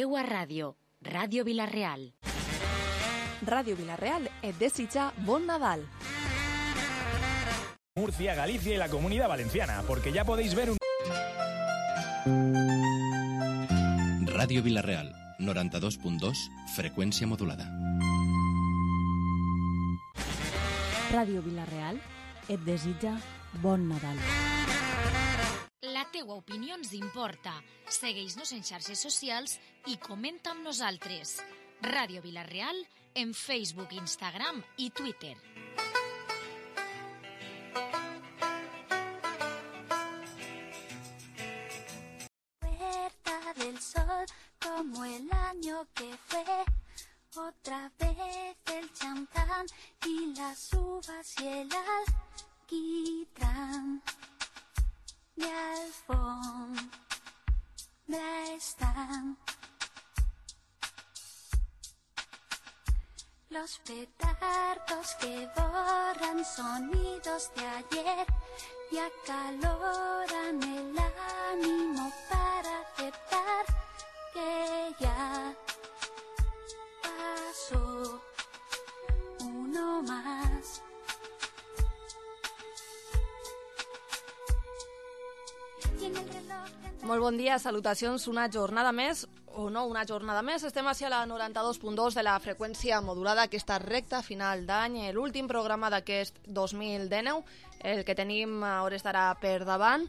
Teua ràdio, Ràdio Vila-real. Ràdio Vila-real et desitja bon Nadal. Murcia, Galicia y la Comunidad Valenciana, porque ya podéis ver un... Ràdio Vila-real, 92.2, freqüència modulada. Ràdio Vila-real et desitja bon Nadal. La teua opinió ens importa. Segueix-nos en xarxes socials i comenta amb nosaltres. Ràdio Vila-real en Facebook, Instagram i Twitter. Puerta del sol como el año que fue. Otra vez el champán y las uvas y el alquitrán. De alfombra están los petardos que borran sonidos de ayer y acaloran el ánimo para aceptar que ya pasó uno más. Molt bon dia, salutacions, una jornada més, o no una jornada més, estem a la 92.2 de la freqüència modulada, aquesta recta final d'any, l'últim programa d'aquest 2019, el que tenim a hores d'ara per davant,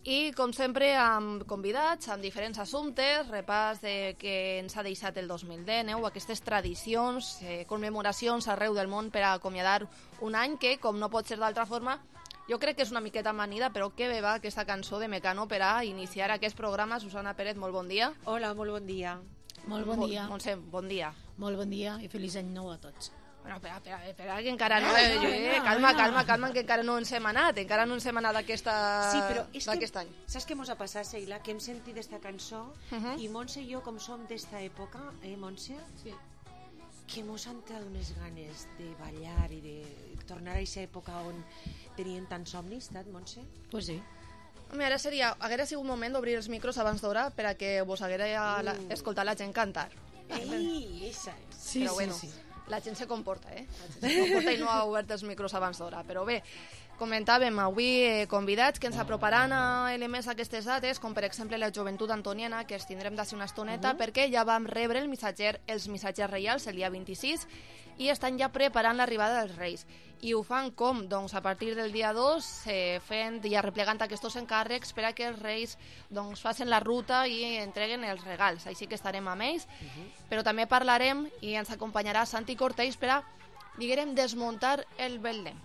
i com sempre amb convidats, amb diferents assumptes, repàs de què ens ha deixat el 2019, aquestes tradicions, commemoracions arreu del món per a acomiadar un any que, com no pot ser d'altra forma, jo crec que és una miqueta amanida, però que bé va aquesta cançó de Mecano per a iniciar aquest programa. Susana Pérez, molt bon dia. Hola, molt bon dia. Molt bon dia. Montse, bon dia. Molt bon dia i feliç any nou a tots. Bueno, espera, que encara no... calma, que encara no ens hem anat, d'aquest any. Saps què mos ha passat, Seila? Que hem sentit aquesta cançó i Montse i jo, com som d'esta època, Montse? Sí. Que mos han tret unes ganes de ballar i de tornar a aquesta època on tenien tants somnis, Montse? Pues sí. Home, ara haguera sigut moment d'obrir els micros abans d'hora per a que vos haguera escoltat la gent cantar. Ei, esa és. Sí, però bueno, sí. La gent se comporta, La gent se comporta i no ha obert els micros abans d'hora. Però bé, comentàvem avui convidats que ens aproparan a elements d'aquestes dates, com per exemple la joventut antoniana, que els tindrem d'ací una estoneta, perquè ja vam rebre els missatgers reials el dia 26 i estan ja preparant l'arribada dels Reis. I ho fan com? Doncs a partir del dia 2, fent i arreplegant aquests encàrrecs per a que els Reis facin la ruta i entreguen els regals. Així que estarem amb ells, però també parlarem i ens acompanyarà Santi Cortells per a, diguem, desmuntar el Belém.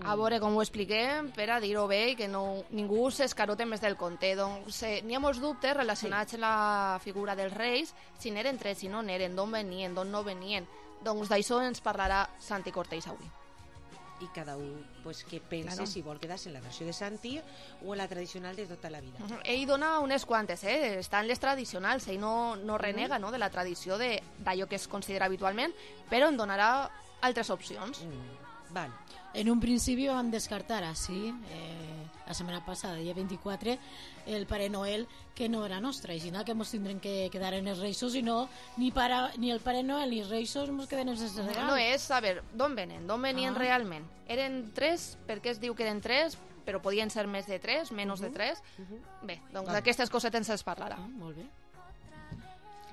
A veure com ho expliquem per a dir-ho bé i que ningú s'escarote més del compte. Doncs n'hi ha molts dubtes relacionats amb la figura dels Reis, si n'eren tres, si no n'eren, d'on venien, d'on no venien. Doncs d'això ens parlarà Santi Cortells avui. I cada un que pense si vol quedar-se en la versió de Santi o en la tradicional de tota la vida. Ell dona unes quantes, estan les tradicionals, ell no renega de la tradició d'allò que es considera habitualment, però en donarà altres opcions. Val. En un principi vam descartar així, la setmana passada, dia 24, el Pare Noel, que no era nostre, així que ens tindrem que quedar en els Reixos i no, ni el Pare Noel ni els Reixos ens queden en els regals. No és saber d'on venien realment. Eren tres, perquè es diu que eren tres, però podien ser més de tres, menys de tres. Bé, doncs d'aquestes cosetes ens parlarà. Molt bé.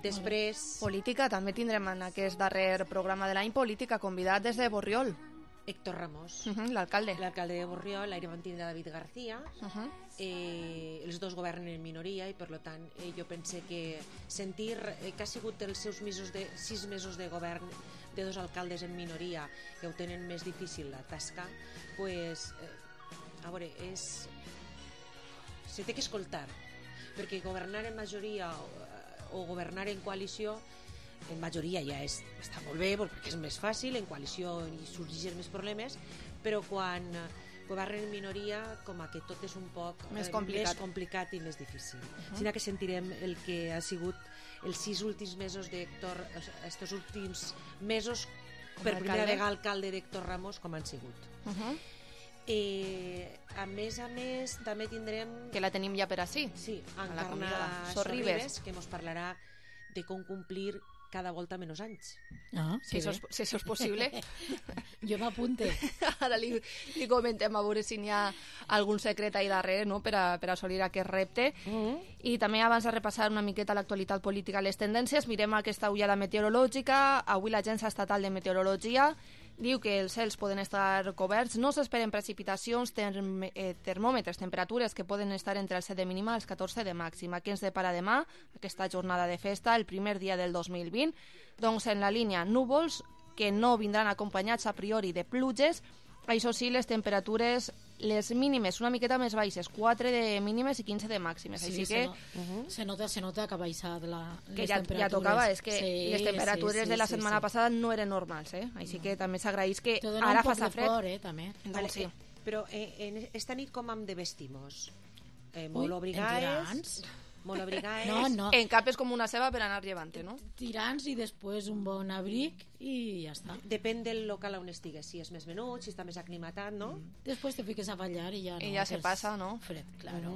Després... Política, també tindrem en aquest darrer programa de l'any política convidat des de Borriol. Héctor Ramos, l'alcalde de Borriol, l'aire mantindrà David García. Els dos governen en minoria i per tant jo pense que sentir que ha sigut els seus 6 mesos de govern de dos alcaldes en minoria que ho tenen més difícil la tasca, a veure, se té que escoltar, perquè governar en majoria o governar en coalició, en majoria ja està molt bé perquè és més fàcil, en coalició hi sorgeixen més problemes, però quan governen en minoria com que tot és un poc més complicat i més difícil. Sinó que sentirem el que ha sigut els 6 últims mesos d'Héctor, estos últims mesos per primera vegada alcalde d'Héctor Ramos com han sigut. A més, també tindrem... Que la tenim ja per ací. Sí, Encarna Sorribes, que ens parlarà de com complir cada volta menys anys. Ah, Si això és possible. Jo m'apunte. Ara li comentem a veure si n'hi ha algun secret ahí darrere, no?, per assolir aquest repte. I també, abans de repassar una miqueta l'actualitat política i les tendències, mirem aquesta ullada meteorològica. Avui l'Agència Estatal de Meteorologia diu que els cels poden estar coberts, no s'esperen precipitacions, termòmetres, temperatures que poden estar entre el 7 de mínima i els 14 de màxima. Què ens depara demà, aquesta jornada de festa, el primer dia del 2020? Doncs en la línia núvols, que no vindran acompanyats a priori de pluges. Això sí, les temperatures, les mínimes una miqueta més baixes, 4 de mínimes i 15 de màximes. Sí, així que se nota que ha baixat que les ja temperatures. tocava, és que les temperatures de la setmana passada no eren normals, així que també s'agraeix que ara faça fred. Por, també. Vale, sí. Però esta nit com hem de vestimos? Molt abrigades? Molt abrigades? No. En cap és com una ceba per anar llevant-te, no? Tirants i després un bon abric i ja està. Depèn del local on estigues, si és més menut, si està més aclimatat, no? Després te fiques a ballar i ja no. I ja se passa, no? Fred, claro.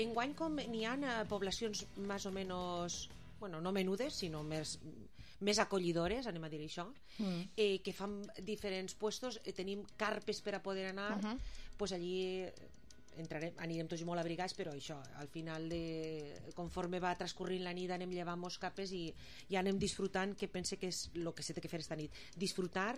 Enguany com n'hi ha poblacions més o menys, bueno, no menudes, sinó més acollidores, anem a dir això, que fan diferents puestos, tenim carpes per a poder anar, pues allí anirem tots molt abrigats, però això, al final conforme va transcorrint la nit anem llevant molts capes i anem disfrutant, que pense que és el que s'ha de fer esta nit, disfrutar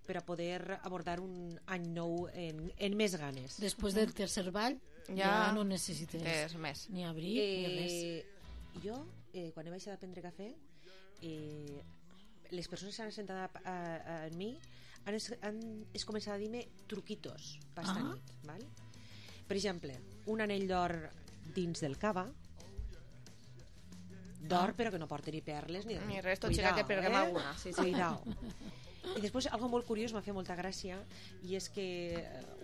per a poder abordar un any nou en més ganes. Després del tercer ball ja no necessites més ni abric ni res. Jo, quan he baixat a prendre cafè, les persones que s'han assentat a mi han començat a dir-me truquitos per esta nit, val? Per exemple, un anell d'or dins del cava, d'or però que no porta ni perles ni res, tot xica que perguem alguna. Sí. Cuidao. I després, algo molt curiós, m'ha fet molta gràcia, i és que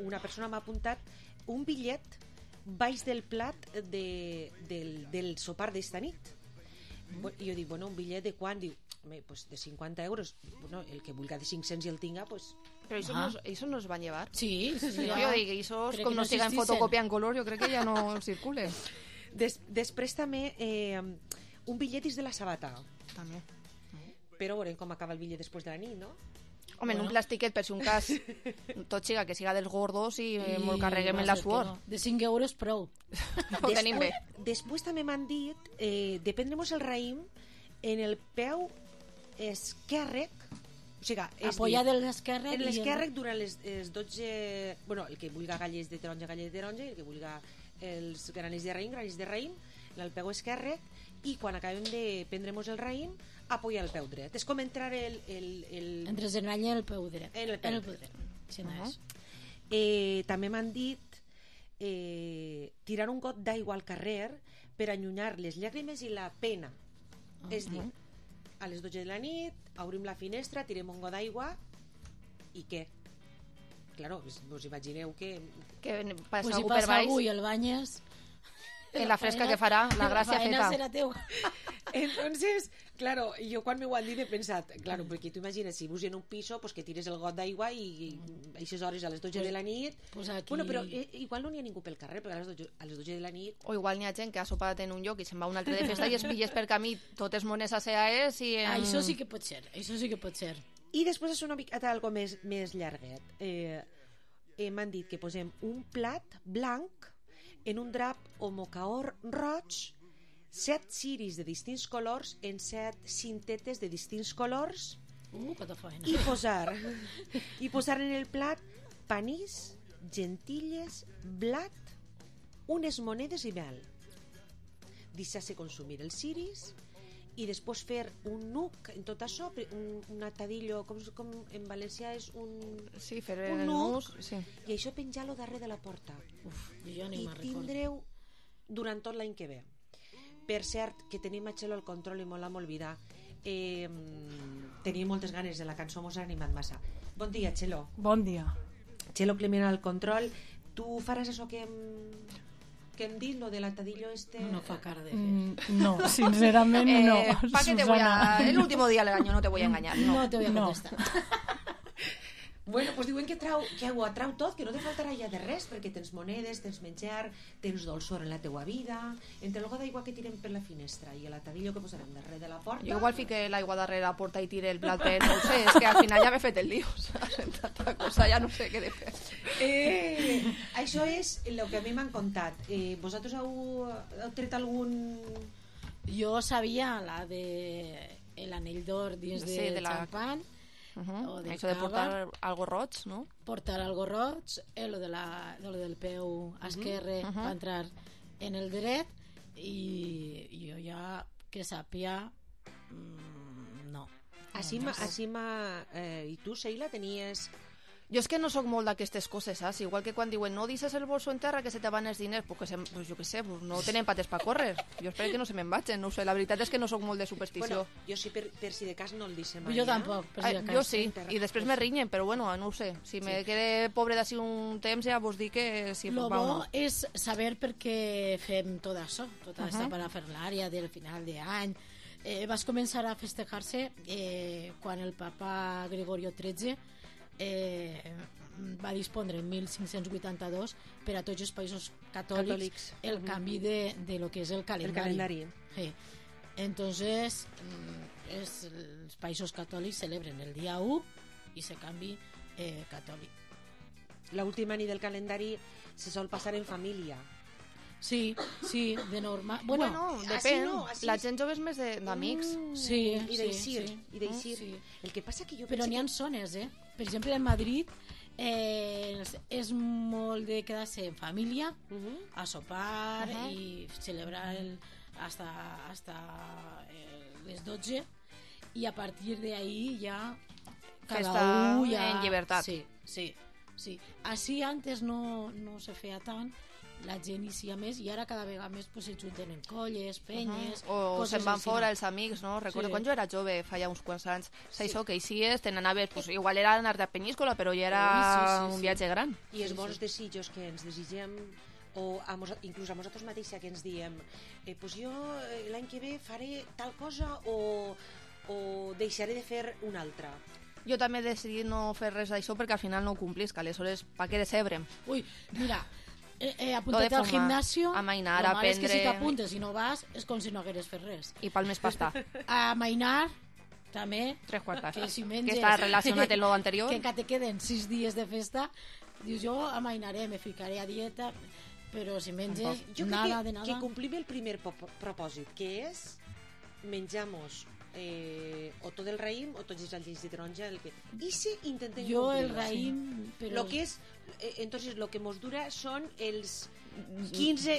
una persona m'ha apuntat un bitllet baix del plat del sopar d'esta nit. I jo dic, bueno, un bitllet de quant? Diu, pues de 50 euros. Bueno, el que vulgui de 500 i el tinga, pues... Però això no es van llevar? Sí. Jo dic, això com no siga en fotocòpia en color, jo crec que ja no circula. Després també un bitllet dins de la sabata. També. Però veurem com acaba el bitllet després de la nit, no? Home, en un plastiquet, per si un cas, tot xiga que siga dels gordos i molt carreguem en la suor. De 5 euros prou. Ho tenim bé. Després també m'han dit, dependremos el raïm en el peu esquerrec, o sigui, apoyar de l'esquerra en l'esquerrec durant les 12, bueno, el que vulgui gallers de taronja, el que vulgui els granells de raïm, en el peu esquerrec, i quan acabem de prendre'ns el raïm, apoyar el peu dret. És com entrar entre el genall i el peu dret. En el peu dret. Si no és. També m'han dit tirar un got d'aigua al carrer per allunyar les llàgrimes i la pena. És dir, a les 12 de la nit obrim la finestra, tirem un got d'aigua i què? Claro, us imagineu que passa si algú per passa baix algú i el banyes en la fresca que farà, la gràcia feta. serà teu. Entonces, claro, jo quan m'ho han dit he pensat, claro, perquè tu imagines, si vius en un piso, pues que tires el got d'aigua i a aquestes hores a les 12 de la nit... Pues aquí... Bueno, però igual no n'hi ha ningú pel carrer, perquè a les 12 de la nit... O igual n'hi ha gent que ha sopat en un lloc i se'n va a un altre de festa i es pilles per camí totes mones a CAEs i... Això sí que pot ser, I després és una miqueta algo més llarguet. M'han dit que posem un plat blanc en un drap o mocaor roig, 7 ciris de distints colors en 7 cintetes de distints colors i posar en el plat panís, gentilles, blat, unes monedes i mel. Deixar-se consumir els ciris i després fer un nuc en tot això, un atadillo, com en valencià és un... Sí, fer un el nuc, nus, sí. I això penjar-lo darrere de la porta. Jo ni I me'n recordo. tindreu durant tot l'any que ve. Per cert, que tenim a Txelo al control i molt l'hem oblidat. Tenia moltes ganes de la cançó, mos ha animat massa. Bon dia, Txelo. Bon dia. Txelo Clement al control. Tu faràs això que hem dit, lo de l'atadillo este... No fa cara de fer. No, sincerament no. ¿Para qué te voy a... El último día del año no te voy a engañar. No te voy a contestar. Bueno, doncs diuen que ho atrau tot, que no te faltarà ja de res, perquè tens monedes, tens menjar, tens dolçor en la teua vida, entre l'oga d'aigua que tirem per la finestra i l'atadillo que posarem darrere de la porta... Jo igual fique l'aigua darrere la porta i tire el plat, però no ho sé, és que al final ja m'he fet el lío, saps? En tanta cosa ja no sé què he de fer. Això és el que a mi m'han contat. Vosaltres heu tret algun... Jo sabia la de l'anell d'or dins de xampany, o de això de portar algo roig, no? Portar algo roig, lo del peu esquerre va entrar en el dret, i jo ja que sàpia no. I tu, Sheila, tenies... Jo és que no sóc molt d'aquestes coses, saps? Igual que quan diuen no deixes el bolso en terra que se te van els diners, pues jo què sé, pues no tenen pates per córrer. Jo espero que no se me'n vagin, no ho sé. La veritat és que no sóc molt de superstició. Bueno, jo sí, per si de cas no el deixem mai. Jo tampoc, per si de cas. Jo sí, i després me rinyen, però bueno, no ho sé. Si me quede pobre d'ací un temps ja vos dic que sí. Lo bo és saber per què fem tot això, tota aquesta parafernàlia del final d'any. Vas començar a festejar-se quan el papa Gregorio XIII va dispondre en 1582 per a tots els països catòlics el canvi de lo que és el calendari. Sí. Entonces els països catòlics celebren el dia 1 i se canvi catòlic. L'última nit del calendari se sol passar en família. Sí, de normal. Bueno, depèn. La gent jove és més d'amics. Sí, i d'eixir. El que passa que jo però n'hi ha zones, Per exemple, en Madrid és molt de quedar-se en família, a sopar i celebrar hasta les 12, i a partir d'ahí ja cada un ja... en llibertat. Sí. Així antes no se feia tant, la gent hi més, i ara cada vegada més se junten en colles, penyes... O se'n van fora els amics, no? Recordo quan jo era jove, feia uns quants anys, això que hicies, te n'anaves, igual era anar de Peníscola, però ja era un viatge gran. I els bons desitjos que ens desitgem, o inclús a nosaltres mateixa que ens diem jo l'any que ve faré tal cosa o deixaré de fer una altra. Jo també he decidit no fer res d'això perquè al final no ho complis, que aleshores pa què decebrem? Ui, mira, apunta't al gimnasio, amainar, aprendre... és que si t'apuntes i no vas és com si no hagueres fet res. I pel més pasta. Amainar també, 3/4, que si menges, que està relacionat amb lo anterior, que encara te queden 6 dies de festa, dius jo amainaré, me ficaré a dieta, però si menges nada de nada. Que complim el primer propòsit, que és menjamos o tot el raïm o tots els alls de taronja, i si intentem jo el raïm, però lo que és entonces lo que mos dura són els 15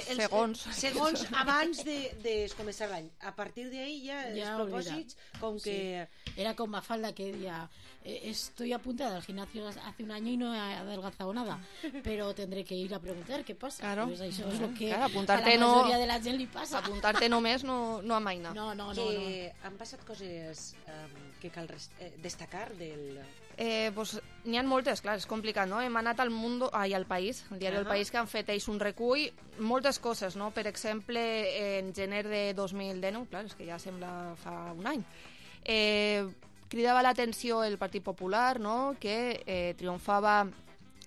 segons abans de començar l'any. A partir d'ahí ja els propòsits com que era com Mafalda que deia estoy apuntada al gimnasio hace un año y no he adelgazado nada, pero tendré que ir a preguntar qué pasa. Claro. Pues això és lo que claro, a la majoria de la gent li passa. Apuntar-te només no amaina. No. Han passat coses que cal destacar del... Pues, n'hi ha moltes, clar, és complicat, no? Hem anat al País, al diari El País, que han fet ells un recull, moltes coses, no? Per exemple, en gener de 2019, clar, és que ja sembla fa un any, cridava l'atenció el Partit Popular, no? Que triomfava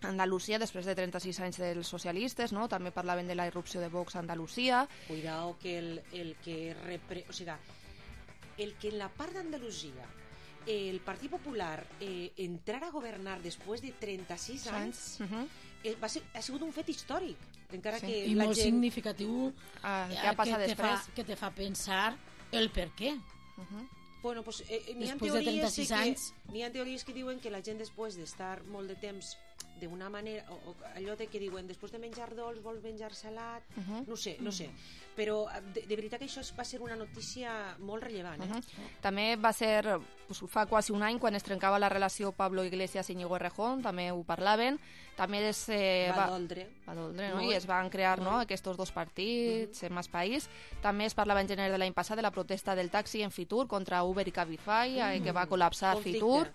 Andalusia després de 36 anys dels socialistes, no? També parlaven de la irrupció de Vox a Andalusia. Cuidao que el que en la part d'Andalusia el Partit Popular entrar a governar després de 36 anys ha sigut un fet històric, encara que i molt significatiu, què ha passat després, que te fa pensar el per què. Bueno, pues, n'hi ha teories que diuen que la gent després d'estar molt de temps d'una manera, o allò de que diuen després de menjar dolç vols menjar salat, no sé, però de veritat que això va ser una notícia molt rellevant. També va ser fa quasi un any quan es trencava la relació Pablo Iglesias i Íñigo Errejón, també ho parlaven, també va doldre, no? I es van crear aquests dos partits en més país. També es parlava en gener de l'any passat de la protesta del taxi en Fitur contra Uber i Cabify, que va col·lapsar Fitur.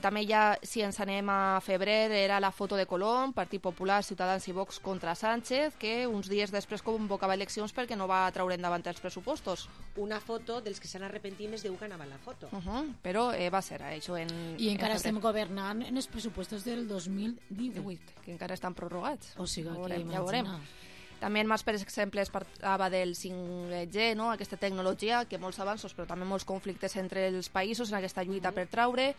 També ja, si ens anem a febrer, era la foto de Colom, Partit Popular, Ciutadans i Vox contra Sánchez, que uns dies després convocava eleccions perquè no va treure endavant els pressupostos. Una foto dels que s'han arrepentit més de que anava la foto. Però va ser això en... I encara estem governant en els pressupostos del 2018. Que encara estan prorrogats. O sigui, ja veurem. També en Mas, per exemple, es parlava del 5G, no? Aquesta tecnologia, que molts avanços, però també molts conflictes entre els països en aquesta lluita per traure.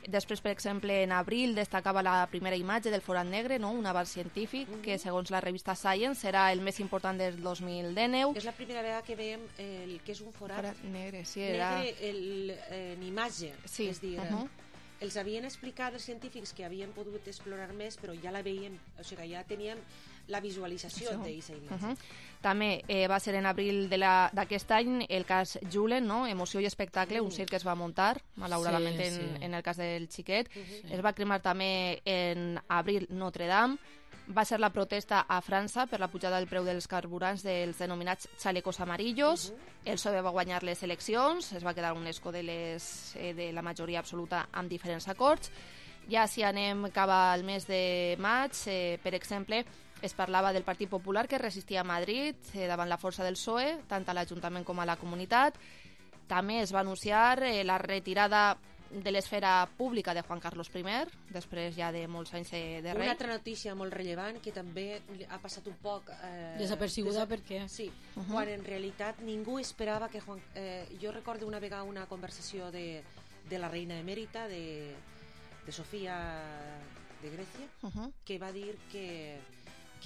Després, per exemple, en abril destacava la primera imatge del forat negre, no? Un avanç científic que, segons la revista Science, serà el més important del 2019. És la primera vegada que veiem el que és un forat negre, sí, era... negre en imatge. Sí. És dir, els havien explicat els científics que havien pogut explorar més, però ja la veiem, o sigui, ja teníem la visualització d'aquesta imatge. També va ser en abril d'aquest any el cas Julen, no? Emoció i espectacle, un circ que es va muntar, malauradament en el cas del xiquet. Es va cremar també en abril Notre Dame. Va ser la protesta a França per la pujada del preu dels carburants dels denominats chalecos amarillos. El PSOE va guanyar les eleccions, es va quedar un escó de la majoria absoluta amb diferents acords. Ja si anem cap al mes de maig, per exemple, es parlava del Partit Popular que resistia a Madrid davant la força del PSOE, tant a l'Ajuntament com a la comunitat. També es va anunciar la retirada de l'esfera pública de Juan Carlos I, després ja de molts anys de rei. Una altra notícia molt rellevant que també ha passat un poc... desapercebuda perquè... Sí, quan en realitat ningú esperava que Juan... jo recordo una vegada una conversació de la reina emèrita, de Sofía de Grècia, que va dir que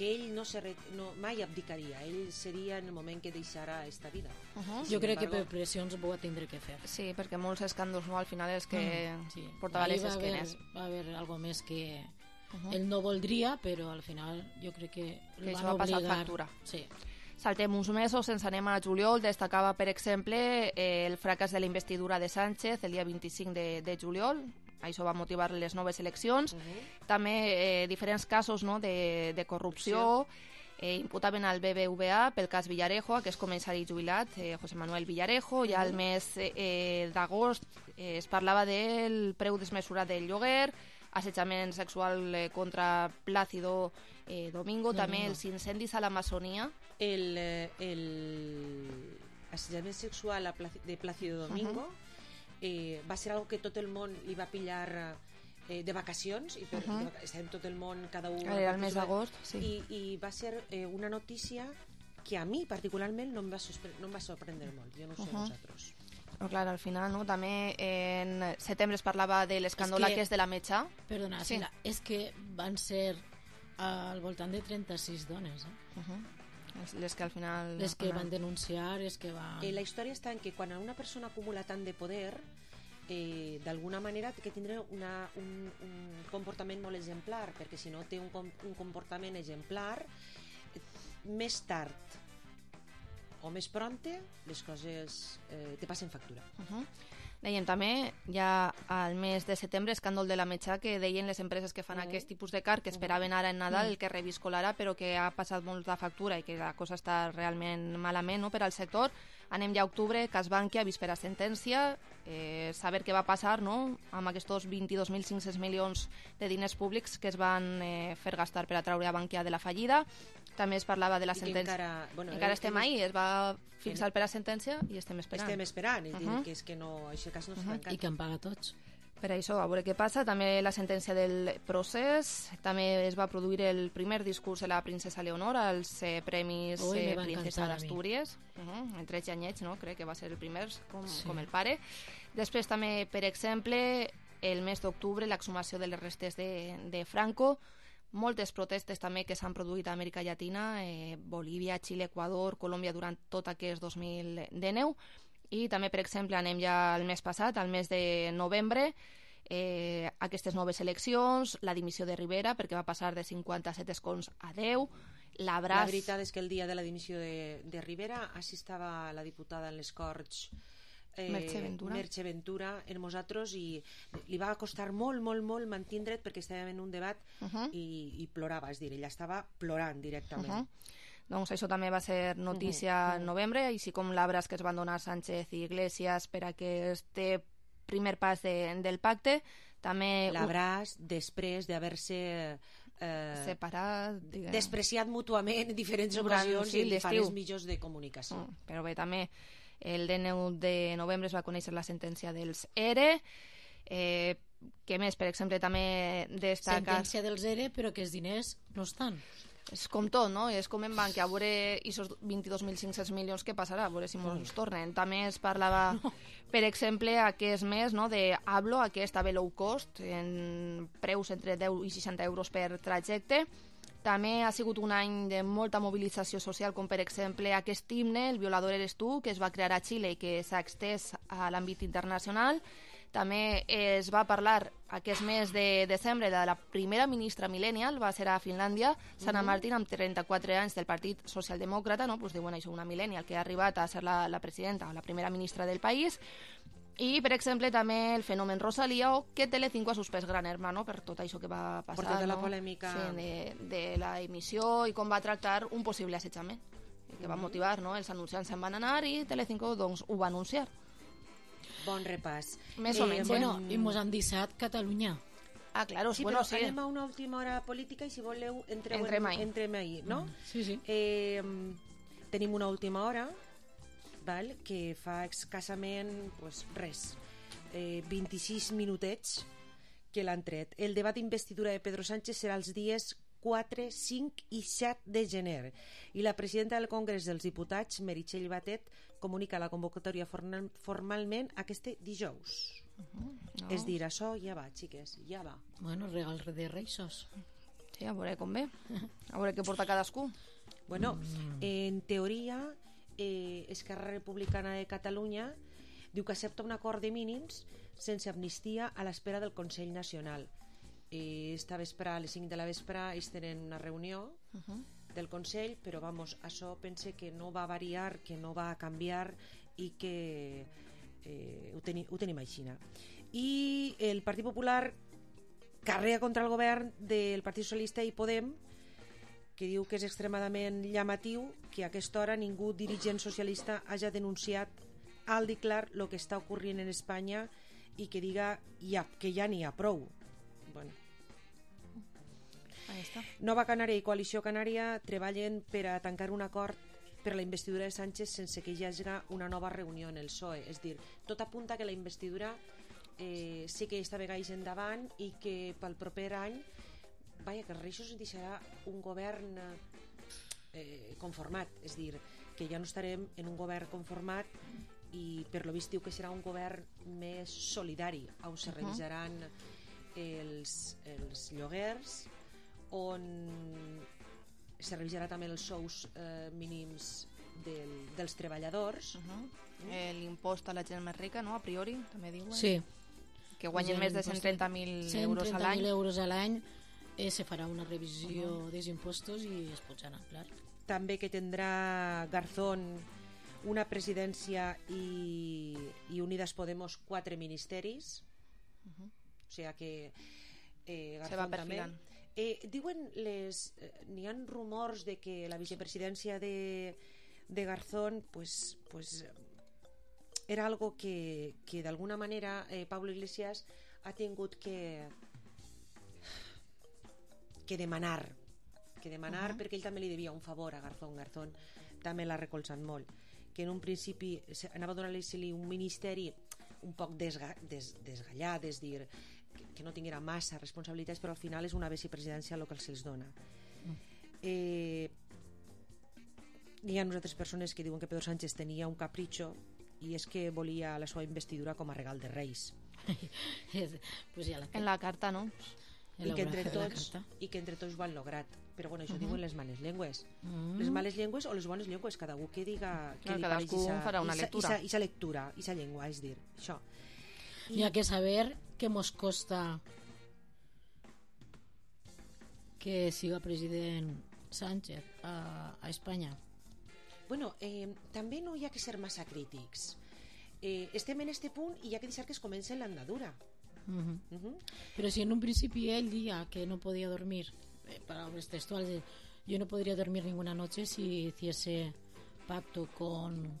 ell mai abdicaria, ell seria en el moment que deixarà esta vida. Jo crec que per pressions ho va tindre que fer. Sí, perquè molts escàndols, no, al final els que portava les esquenes. Va haver algo més que ell no voldria, però al final jo crec que el van va passar obligar. factura. Sí. Saltem uns mesos, ens anem a juliol, destacava, per exemple, el fracàs de la investidura de Sánchez el dia 25 de juliol. Això va motivar les noves eleccions. També diferents casos, no, de corrupció. Imputaven al BBVA pel cas Villarejo, que és comissari jubilat, José Manuel Villarejo. Ja al mes d'agost es parlava del preu desmesurat del lloguer, assetjament sexual contra Plácido Domingo, també els incendis a l'Amazonia. Assetjament sexual de Plácido Domingo va ser algo que tot el món li va pillar de vacacions, i estàvem tot el món, cada un... Era el mes d'agost, sí. I va ser una notícia que a mi particularment no em va sorprendre molt, jo no sé vosaltres. Però clar, al final, no? També en setembre es parlava de l'escàndol que és de la metxa. Perdona, sí. És que van ser al voltant de 36 dones, les que al final... Les que van denunciar, les que van... La història està en que quan una persona acumula tant de poder, d'alguna manera té que tindre un comportament molt exemplar, perquè si no té un comportament exemplar, més tard o més pronte les coses te passen factura. Dèiem també, ja al mes de setembre, escàndol de la metxa, que deien les empreses que fan aquest tipus de car, que esperaven ara en Nadal el que reviscolarà, però que ha passat molt de factura i que la cosa està realment malament, no?, per al sector. Anem ja a octubre, cas Bankia, víspera sentència, saber què va passar, no?, amb aquests 22.500 milions de diners públics que es van fer gastar per atraure a Bankia de la fallida. També es parlava de la sentència. Encara estem ahí, es va fixar per a sentència i estem esperant. Estem esperant, és dir, que és que no, això cas no s'ha tancat. I que en paga tots. Per això, a veure què passa. També la sentència del procés. També es va produir el primer discurs de la princesa Leonor als Premis Princesa d'Astúries. En 13 anyets, no? Crec que va ser el primer, com el pare. Després també, per exemple, el mes d'octubre, l'exhumació de les restes de Franco. Moltes protestes també que s'han produït a Amèrica Llatina, Bolívia, Xile, Equador, Colòmbia durant tot aquest 2019. I també, per exemple, anem ja al mes passat, al mes de novembre, aquestes noves eleccions, la dimissió de Rivera, perquè va passar de 57 escons a 10, La veritat és que el dia de la dimissió de Rivera així estava la diputada en les Corts, Merche Ventura, en nosaltres, i li va costar molt mantindre't perquè estàvem en un debat i plorava, és dir, ella estava plorant directament. Doncs això també va ser notícia en novembre, així com l'abraz que es van donar Sánchez i Iglesias per aquest primer pas del pacte. També L'Abràs, després d'haver-se separat, despreciat mútuament en diferents durant, ocasions sí, i en l'estiu. fares mitjors de comunicació. Però bé, també el 19 de novembre es va conèixer la sentència dels ERE. Què més? Per exemple, també destaca... Sentència dels ERE, però que els diners no estan. És com tot, no? És com en banc, a veure aquests 22.500 milions què passarà, a veure si ens tornen. També es parlava, per exemple, aquest mes, no, de Hablo, aquesta low cost, en preus entre 10 i 60 euros per trajecte. També ha sigut un any de molta mobilització social, com per exemple aquest himne, El violador eres tu, que es va crear a Xile i que s'ha extès a l'àmbit internacional. També es va parlar aquest mes de desembre de la primera ministra millennial, va ser a Finlàndia, Sanna Martin, amb 34 anys del Partit Socialdemòcrata, no? Pues diuen això, una millennial que ha arribat a ser la presidenta o la primera ministra del país. I, per exemple, també el fenomen Rosalía, o que Telecinco ha suspès Gran Hermano per tot això que va passar. Per tota la polèmica. Sí, de la emissió i com va tractar un possible assetjament, que va motivar, no? Els anunciants se'n van anar i Telecinco doncs, ho va anunciar. Bon repàs. Més o menys. Bueno, i mos han deixat Catalunya. Ah, claro, Sí, bueno, però sí. anem a una última hora política i si voleu Entrem ahí. entrem ahí, no? Sí, sí. Tenim una última hora, val? Que fa escassament pues, res, 26 minutets que l'han tret. El debat d'investidura de Pedro Sánchez serà els dies 4, 5 i 7 de gener i la presidenta del Congrés dels Diputats, Meritxell Batet, comunica la convocatòria formalment aquest dijous. No. És dir, això ja va, xiques, ja va. Bueno, regal de Reixos. Sí, a veure com ve. A veure què porta cadascú. Bueno, en teoria, Esquerra Republicana de Catalunya diu que accepta un acord de mínims sense amnistia a l'espera del Consell Nacional. Esta vespre, a les 5 de la vespre, ells tenen una reunió del Consell, però vamos, això pense que no va variar, que no va canviar i que ho tenim així. I el Partit Popular carrega contra el govern del Partit Socialista i Podem, que diu que és extremadament llamatiu que a aquesta hora ningú dirigent socialista hagi denunciat alt i clar el que està ocorrent en Espanya i que diga que ja n'hi ha prou. Bueno. Nova Canària i Coalició Canària treballen per a tancar un acord per a la investidura de Sánchez sense que hi hagi una nova reunió en el PSOE. És dir, tot apunta que la investidura sí que està vegada endavant i que pel proper any que els Reixos ens deixarà un govern conformat. És dir, que ja no estarem en un govern conformat i per lo vist diu que serà un govern més solidari, on se revisaran els lloguers, on se revisarà també els sous mínims dels treballadors. L'impost a la gent més rica, no? A priori, també diuen. Sí. Que guanyen més de 130.000 euros a l'any. 130.000 euros a l'any se farà una revisió dels impostos i es pujaran, clar. També que tindrà Garzón una presidència i Unidas Podemos 4 ministeris. O sigui que se va perfilant. Diuen n'hi ha rumors de que la vicepresidència de Garzón pues era algo que d'alguna manera Pablo Iglesias ha tingut que demanar perquè ell també li devia un favor a Garzón. Garzón també l'ha recolzat molt, que en un principi anava a donar-li un ministeri un poc desgallat, és dir, que no tinguera massa responsabilitats, però al final és una vicepresidència el que se'ls dona. Hi ha altres persones que diuen que Pedro Sánchez tenia un capritxo i és que volia la seva investidura com a regal de Reis. Pues ja en la carta, no? I que entre tots ho han lograt. Però bueno, això diuen les males llengües. Les males llengües o les bones llengües, cada un que diga que cadascú farà una lectura. I sa lectura, i sa llengua, és dir, això. Hi ha que saber què mos costa que siga president Sánchez a Espanya. Bueno, també no hi ha que ser massa crítics. Estem en este punt i hi ha que deixar que es comenci l'andadura. Però si en un principi ell dia que no podia dormir, palabras textuales, yo no podría dormir ninguna noche si hiciese pacto con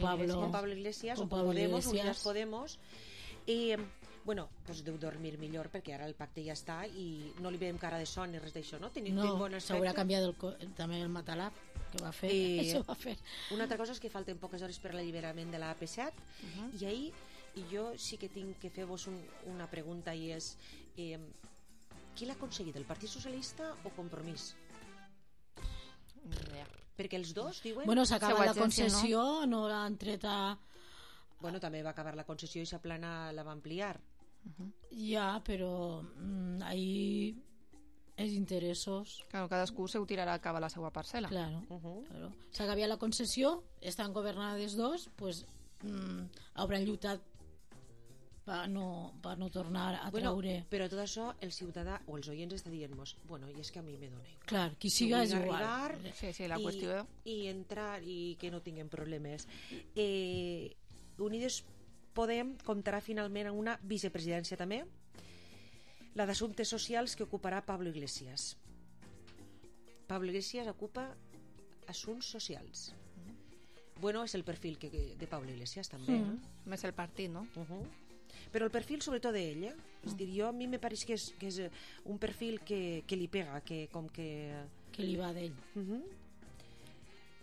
Pablo Iglesias, con o Pablo Podemos, Iglesias. Unidas Podemos, I, bueno, doncs deu dormir millor perquè ara el pacte ja està i no li veiem cara de son ni res d'això, no? Tenim bon aspecte. S'haurà canviat també el matalà que va fer. Això va fer. Una altra cosa és que falten poques hores per l'alliberament de la AP7 i ahir jo sí que tinc que fer-vos una pregunta i és qui l'ha aconseguit, el Partit Socialista o Compromís? Perquè els dos diuen... Bueno, s'acaba la concessió, no l'han tret a... Bueno, també va acabar la concessió i sa plana la va ampliar. Ja, però ahí els interessos... Claro, cadascú se ho tirarà a cabo la seva parcel·la. Claro, claro. S'acaba la concessió, estan governades dos, pues hauran lluitat per no tornar a treure... Però tot això el ciutadà o els oients està dient-nos, bueno, i és que a mi me dona igual. Clar, qui siga és igual. Sí, la qüestió... I entrar i que no tinguem problemes. Unides Podem comptarà finalment amb una vicepresidència també, la d'Assumptes Socials, que ocuparà Pablo Iglesias. Pablo Iglesias ocupa Assumptes Socials. Bueno, és el perfil de Pablo Iglesias també. Més el partit, no? Però el perfil sobretot d'ell, és dir, jo a mi me pareix que és un perfil que li pega, que com que li va d'ell.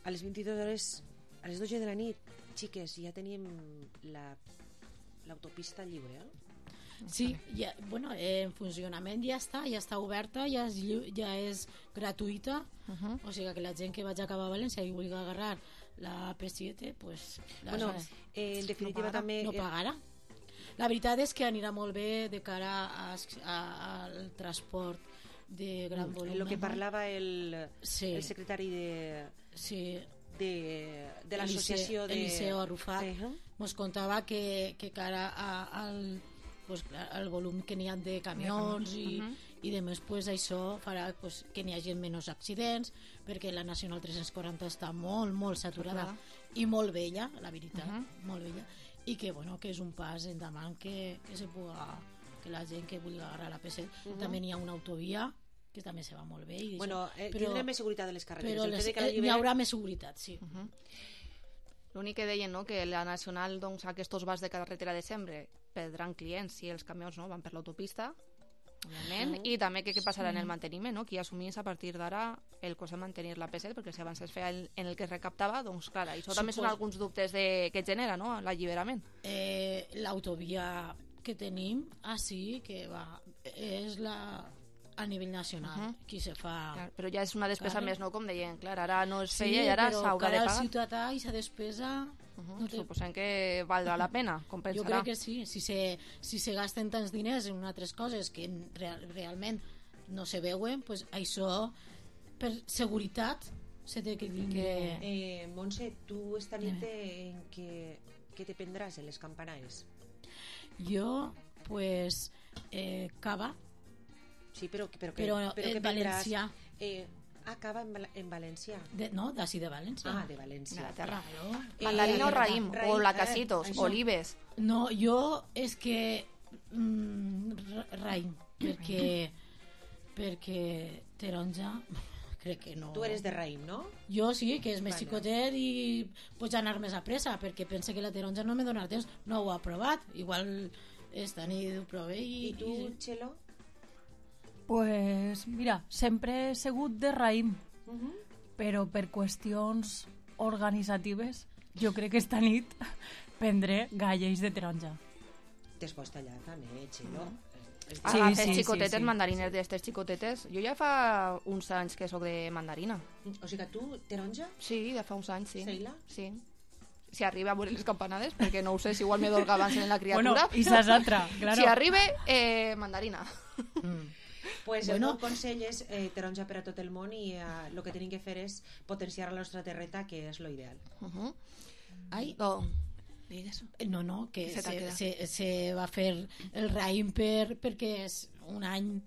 A les 22 hores, a les 12 de la nit, xiques, ja tenim l'autopista lliure, Sí, ja, bueno, en funcionament ja està oberta, ja és gratuïta, o sigui que la gent que vagi a acabar a València i vulgui agarrar la P7, pues, bueno, en definitiva també no pagarà. La veritat és que anirà molt bé de cara al transport de gran volum. El que parlava el secretari de l'associació Eliseo Arrufat ens contava que cara al volum que n'hi ha de camions i demés, pues, això farà que n'hi hagi menys accidents, perquè la Nacional 340 està molt, molt saturada i molt vella, la veritat, molt vella, i que, bueno, que és un pas endavant que se puga, que la gent que vulgui agarrar la P7. També n'hi ha una autovia que també se va molt bé. Bueno, tindrem més seguretat de les carreteres. Però n'hi haurà més seguretat, sí. L'únic que deien, no?, que la Nacional, doncs, aquests vas de carretera de sempre perdran clients si els camions no van per l'autopista, òbviament, i també què passarà en el manteniment, no?, qui assumís a partir d'ara el cost de mantenir la P7, perquè si abans es feia en el que es recaptava, doncs clar, això també són alguns dubtes que genera, no?, l'alliberament. L'autovia que tenim així, que va, és a nivell nacional, qui se fa... Clar, però ja és una despesa més, no?, com deien, clar, ara no es feia i ara s'haurà de pagar. Sí, però cara al ciutadà i sa despesa... Suposem que valdrà la pena, compensarà. Jo crec que sí, si se gasten tants diners en altres coses que realment no se veuen, pues això per seguretat se té que tindre... Montse, tu esta nit què te prendràs en les campanaes? Jo, pues, cava. Sí, però en valencià. Cava en València. No, d'ací de València. De València. De la terra. Mandarina o raïm, o lacasitos, olives. No, jo és que raïm, perquè taronja crec que no. Tu eres de raïm, no? Jo sí, que és més xicotet i pots anar més a pressa, perquè pense que la taronja no me donarà temps, no ho ha provat, igual esta nit ho prové I tu, Txelo? Pues mira, sempre he sigut de raïm, però per qüestions organitzatives jo crec que esta nit prendré galleys de taronja. T'es pots tallar també, Txelo? Agafes xicotetes, mandarines d'estes xicotetes. Jo ja fa uns anys que sóc de mandarina. O sigui que tu, taronja? Sí, ja fa uns anys, sí. Seila? Sí. Si arriba a veure les campanades, perquè no ho sé, si igual me dolga abans en la criatura. Bueno, i saps altra, claro. Si arriba, mandarina. Pues el meu consell és taronja per a tot el món i el que tenim que fer és potenciar la nostra terreta, que és lo ideal. Ai, digues. No, que se va fer el raïm perquè un any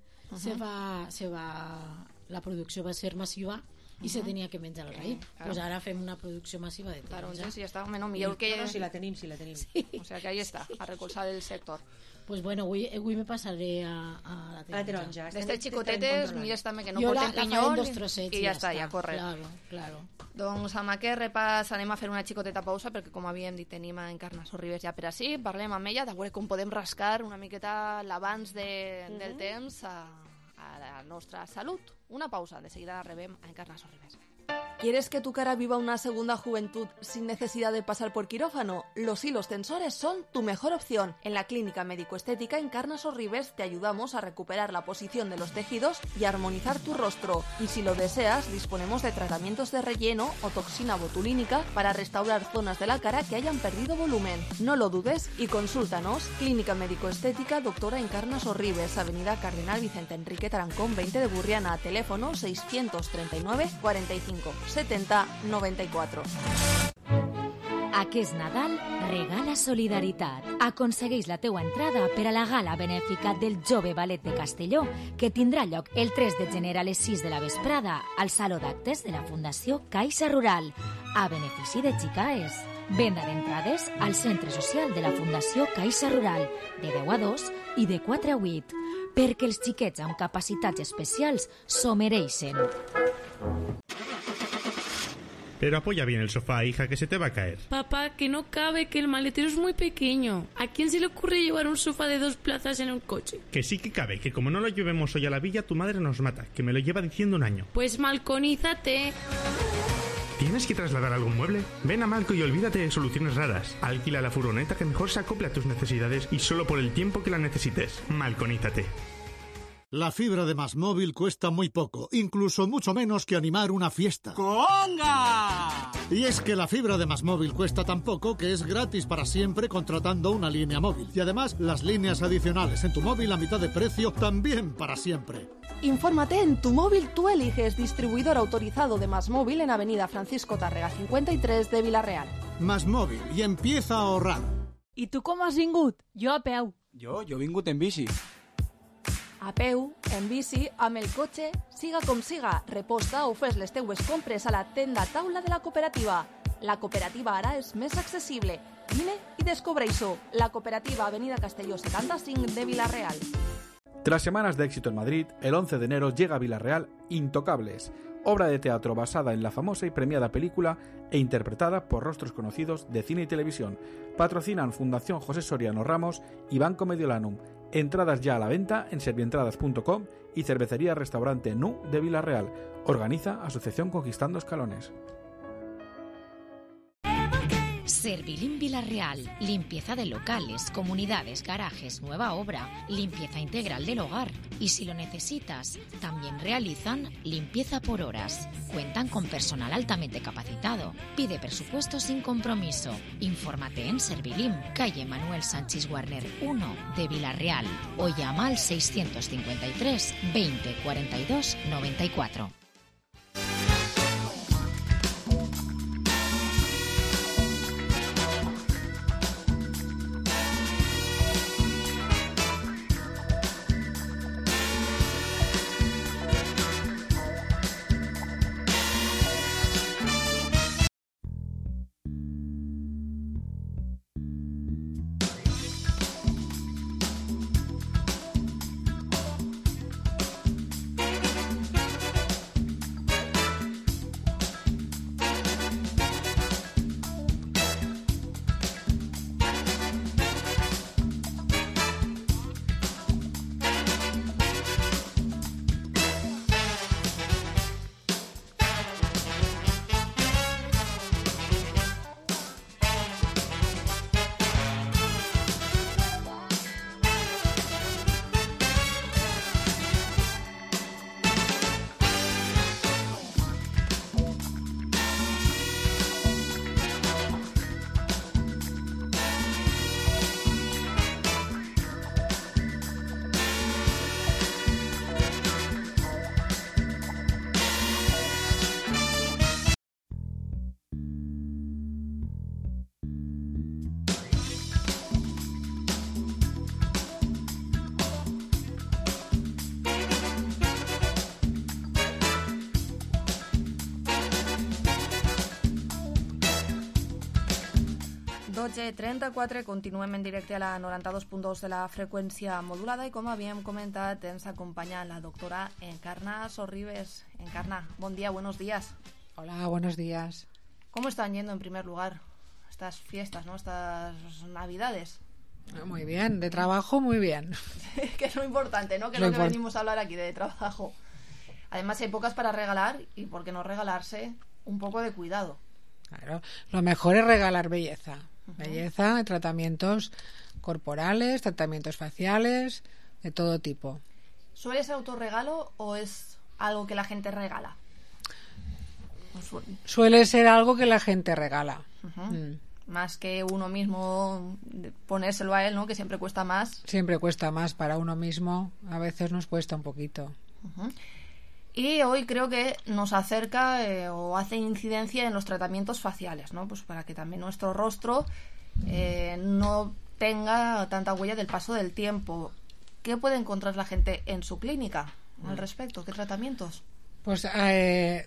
la producció va ser massiva i se tenia que menjar el raïm. Claro. Pues ara fem una producció massiva de Claro, taronja. entonces ya está, menos millor que... No, si la tenim. Sí. O sea que ahí está, a recolzar el sector. Pues bueno, avui me passaré a la La taronja. taronja. D'estes xicotetes, mires també que no Jo porten la faré pinyol en dos trossets i ja està, ja corre. Claro. Doncs amb aquest repàs anem a fer una xicoteta pausa perquè, com havíem dit, tenim a Encarna Sorribes ja per ací. Parlem amb ella de veure com podem rascar una miqueta l'abans del temps a la nostra salut. Una pausa, de seguida rebem a Encarna Sorribes. ¿Quieres que tu cara viva una segunda juventud sin necesidad de pasar por quirófano? Los hilos tensores son tu mejor opción. En la Clínica Médico-Estética Encarna Sorribes te ayudamos a recuperar la posición de los tejidos y armonizar tu rostro. Y si lo deseas, disponemos de tratamientos de relleno o toxina botulínica para restaurar zonas de la cara que hayan perdido volumen. No lo dudes y consúltanos. Clínica Médico-Estética Doctora Encarna Sorribes, Avenida Cardenal Vicente Enrique Tarancón 20 de Burriana, teléfono 639 45 70 94. Aquest Nadal regala solidaritat. Aconsegueix la teua entrada per a la gala benèfica del Jove Ballet de Castelló, que tindrà lloc el 3 de gener a les 6 de la vesprada al Saló d'Actes de la Fundació Caixa Rural, a benefici de Xicaes. Venda d'entrades al Centre Social de la Fundació Caixa Rural, de 10 a 2 i de 4 a 8, perquè els xiquets amb capacitats especials s'ho mereixen. Pero apoya bien el sofá, hija, que se te va a caer. Papá, que no cabe, que el maletero es muy pequeño. ¿A quién se le ocurre llevar un sofá de 2 plazas en un coche? Que sí que cabe, que como no lo llevemos hoy a la villa, tu madre nos mata, que me lo lleva diciendo un año. Pues malconízate. ¿Tienes que trasladar algún mueble? Ven a Malco y olvídate de soluciones raras. Alquila la furgoneta que mejor se acople a tus necesidades y solo por el tiempo que la necesites. Malconízate. La fibra de MásMóvil cuesta muy poco, incluso mucho menos que animar una fiesta. ¡Conga! Y es que la fibra de MásMóvil cuesta tan poco que es gratis para siempre contratando una línea móvil. Y además, las líneas adicionales en tu móvil a mitad de precio también para siempre. Infórmate en Tu Móvil Tú Eliges, distribuidor autorizado de MásMóvil en Avenida Francisco Tàrrega 53 de Vila-real. MásMóvil, i empieza a ahorrar. I tu com has vingut? Jo a peu. Jo he vingut en bici. A peu, en bici, amb el cotxe, siga com siga, reposta o fes les teues compres a la tenda taula de la cooperativa. La cooperativa ara és més accessible. Vine i descobreix-ho. La cooperativa Avenida Castelló 75 de Vila-real. Tras semanas de éxito en Madrid, el 11 de enero llega a Vila-real Intocables, obra de teatro basada en la famosa y premiada película e interpretada por rostros conocidos de cine y televisión. Patrocinan Fundación José Soriano Ramos y Banco Mediolanum. Entradas ya a la venta en servientradas.com y Cervecería Restaurante Nu de Vila-real. Organiza Asociación Conquistando Escalones. Servilim Vila-real, limpieza de locales, comunidades, garajes, nueva obra, limpieza integral del hogar. Y si lo necesitas, también realizan limpieza por horas. Cuentan con personal altamente capacitado. Pide presupuesto sin compromiso. Infórmate en Servilim, calle Manuel Sánchez Warner 1 de Vila-real o llama al 653 20 42 94. 12:34, continuem en directe a la 92.2 de la freqüència modulada i, com havíem comentat, ens acompanya la doctora Encarna Sorribes. Encarna, buen día, buenos días. Hola, buenos días. ¿Cómo están yendo en primer lugar estas fiestas, ¿no? Estas navidades? Muy bien, de trabajo muy bien. Que es lo importante, ¿no? Que es lo que venimos a hablar aquí, de trabajo. Además, hay épocas para regalar y, ¿por qué no regalarse un poco de cuidado? Claro, lo mejor es regalar belleza. Belleza, tratamientos corporales, tratamientos faciales, de todo tipo. ¿Suele ser autorregalo o es algo que la gente regala? Suele ser algo que la gente regala. Más que uno mismo ponérselo a él, ¿no? Que siempre cuesta más. Siempre cuesta más para uno mismo. A veces nos cuesta un poquito. Y hoy creo que nos acerca o hace incidencia en los tratamientos faciales, ¿no? Pues para que también nuestro rostro no tenga tanta huella del paso del tiempo. ¿Qué puede encontrar la gente en su clínica al respecto? ¿Qué tratamientos? Pues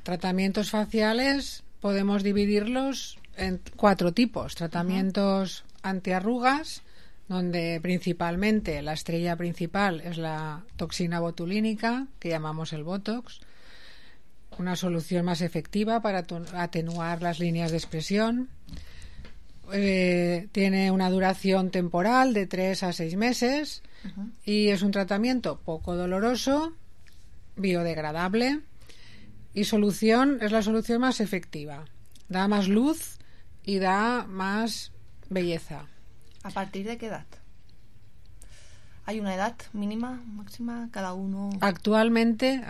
tratamientos faciales podemos dividirlos en 4 tipos. Tratamientos antiarrugas, donde principalmente la estrella principal es la toxina botulínica, que llamamos el Botox, una solución más efectiva para atenuar las líneas de expresión. Tiene una duración temporal de 3 a 6 meses y es un tratamiento poco doloroso, biodegradable, y es la solución más efectiva. Da más luz y da más belleza. ¿A partir de qué edad? ¿Hay una edad mínima, máxima, cada uno? Actualmente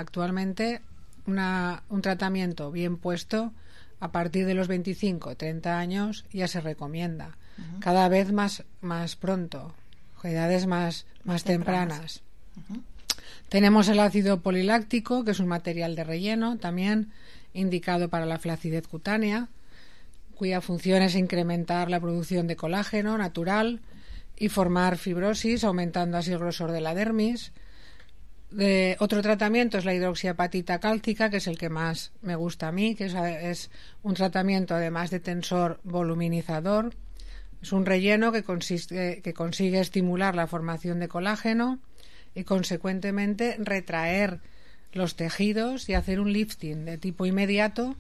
un tratamiento bien puesto a partir de los 25, 30 años ya se recomienda. Cada vez más pronto, edades más tempranas. Tenemos el ácido poliláctico, que es un material de relleno, también indicado para la flacidez cutánea, cuya función es incrementar la producción de colágeno natural y formar fibrosis, aumentando así el grosor de la dermis. Otro tratamiento es la hidroxiapatita cálcica, que es el que más me gusta a mí, que es un tratamiento además de tensor voluminizador. Es un relleno que consigue estimular la formación de colágeno y consecuentemente retraer los tejidos y hacer un lifting de tipo inmediato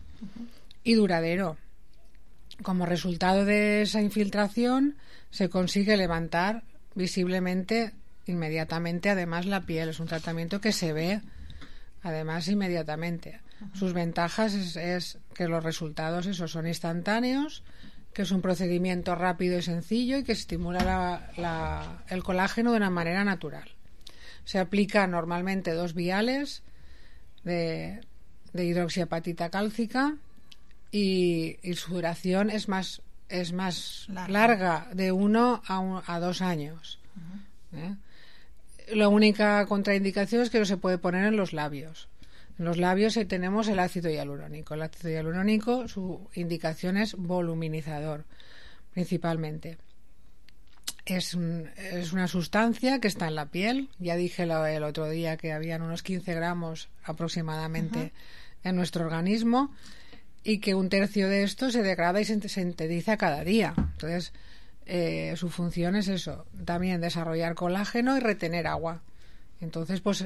y duradero. Como resultado de esa infiltración se consigue levantar visiblemente inmediatamente además la piel. Es un tratamiento que se ve además inmediatamente. Sus ventajas es que los resultados son instantáneos, que es un procedimiento rápido y sencillo y que estimula el colágeno de una manera natural. Se aplica normalmente 2 viales de hidroxiapatita cálcica y su duración es más larga, de 1 a 2 años. La única contraindicación es que no se puede poner en los labios. En los labios tenemos el ácido hialurónico. El ácido hialurónico, su indicación es voluminizador, principalmente. Es una sustancia que está en la piel. Ya dije el otro día que habían unos 15 gramos aproximadamente en nuestro organismo y que 1/3 de esto se degrada y se sintetiza cada día. Entonces, su función es eso, también desarrollar colágeno y retener agua. Entonces, pues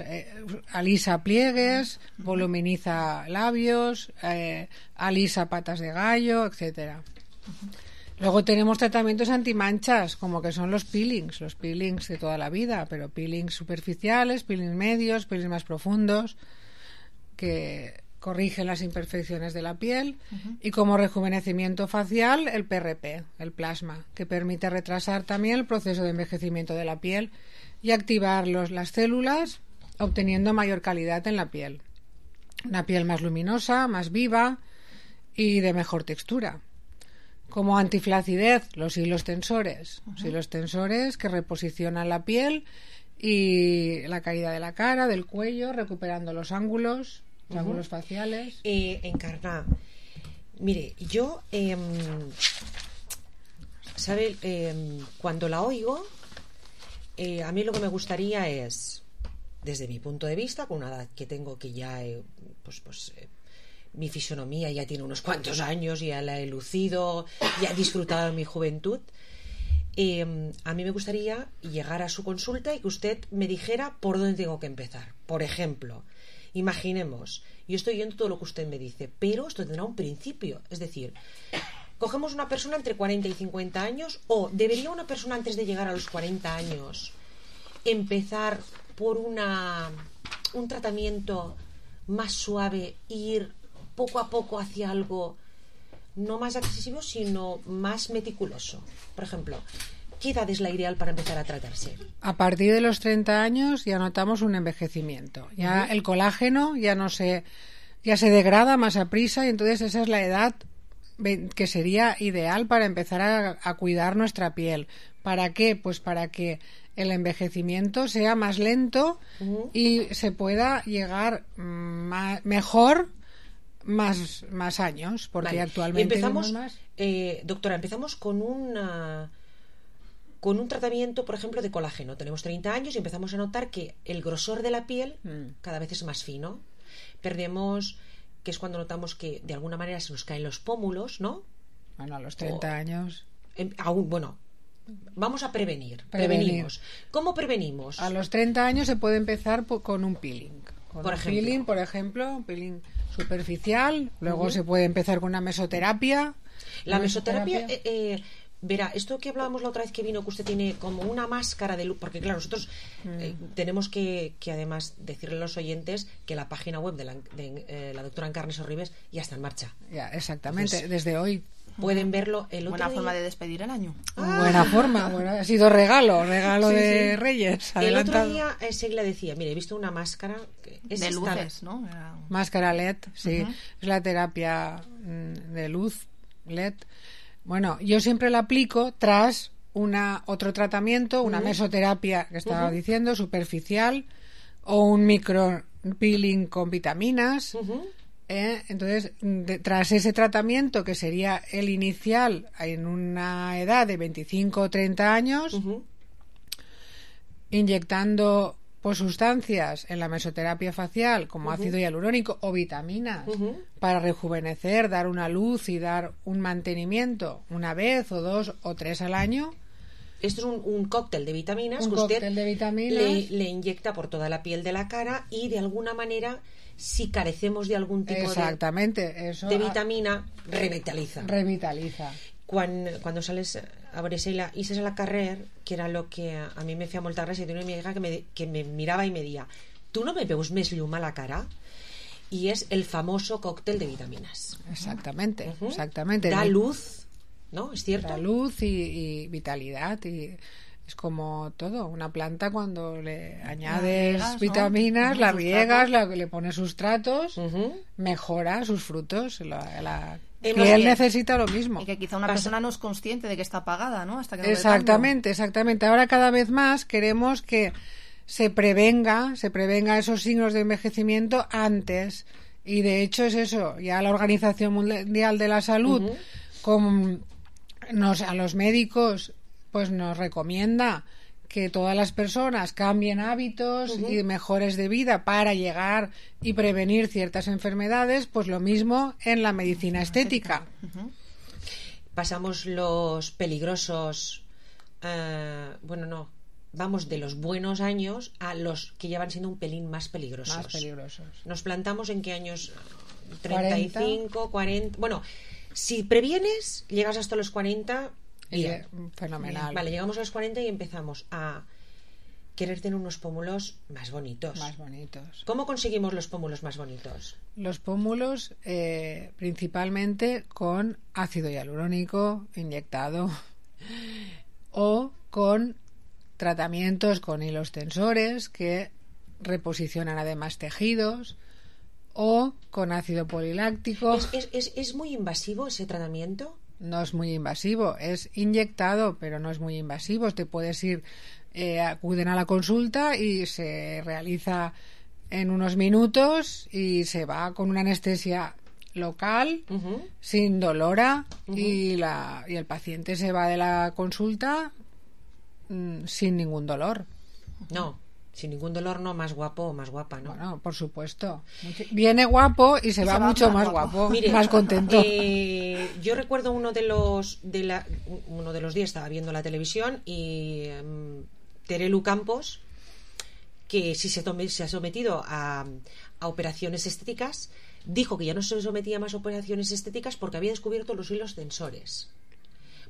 alisa pliegues, voluminiza labios, alisa patas de gallo, etcétera. Luego tenemos tratamientos antimanchas, como que son los peelings de toda la vida, pero peelings superficiales, peelings medios, peelings más profundos, que corrigen las imperfecciones de la piel, y como rejuvenecimiento facial, el PRP, el plasma, que permite retrasar también el proceso de envejecimiento de la piel y activar las células, obteniendo mayor calidad en la piel. Una piel más luminosa, más viva y de mejor textura. Como antiflacidez, los hilos tensores. Los hilos tensores que reposicionan la piel y la caída de la cara, del cuello, recuperando los ángulos faciales. Encarna, mire, yo ¿sabe? Cuando la oigo, a mí lo que me gustaría es, desde mi punto de vista, con una edad que tengo que ya mi fisonomía ya tiene unos cuantos años, ya la he lucido, ya he disfrutado de mi juventud. A mí me gustaría llegar a su consulta y que usted me dijera por dónde tengo que empezar. Por ejemplo, imaginemos, yo estoy oyendo todo lo que usted me dice, pero esto tendrá un principio. Es decir, cogemos una persona entre 40 y 50 años, o debería una persona antes de llegar a los 40 años empezar por un tratamiento más suave, ir poco a poco hacia algo no más accesible, sino más meticuloso. Por ejemplo, ¿qué edad es la ideal para empezar a tratarse? A partir de los 30 años ya notamos un envejecimiento. Ya el colágeno ya se degrada más a prisa, y entonces esa es la edad que sería ideal para empezar a cuidar nuestra piel. ¿Para qué? Pues para que el envejecimiento sea más lento y se pueda llegar mejor más años, porque actualmente empezamos, más. Doctora, empezamos con un tratamiento, por ejemplo, de colágeno. Tenemos 30 años y empezamos a notar que el grosor de la piel cada vez es más fino. Perdemos, que es cuando notamos que de alguna manera se nos caen los pómulos, ¿no? Bueno, a los 30 años. Vamos a prevenimos. ¿Cómo prevenimos? A los 30 años se puede empezar con un peeling. Peeling, por ejemplo, un peeling superficial. Luego se puede empezar con una mesoterapia. La mesoterapia, verá, esto que hablábamos la otra vez que vino, que usted tiene como una máscara de luz, porque claro, nosotros tenemos que además decirle a los oyentes que la página web de la doctora Encarnes Sorribes ya está en marcha. Ya, exactamente. Entonces, desde hoy pueden verlo el otro Buena día. forma de despedir el año. Buena forma, ha sido regalo de Reyes. Adelantado. El otro día Segla decía, mire, he visto una máscara de luces, ¿no? Máscara LED, sí, es la terapia de luz LED. Bueno, yo siempre la aplico tras otro tratamiento, una mesoterapia que estaba diciendo, superficial, o un micro peeling con vitaminas. Entonces, tras ese tratamiento, que sería el inicial en una edad de 25 o 30 años, inyectando sustancias en la mesoterapia facial como ácido hialurónico o vitaminas para rejuvenecer, dar una luz y dar un mantenimiento una vez o 2 o 3 al año. Esto es un cóctel de vitaminas que usted le inyecta por toda la piel de la cara, y de alguna manera, si carecemos de algún tipo de vitamina, revitaliza. Cuando sales a Bresela y a la carrer, que era lo que a mí me feia molta gràcia, tenía una amiga que me miraba y me decía, ¿tú no me veus més llum a la cara? Y es el famoso cóctel de vitaminas. Exactamente. Da luz, ¿no? ¿Es cierto? Da luz y vitalidad, y es como todo. Una planta, cuando le añades vitaminas, la riegas, le pones sustratos, mejora sus frutos. Y él necesita lo mismo. Y que quizá una persona no es consciente de que está apagada, ¿no? Hasta que Exactamente. Ahora cada vez más queremos que se prevenga esos signos de envejecimiento antes. Y de hecho es eso. Ya la Organización Mundial de la Salud, a los médicos, pues nos recomienda que todas las personas cambien hábitos y mejores de vida para llegar y prevenir ciertas enfermedades. Pues lo mismo en la medicina estética. Pasamos los peligrosos, vamos de los buenos años a los que ya van siendo un pelín más peligrosos. Nos plantamos en qué años, 35, 40. Bueno, si previenes, llegas hasta los 40. Fenomenal. Vale, llegamos a los 40 y empezamos a querer tener unos pómulos más bonitos. ¿Cómo conseguimos los pómulos más bonitos? Los pómulos principalmente con ácido hialurónico inyectado o con tratamientos con hilos tensores que reposicionan además tejidos, o con ácido poliláctico. ¿Es muy invasivo ese tratamiento? No es muy invasivo, es inyectado, pero no es muy invasivo. Te puedes ir, acuden a la consulta y se realiza en unos minutos y se va con una anestesia local, sin dolora, y el paciente se va de la consulta sin ningún dolor. No. Sin ningún dolor, no, más guapo o más guapa, ¿no? Bueno, por supuesto. Viene guapo y se va mucho más guapo, Mire, más contento. Yo recuerdo uno de los días estaba viendo la televisión y Terelu Campos, que si se ha sometido a operaciones estéticas, dijo que ya no se sometía más a operaciones estéticas porque había descubierto los hilos tensores.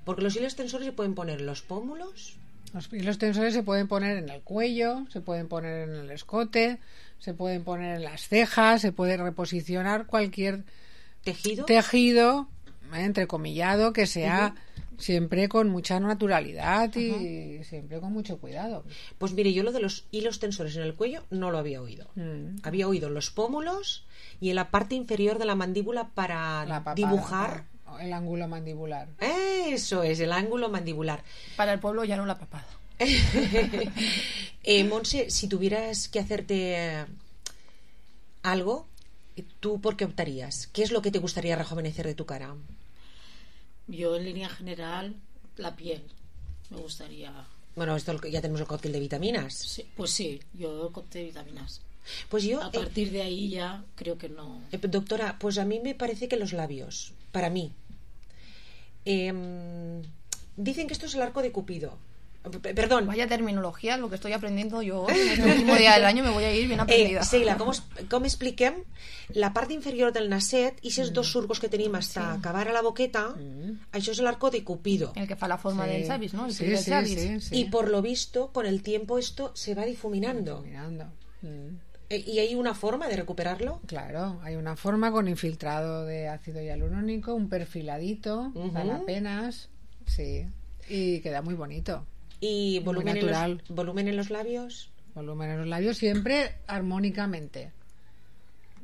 Porque los hilos tensores se pueden poner en los pómulos. Los hilos tensores se pueden poner en el cuello, se pueden poner en el escote, se pueden poner en las cejas, se puede reposicionar cualquier tejido entrecomillado que sea siempre con mucha naturalidad y siempre con mucho cuidado. Pues mire, yo lo de los hilos tensores en el cuello no lo había oído. Había oído los pómulos y en la parte inferior de la mandíbula para dibujar el ángulo mandibular. Eso es, el ángulo mandibular. Para el pueblo ya no la papada. Montse, si tuvieras que hacerte algo, ¿tú por qué optarías? ¿Qué es lo que te gustaría rejuvenecer de tu cara? Yo, en línea general, la piel. Me gustaría... Bueno, esto ya tenemos el cóctel de vitaminas. Sí, pues sí, yo el cóctel de vitaminas. Pues yo... A partir de ahí ya creo que no... Doctora, pues a mí me parece que los labios, para mí... dicen que esto es el arco de Cupido. Perdón. Vaya terminología, lo que estoy aprendiendo yo en este último día del año, me voy a ir bien aprendida. Seila, com expliquem la part inferior del nasset i aquests dos surcos que tenim hasta acabar a la boqueta, això és el arco de Cupido. El que fa la forma del llavis, ¿no? El sí. Y por lo visto, con el tiempo esto se va difuminando. ¿Y hay una forma de recuperarlo? Claro, hay una forma con infiltrado de ácido hialurónico, un perfiladito, para apenas, sí, y queda muy bonito. ¿Y volumen en los labios? Volumen en los labios siempre armónicamente.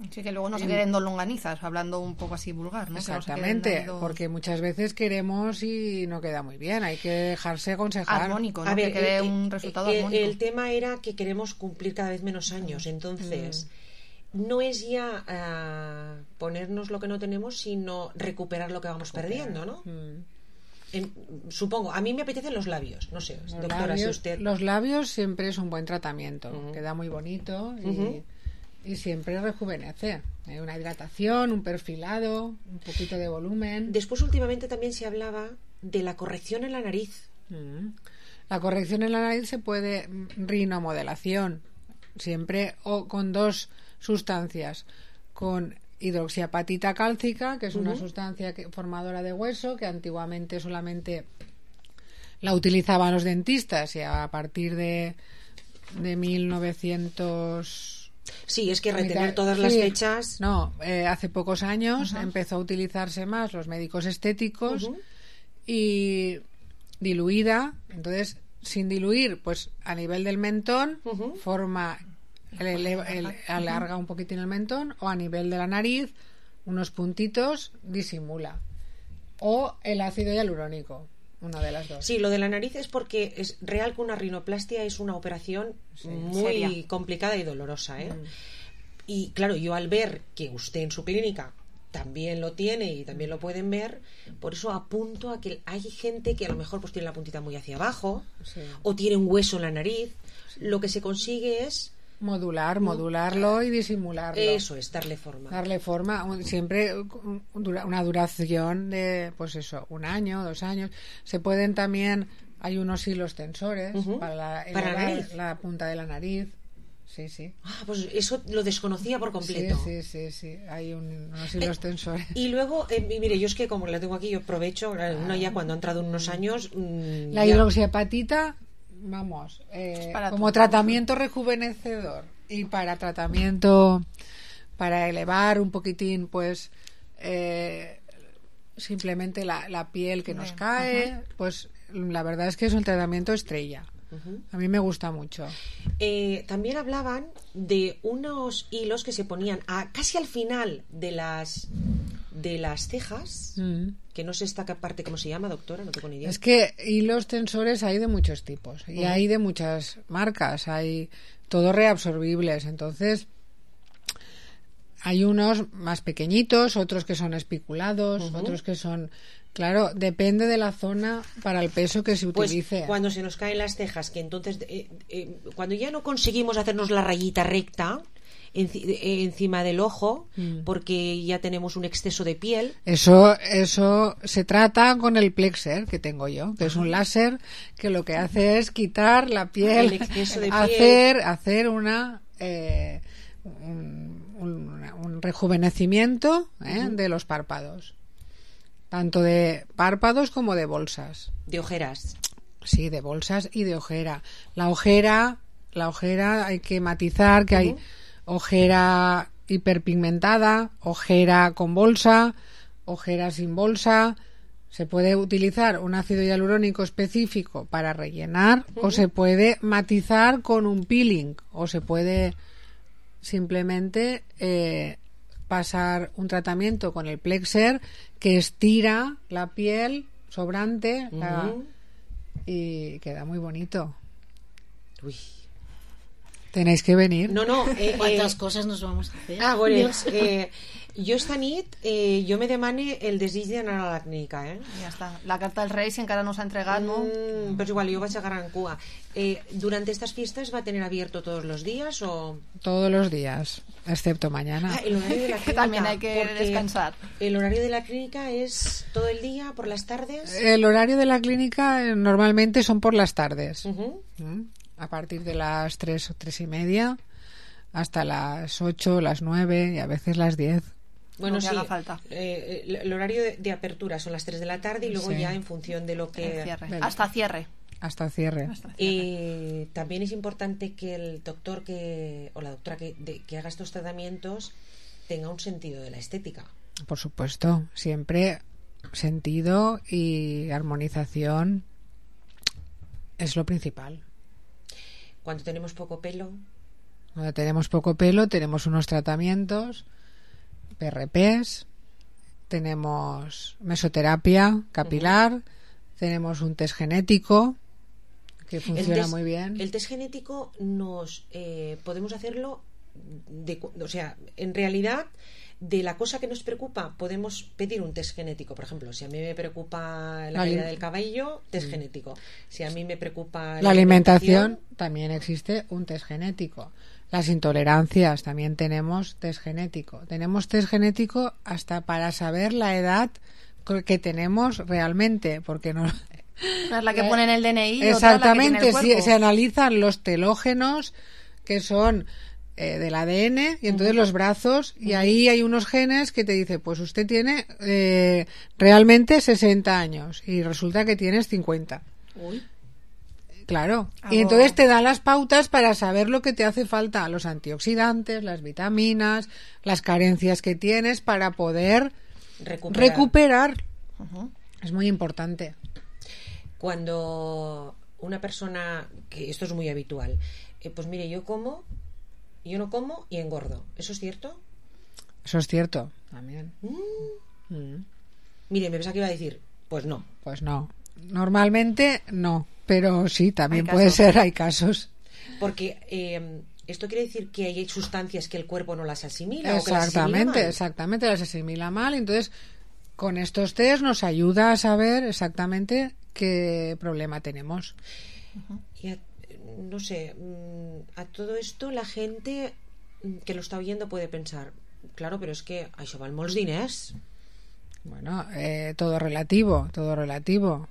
Sí, que luego no se queden dos longanizas, hablando un poco así vulgar, ¿no? Exactamente, porque muchas veces queremos y no queda muy bien, hay que dejarse aconsejar. Armónico, ¿no? Que quede un resultado armónico. El tema era que queremos cumplir cada vez menos años, entonces no es ya ponernos lo que no tenemos, sino recuperar lo que vamos perdiendo, ¿no? Supongo, a mí me apetecen los labios, no sé, doctora, si usted... Los labios siempre es un buen tratamiento, queda muy bonito y siempre rejuvenece. Una hidratación, un perfilado, un poquito de volumen. Después últimamente también se hablaba de la corrección en la nariz. La corrección en la nariz se puede, rinomodelación, siempre o con dos sustancias, con hidroxiapatita cálcica, que es una sustancia formadora de hueso, que antiguamente solamente la utilizaban los dentistas y a partir de 1900... Sí, es que retener todas las fechas... No, hace pocos años empezó a utilizarse más los médicos estéticos y diluida, entonces sin diluir, pues a nivel del mentón forma... alarga un poquitín el mentón, o a nivel de la nariz unos puntitos disimula, o el ácido hialurónico, una de las dos. Sí, lo de la nariz es porque es real que una rinoplastia es una operación muy seria, complicada y dolorosa, y claro, yo al ver que usted en su clínica también lo tiene y también lo pueden ver, por eso apunto a que hay gente que a lo mejor pues tiene la puntita muy hacia abajo o tiene un hueso en la nariz. Lo que se consigue es modularlo y disimularlo. Eso es, darle forma. Siempre una duración de, pues eso, 1 año, 2 años. Se pueden también, hay unos hilos tensores para la punta de la nariz. Sí. Pues eso lo desconocía por completo. Sí. Hay unos hilos tensores. Y luego, mire, yo es que como la tengo aquí, yo aprovecho, uno ya cuando ha entrado unos años... la hidroxiapatita... Vamos, como tratamiento rejuvenecedor y para tratamiento para elevar un poquitín, pues simplemente la piel que nos cae, pues la verdad es que es un tratamiento estrella. A mí me gusta mucho. También hablaban de unos hilos que se ponían casi al final de las cejas, que no sé esta parte cómo se llama, doctora, no tengo ni idea. Es que hilos tensores hay de muchos tipos y hay de muchas marcas, hay todos reabsorbibles, entonces hay unos más pequeñitos, otros que son espiculados, otros que son Claro, depende de la zona para el peso que se utilice. Pues cuando se nos caen las cejas, que entonces cuando ya no conseguimos hacernos la rayita recta encima del ojo, porque ya tenemos un exceso de piel. Eso se trata con el Plexer que tengo yo, que es un láser que lo que hace es quitar la piel, el exceso de piel. hacer un rejuvenecimiento de los párpados. Tanto de párpados como de bolsas. De ojeras. Sí, de bolsas y de ojera. La ojera hay que matizar que hay ojera hiperpigmentada, ojera con bolsa, ojera sin bolsa. Se puede utilizar un ácido hialurónico específico para rellenar o se puede matizar con un peeling o se puede simplemente pasar un tratamiento con el Plexer que estira la piel sobrante y queda muy bonito. Uy. Tenéis que venir. No. ¿Cuántas cosas nos vamos a hacer? Bueno, jo esta nit jo me demane el desig d'anar a la clínica, Ja està. La carta dels Reis encara no s'ha entregat, ¿no? Pero igual, yo vaig a Gran Cua. ¿Durante estas fiestas va a tener abierto todos los días o...? Todos los días, excepto mañana. El horario de la clínica, que también hay que descansar. ¿El horario de la clínica es todo el día, por las tardes? El horario de la clínica normalmente son por las tardes. A partir de las 3 o 3:30 hasta las 8, las 9 y a veces las 10. Bueno, no sí, haga falta. El horario de apertura son las 3 de la tarde y luego ya en función de lo que... Hasta cierre. Hasta cierre. También es importante que el doctor o la doctora que haga estos tratamientos tenga un sentido de la estética. Por supuesto, siempre sentido y armonización es lo principal. Cuando tenemos poco pelo... Cuando tenemos poco pelo tenemos unos tratamientos, PRPs, tenemos mesoterapia capilar, tenemos un test genético que funciona muy bien. El test genético podemos hacerlo, o sea, en realidad de la cosa que nos preocupa podemos pedir un test genético. Por ejemplo, si a mí me preocupa la caída del cabello, test genético. Si a mí me preocupa la alimentación, también existe un test genético. Las intolerancias, también tenemos test genético. Tenemos test genético hasta para saber la edad que tenemos realmente, porque no... No es la que pone en el DNI. Exactamente, otra la que tiene el cuerpo. Se analizan los telógenos que son del ADN y entonces los brazos y ahí hay unos genes que te dice pues usted tiene realmente 60 años y resulta que tienes 50. Uy. Claro, y entonces te dan las pautas para saber lo que te hace falta, los antioxidantes, las vitaminas, las carencias que tienes para poder recuperar. Es muy importante. Cuando una persona, que esto es muy habitual, pues mire, yo no como y engordo. ¿Eso es cierto? Eso es cierto, también. Mire, me pensaba que iba a decir, pues no. Pues no. Normalmente no, pero sí, también puede ser, hay casos. Porque esto quiere decir que hay sustancias que el cuerpo no las asimila. Exactamente, las asimila mal. Entonces, con estos test nos ayuda a saber exactamente qué problema tenemos. Y no sé, a todo esto la gente que lo está oyendo puede pensar, claro, pero es que això val molts diners. Bueno, todo relativo,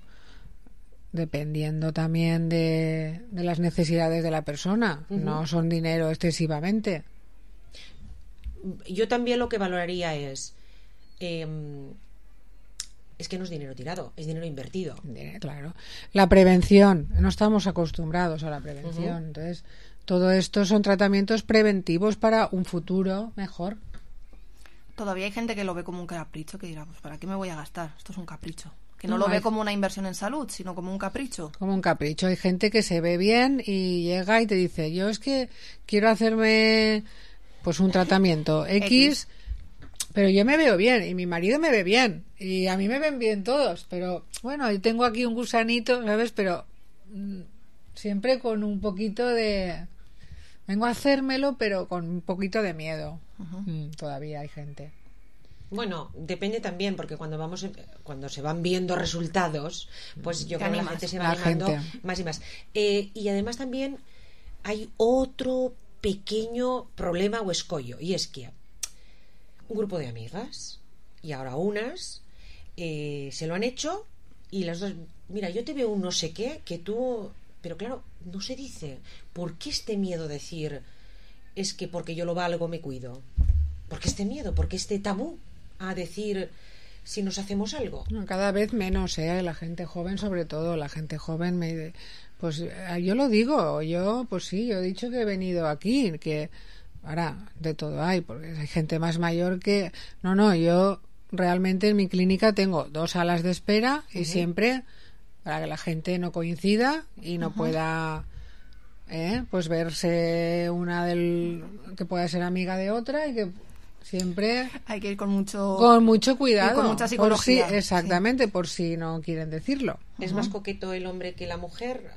dependiendo también de las necesidades de la persona. No son dinero excesivamente. Yo también lo que valoraría es que no es dinero tirado, es dinero invertido. Claro. La prevención, no estamos acostumbrados a la prevención. Entonces, todo esto son tratamientos preventivos para un futuro mejor. Todavía hay gente que lo ve como un capricho, que dirá, pues ¿para qué me voy a gastar? Esto es un capricho. Que no lo ve como una inversión en salud, sino como un capricho. Como un capricho. Hay gente que se ve bien y llega y te dice, yo es que quiero hacerme pues un tratamiento X, pero yo me veo bien y mi marido me ve bien y a mí me ven bien todos, pero bueno, yo tengo aquí un gusanito, ¿sabes? Pero siempre con un poquito de... Vengo a hacérmelo, pero con un poquito de miedo. Todavía hay gente. Bueno, depende también, porque cuando se van viendo resultados, pues yo creo que la gente se va animando más y más. Y además también hay otro pequeño problema o escollo, y es que un grupo de amigas, y ahora unas, se lo han hecho, y las dos, mira, yo te veo un no sé qué, que tú... Pero claro, no se dice. ¿Por qué este miedo de decir, es que porque yo lo valgo me cuido? ¿Por qué este miedo? ¿Por qué este tabú a decir si nos hacemos algo? Cada vez menos, la gente joven, sobre todo, la gente joven pues yo lo digo, pues sí, yo he dicho que he venido aquí, que ahora de todo hay, porque hay gente más mayor que... No, yo realmente en mi clínica tengo 2 salas de espera y siempre para que la gente no coincida y no pueda pues verse una que pueda ser amiga de otra, y que siempre hay que ir con mucho cuidado y con mucha psicología. Por si, exactamente, por si no quieren decirlo. ¿Es más coqueto el hombre que la mujer?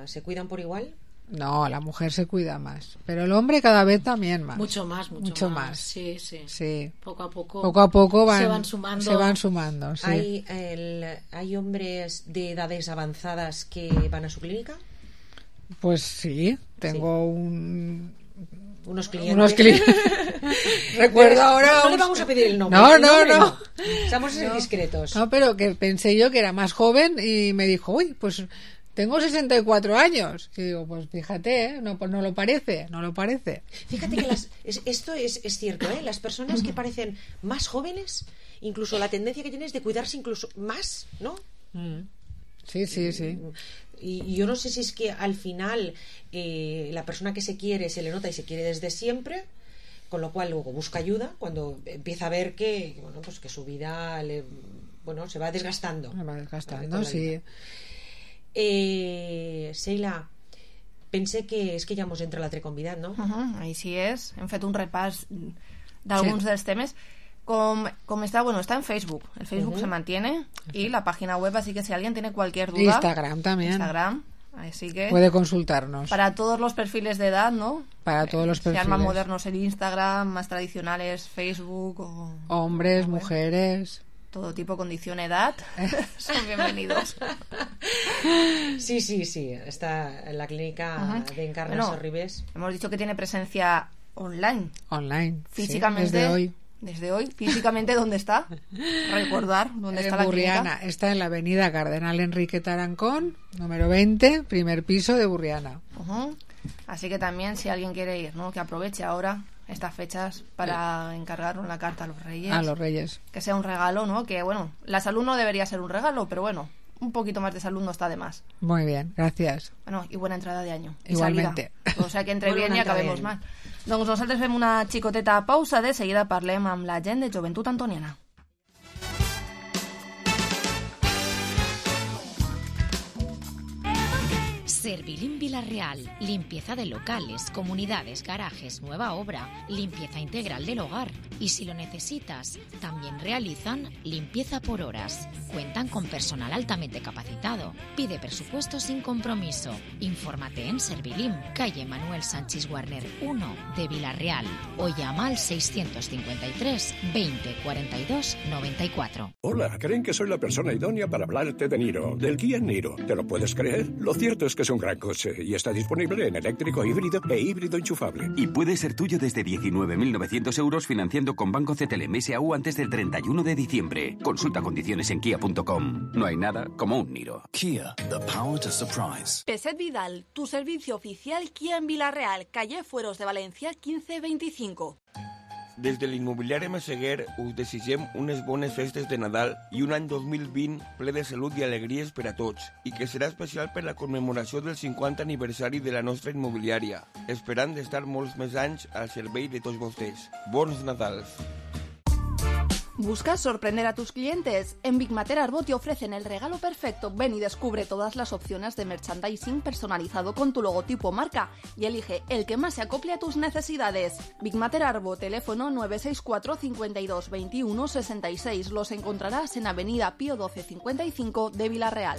¿Se cuidan por igual? No, la mujer se cuida más, pero el hombre cada vez también más. Mucho más. Sí. Poco a poco se van sumando. Sí. ¿Hay hombres de edades avanzadas que van a su clínica? Pues sí, tengo unos clientes. Recuerdo ahora. No le vamos a pedir el nombre. No. Estamos discretos. No, pero que pensé yo que era más joven y me dijo, uy, pues tengo 64 años. Y digo, pues fíjate, no lo parece. Fíjate que esto es cierto, las personas que parecen más jóvenes, incluso la tendencia que tienen es de cuidarse incluso más, ¿no? Sí. Y yo no sé si es que al final la persona que se quiere se le nota y se quiere desde siempre, con lo cual luego busca ayuda cuando empieza a ver que pues que su vida se va desgastando. Sí. Sheila, pensé que és que ja mos entra l'altre convidat, no? Així és, hem fet un repàs d'alguns dels temes. Como está, está en Facebook. El Facebook se mantiene y la página web, así que si alguien tiene cualquier duda... Instagram también. Instagram, así que... Puede consultarnos. Para todos los perfiles de edad, ¿no? Para todos los perfiles. Sean más modernos el Instagram, más tradicionales Facebook o... Hombres, mujeres... Todo tipo, condición, edad, son bienvenidos. Sí, está en la clínica de Encarna Sorribes. Hemos dicho que tiene presencia online. Físicamente. Sí, desde hoy, físicamente, ¿dónde está? Recordar dónde está la Burriana. clínica. Está en la avenida Cardenal Enrique Tarancón, número 20, primer piso de Burriana. Así que también, si alguien quiere ir, ¿no? Que aproveche ahora estas fechas para encargar una carta a los Reyes. A los Reyes. Que sea un regalo, ¿no? Que, la salud no debería ser un regalo, pero un poquito más de salud no está de más. Muy bien, gracias. Y buena entrada de año. Igualmente. O sea que entre bien i acabemos mal. Doncs nosaltres fem una xicoteta pausa, de seguida parlem amb la gent de Joventut Antoniana. Servilim Villarreal, limpieza de locales, comunidades, garajes, nueva obra, limpieza integral del hogar. Y si lo necesitas, también realizan limpieza por horas. Cuentan con personal altamente capacitado. Pide presupuesto sin compromiso. Infórmate en Servilim, calle Manuel Sánchez Warner 1 de Villarreal, o llama al 653 20 42 94. Hola, creen que soy la persona idónea para hablarte de Niro, del Kia Niro. ¿Te lo puedes creer? Lo cierto es que es un gran coche y está disponible en eléctrico híbrido e híbrido enchufable. Y puede ser tuyo desde 19.900 euros financiando con Banco CTLM SAU antes del 31 de diciembre. Consulta condiciones en kia.com. No hay nada como un Niro. Kia, the power to surprise. Peset Vidal, tu servicio oficial Kia en Villarreal, calle Fueros de Valencia 1525. Des de l'immobiliari Massaguer us desitgem unes bones festes de Nadal i un any 2020 ple de salut i alegries per a tots, i que serà especial per la commemoració del 50 aniversari de la nostra immobiliària, esperant d'estar molts més anys al servei de tots vostès. Bons Nadals! ¿Buscas sorprender a tus clientes? En Big Mater Arbo te ofrecen el regalo perfecto. Ven y descubre todas las opciones de merchandising personalizado con tu logotipo marca y elige el que más se acople a tus necesidades. Big Mater Arbo, teléfono 964 52 21 66. Los encontrarás en Avenida Pío 12 55 de Villarreal.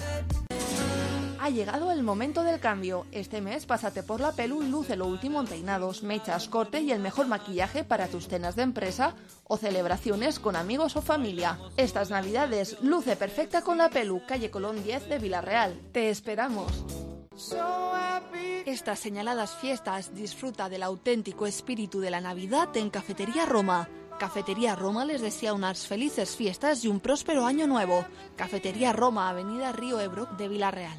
Ha llegado el momento del cambio. Este mes pásate por la Pelu y luce lo último en peinados, mechas, corte y el mejor maquillaje para tus cenas de empresa o celebraciones con amigos o familia. Estas navidades luce perfecta con la Pelu, calle Colón 10 de Villarreal. ¡Te esperamos! Estas señaladas fiestas disfruta del auténtico espíritu de la Navidad en Cafetería Roma. Cafetería Roma les desea unas felices fiestas y un próspero año nuevo. Cafetería Roma, Avenida Río Ebro de Villarreal.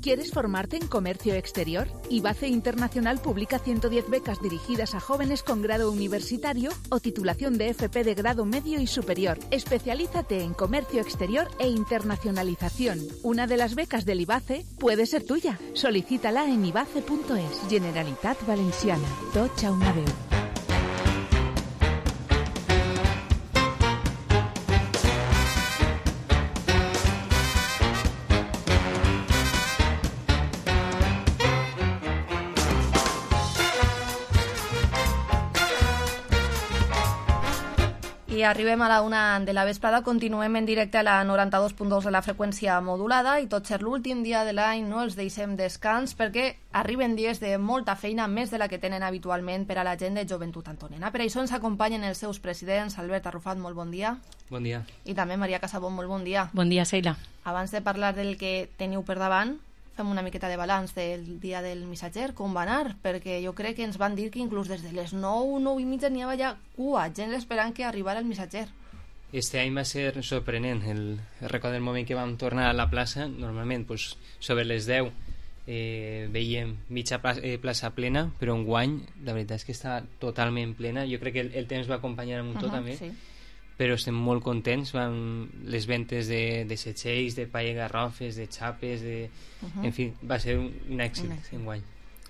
¿Quieres formarte en comercio exterior? IBACE Internacional publica 110 becas dirigidas a jóvenes con grado universitario o titulación de FP de grado medio y superior. Especialízate en comercio exterior e internacionalización. Una de las becas del IBACE puede ser tuya. Solicítala en ibace.es. Generalitat Valenciana. Tots a una veu. I arribem a la 1 de la vesprada, continuem en directe a la 92.2 de la freqüència modulada i tot ser l'últim dia de l'any no els deixem descans perquè arriben dies de molta feina, més de la que tenen habitualment per a la gent de Joventut Antoniana. Per això ens acompanyen els seus presidents. Albert Arrufat, molt bon dia. Bon dia. I també Maria Casabón, molt bon dia. Bon dia, Sheila. Abans de parlar del que teniu per davant, fem una miqueta de balanç del dia del missatger, com va anar, perquè jo crec que ens van dir que inclús des de les 9:30 n'hi havia ja cua, gent esperant que arribara el missatger. Este any va ser sorprenent. Recordo el moment que vam tornar a la plaça, normalment pues, sobre les 10 veiem mitja plaça plena, però enguany la veritat és que està totalment plena. Jo crec que el temps va acompanyar amb tot també. Sí. Però estem molt contents. Les ventes de setxells, de paella garrofes, de xapes, en fi, va ser un èxit enguany.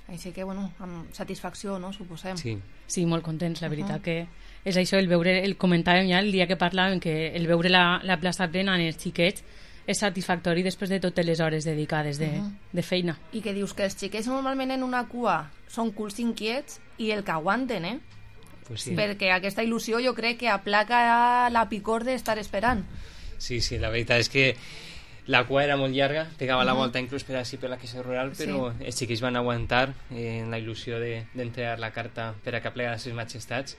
Així que, bueno, amb satisfacció, no?, suposem. Sí, molt contents, la veritat que és això, el comentàvem ja el dia que parlàvem, que el veure la plaça plena en els xiquets és satisfactori després de totes les hores dedicades de feina. I que dius que els xiquets normalment en una cua són culs inquiets i el que aguanten, Pues sí. Perquè aquesta il·lusió jo crec que aplaca la picor d'estar esperant. Sí, la veritat és que la cua era molt llarga, pegava la volta inclús per així per la Caixa Rural, però els xiquis van aguantar en la il·lusió d'entregar la carta per a que plega les seves majestats,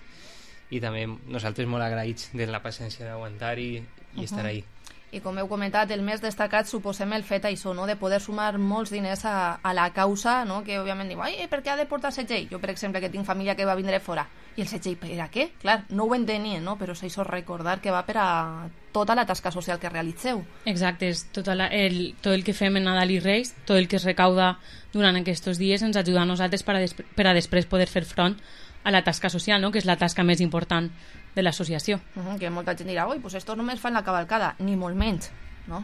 i també nosaltres molt agraïts de la paciència d'aguantar i estar ahí. I com heu comentat, el més destacat suposem el fet això, no?, de poder sumar molts diners a la causa, no?, que òbviament diu, per què ha de portar setxell? Jo, per exemple, que tinc família que va vindre fora. I el setxell, per a què? Clar, no ho entenien, no?, però és això, recordar que va per a tota la tasca social que realitzeu. Exacte, és tot el que fem en Nadal i Reis, tot el que es recauda durant aquests dies ens ajuda a nosaltres per a després poder fer front a la tasca social, no?, que és la tasca més important de l'associació. Que molta gent dirà, pues esto només fan la cavalcada, ni molt menys, no?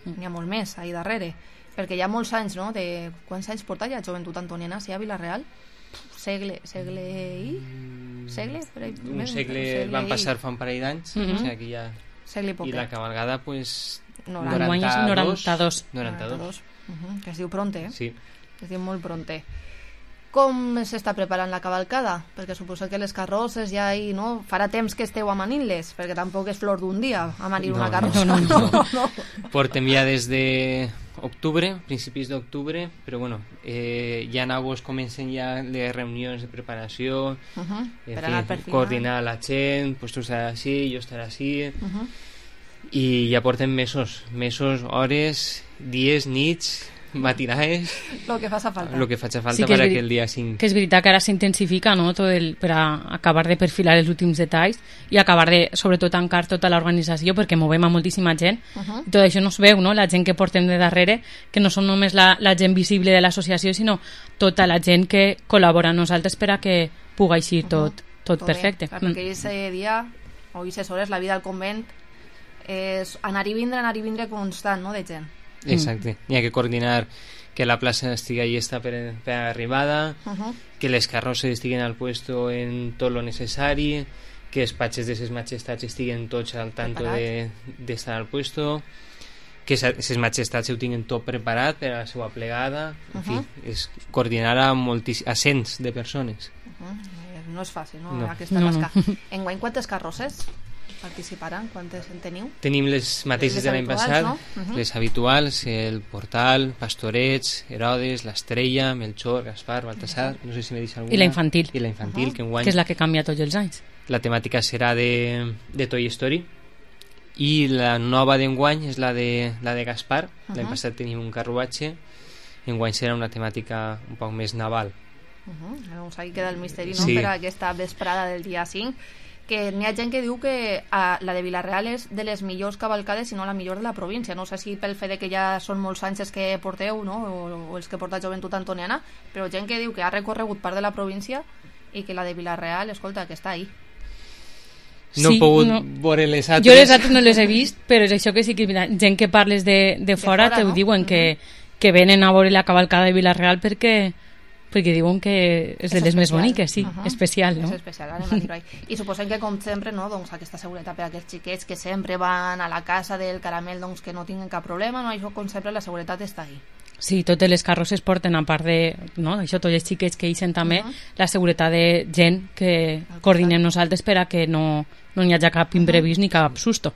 N'hi ha molt més ahí darrere, perquè hi ha molts anys, no?, de quants anys porta ja Joventut Antoniana, sí, a Villarreal? Segle i? Segle? Un segle van passar fa un parell d'anys, o sigui que ja... Segle i poc. I la cavalgada, pues... 92. Que es diu pronte, Sí. Es diu molt pronte. Com s'està preparant la cavalcada? Perquè suposo que les carrosses ja hi, no? Farà temps que esteu amanint-les, perquè tampoc és flor d'un dia amanir una carrossa. No. Portem ja des d'octubre, principis d'octubre, però bueno, ja en agost comencen ja les reunions de preparació, coordinar la gent, pues tu estaràs així, jo estaré així, i ja portem mesos, hores, dies, nits, matinades, lo que faci falta per aquell dia 5. Que és veritat que ara s'intensifica, no?, per a acabar de perfilar els últims detalls i acabar de, sobretot, tancar tota l'organització, perquè movem a moltíssima gent i tot això no es veu, no?, la gent que portem de darrere, que no som només la gent visible de l'associació, sinó tota la gent que col·labora amb nosaltres per a que pugui aixir tot perfecte. Perquè aquest dia o aquestes hores la vida al convent és anar i vindre constant, no?, de gent. Exacte, hi ha que coordinar que la plaça estigui llesta per arribada, que les carrosses estiguen al puesto en tot lo necessari, que els patxes de ses majestats estiguen tots al tanto d'estar al puesto, que ses majestats ho tinguin tot preparat per a la seva plegada, en fi, és coordinar a cents de persones. No és fàcil, no? Aquesta tasca. Enguany, quantes carrosses? participaran? Quantes en teniu? Tenim les mateixes de l'any passat, no? Les habituals, el Portal, Pastorets, Herodes, l'Estrella, Melchor, Gaspar, Baltasar, no sé si m'he dit alguna. I la infantil. I la infantil, que enguany... Que és la que canvia tots els anys. La temàtica serà de Toy Story, i la nova d'enguany és la de Gaspar. L'any passat tenim un carruatge, enguany serà una temàtica un poc més naval. Doncs ahí queda el misteri, no? Sí. Per aquesta vesprada del dia 5, que n'hi ha gent que diu que la de Vila-real és de les millors cavalcades, si no la millor de la província. No sé si pel fet de que ja són molts anys els que porteu, no? o els que porta Joventut Antoniana, però gent que diu que ha recorregut part de la província i que la de Vila-real, escolta, que està ahí. No he pogut veure les altres. Jo les altres no les he vist, però és això que sí que gent que parles de fora te ho diuen, que venen a veure la cavalcada de Vila-real perquè diuen que és de les més boniques, sí, especial, no? És especial, anem a dir-ho ahí. I suposem que, com sempre, no, doncs, aquesta seguretat per a aquests xiquets que sempre van a la casa del caramel, doncs, que no tinguin cap problema, no? Això, com sempre, la seguretat està ahí. Sí, totes les carrosses porten, a part de, no, això, tots els xiquets que eixen també, la seguretat de gent que coordinem nosaltres per a que no hi hagi cap imprevist ni cap susto.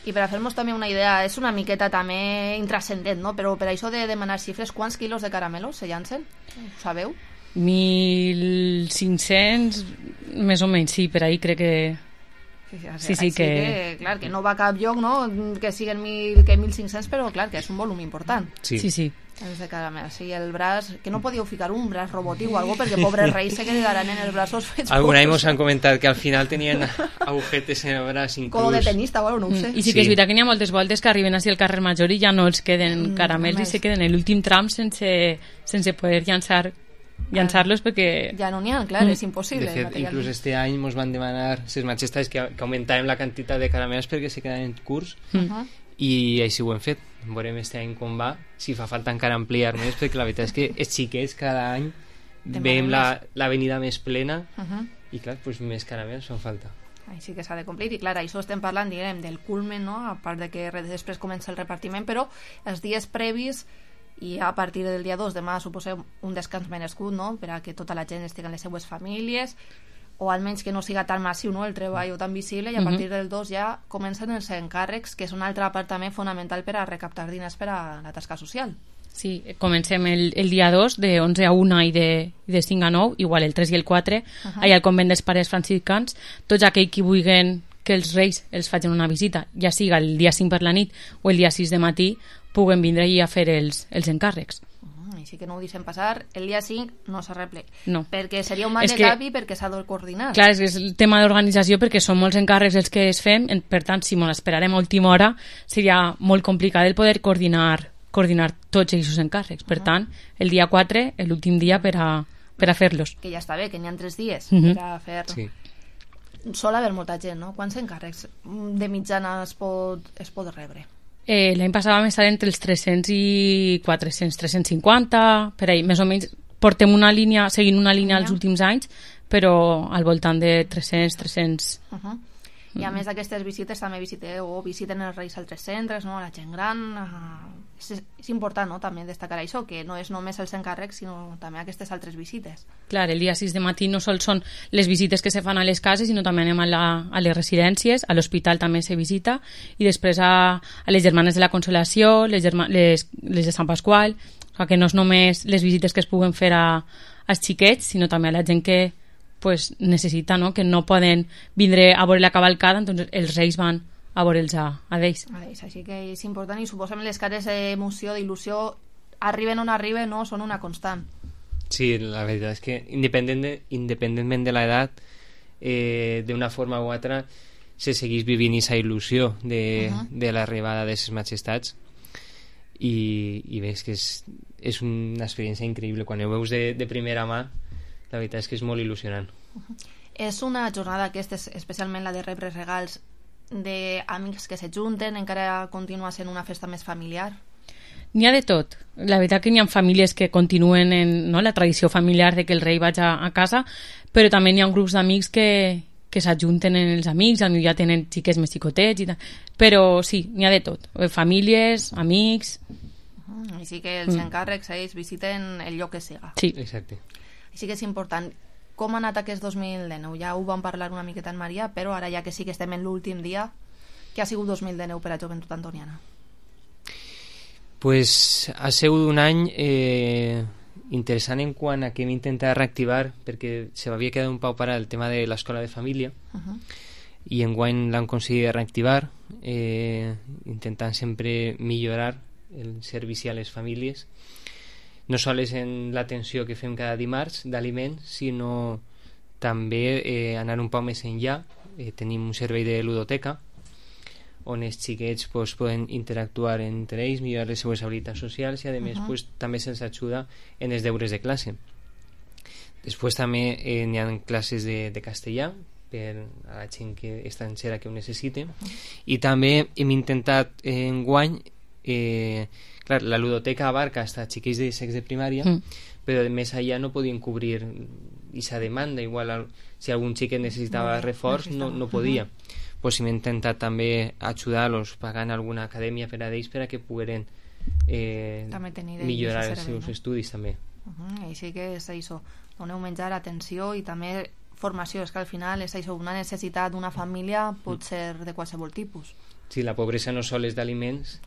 I per a fer-nos també una idea, és una miqueta també intrascendent, no? Però per això de demanar xifres, quants quilos de caramelos se llancen? Ho sabeu? 1.500, més o menys, sí, per ahí crec que... Sí, que... Clar, que no va a cap lloc, no? Que siguin 1.500, però clar, que és un volum important. Sí. Els de caramel, sí, el braç, que no podíeu ficar un braç robòtic o algo, perquè pobres reis se quedaran en els braços fets alguna vegada ens han comentat que al final tenien agujetes en el braç inclús. Colo de tenista, bueno, no ho sé. I sí que és veritat que n'hi ha moltes voltes que arriben així al carrer Major i ja no els queden caramels i se queden en l'últim tram sense poder llançar-los perquè... Ja no n'hi ha, clar, és impossible. De fet, inclús este any ens van demanar ses majestats que augmentàvem la quantitat de caramels perquè se quedaven curts i així ho hem fet. Veurem este any com va, si fa falta encara ampliar més, perquè la veritat és que els xiquets cada any veiem l'avenida més plena i clar, doncs més caramels fan falta. Així que s'ha de complir i clar, això estem parlant, diguem, del culmen, no? A part de que després comença el repartiment, però els dies previs i a partir del dia 2 demà suposem un descans merescut, no? Per a que tota la gent estigui en les seues famílies o almenys que no siga tan massiu, no? El treball o tan visible, i a partir del 2 ja comencen els encàrrecs, que és un altre part també fonamental per a recaptar diners per a la tasca social. Sí, comencem el dia 2 de 11 a 1 i de 5 a 9, igual el 3 i el 4 allà al convent dels pares franciscans. Tots aquells que vulguin que els reis els facin una visita, ja siga el dia 5 per la nit o el dia 6 de matí, puguen vindre i a fer els encàrrecs. Així que no ho deixem passar, el dia 5 no s'arregle, perquè seria un mal de cap i perquè s'ha de coordinar. Clar, és el tema d'organització, perquè són molts encàrrecs els que es fem, per tant, si ens esperarem a última hora, seria molt complicat el poder coordinar tots aquests encàrrecs. Per tant, el dia 4, l'últim dia per a fer-los. Que ja està bé, que n'hi ha 3 dies per a fer... Sí. Sol haver molta gent, no? Quants encàrrecs de mitjana es pot rebre? L'any passat vam estar entre els 300 i 400, 350, per ahí, més o menys portem una línia, seguint una línia els últims anys, però al voltant de 300. I a més d'aquestes visites també visiten els reis a altres centres, no? La gent gran, és important, no? També destacar això, que no és només els encàrrecs, sinó també aquestes altres visites. Clar, el dia 6 de matí no sols són les visites que se fan a les cases, sinó també anem a les residències, a l'hospital també se visita, i després a les germanes de la Consolació, les de Sant Pasqual, o sigui que no és només les visites que es puguen fer als xiquets, sinó també a la gent que necessita, no? Que no poden vindre a veure la cavalcada, doncs els reis van a veure'ls a ells. Així que és important, i suposem les cares d'emoció, d'il·lusió, arriben on arriben, no? Són una constant. Sí, la veritat és que independentment de l'edat, d'una forma o altra se segueix vivint aquesta il·lusió de l'arribada de les majestats, i veus que és una experiència increïble. Quan ho veus de primera mà, la veritat és que és molt il·lusionant. És una jornada aquesta, especialment la de rebre regals, d'amics que se junten, encara continua sent una festa més familiar? N'hi ha de tot. La veritat que n'hi ha famílies que continuen en la tradició familiar de que el rei vagi a casa, però també n'hi ha grups d'amics que s'ajunten en els amics, potser ja tenen xiquets més xicotets i tal. Però sí, n'hi ha de tot. Famílies, amics... Així que els encàrrecs ells visiten el lloc que siga. Sí. Exacte. Així que és important. com ha anat aquest 2019? Ja ho vam parlar una miqueta en Maria, però ara ja que sí que estem en l'últim dia, què ha sigut 2019 per a Joventut Antoniana? Pues ha sigut un any interessant en quant a que hem intentat reactivar, perquè se m'havia quedat un pau parat el tema de l'escola de família, i enguany l'hem aconseguit reactivar, intentant sempre millorar el servici a les famílies, no sols en l'atenció que fem cada dimarts d'aliments, sinó també anar un poc més enllà. Tenim un servei de ludoteca on els xiquets poden interactuar entre ells, millorar les seues habilitats socials i a més també se'ls ajuda en els deures de classe. Després també n'hi ha classes de castellà per a la gent estrangera que ho necessite, i també hem intentat enguany, clar, la ludoteca abarca hasta xiquets de sexe de primària, però més allà no podien cobrir aquesta demanda. Igual si algun xiquet necessitava reforç no podia. Pues hem intentat també ajudar-los pagant alguna acadèmia per a ells per a que pogueren millorar els seus estudis també. I sí que és això, doneu menjar, atenció i també formació. És que al final és això, una necessitat d'una família pot ser de qualsevol tipus. Sí, la pobresa no sols és d'aliments,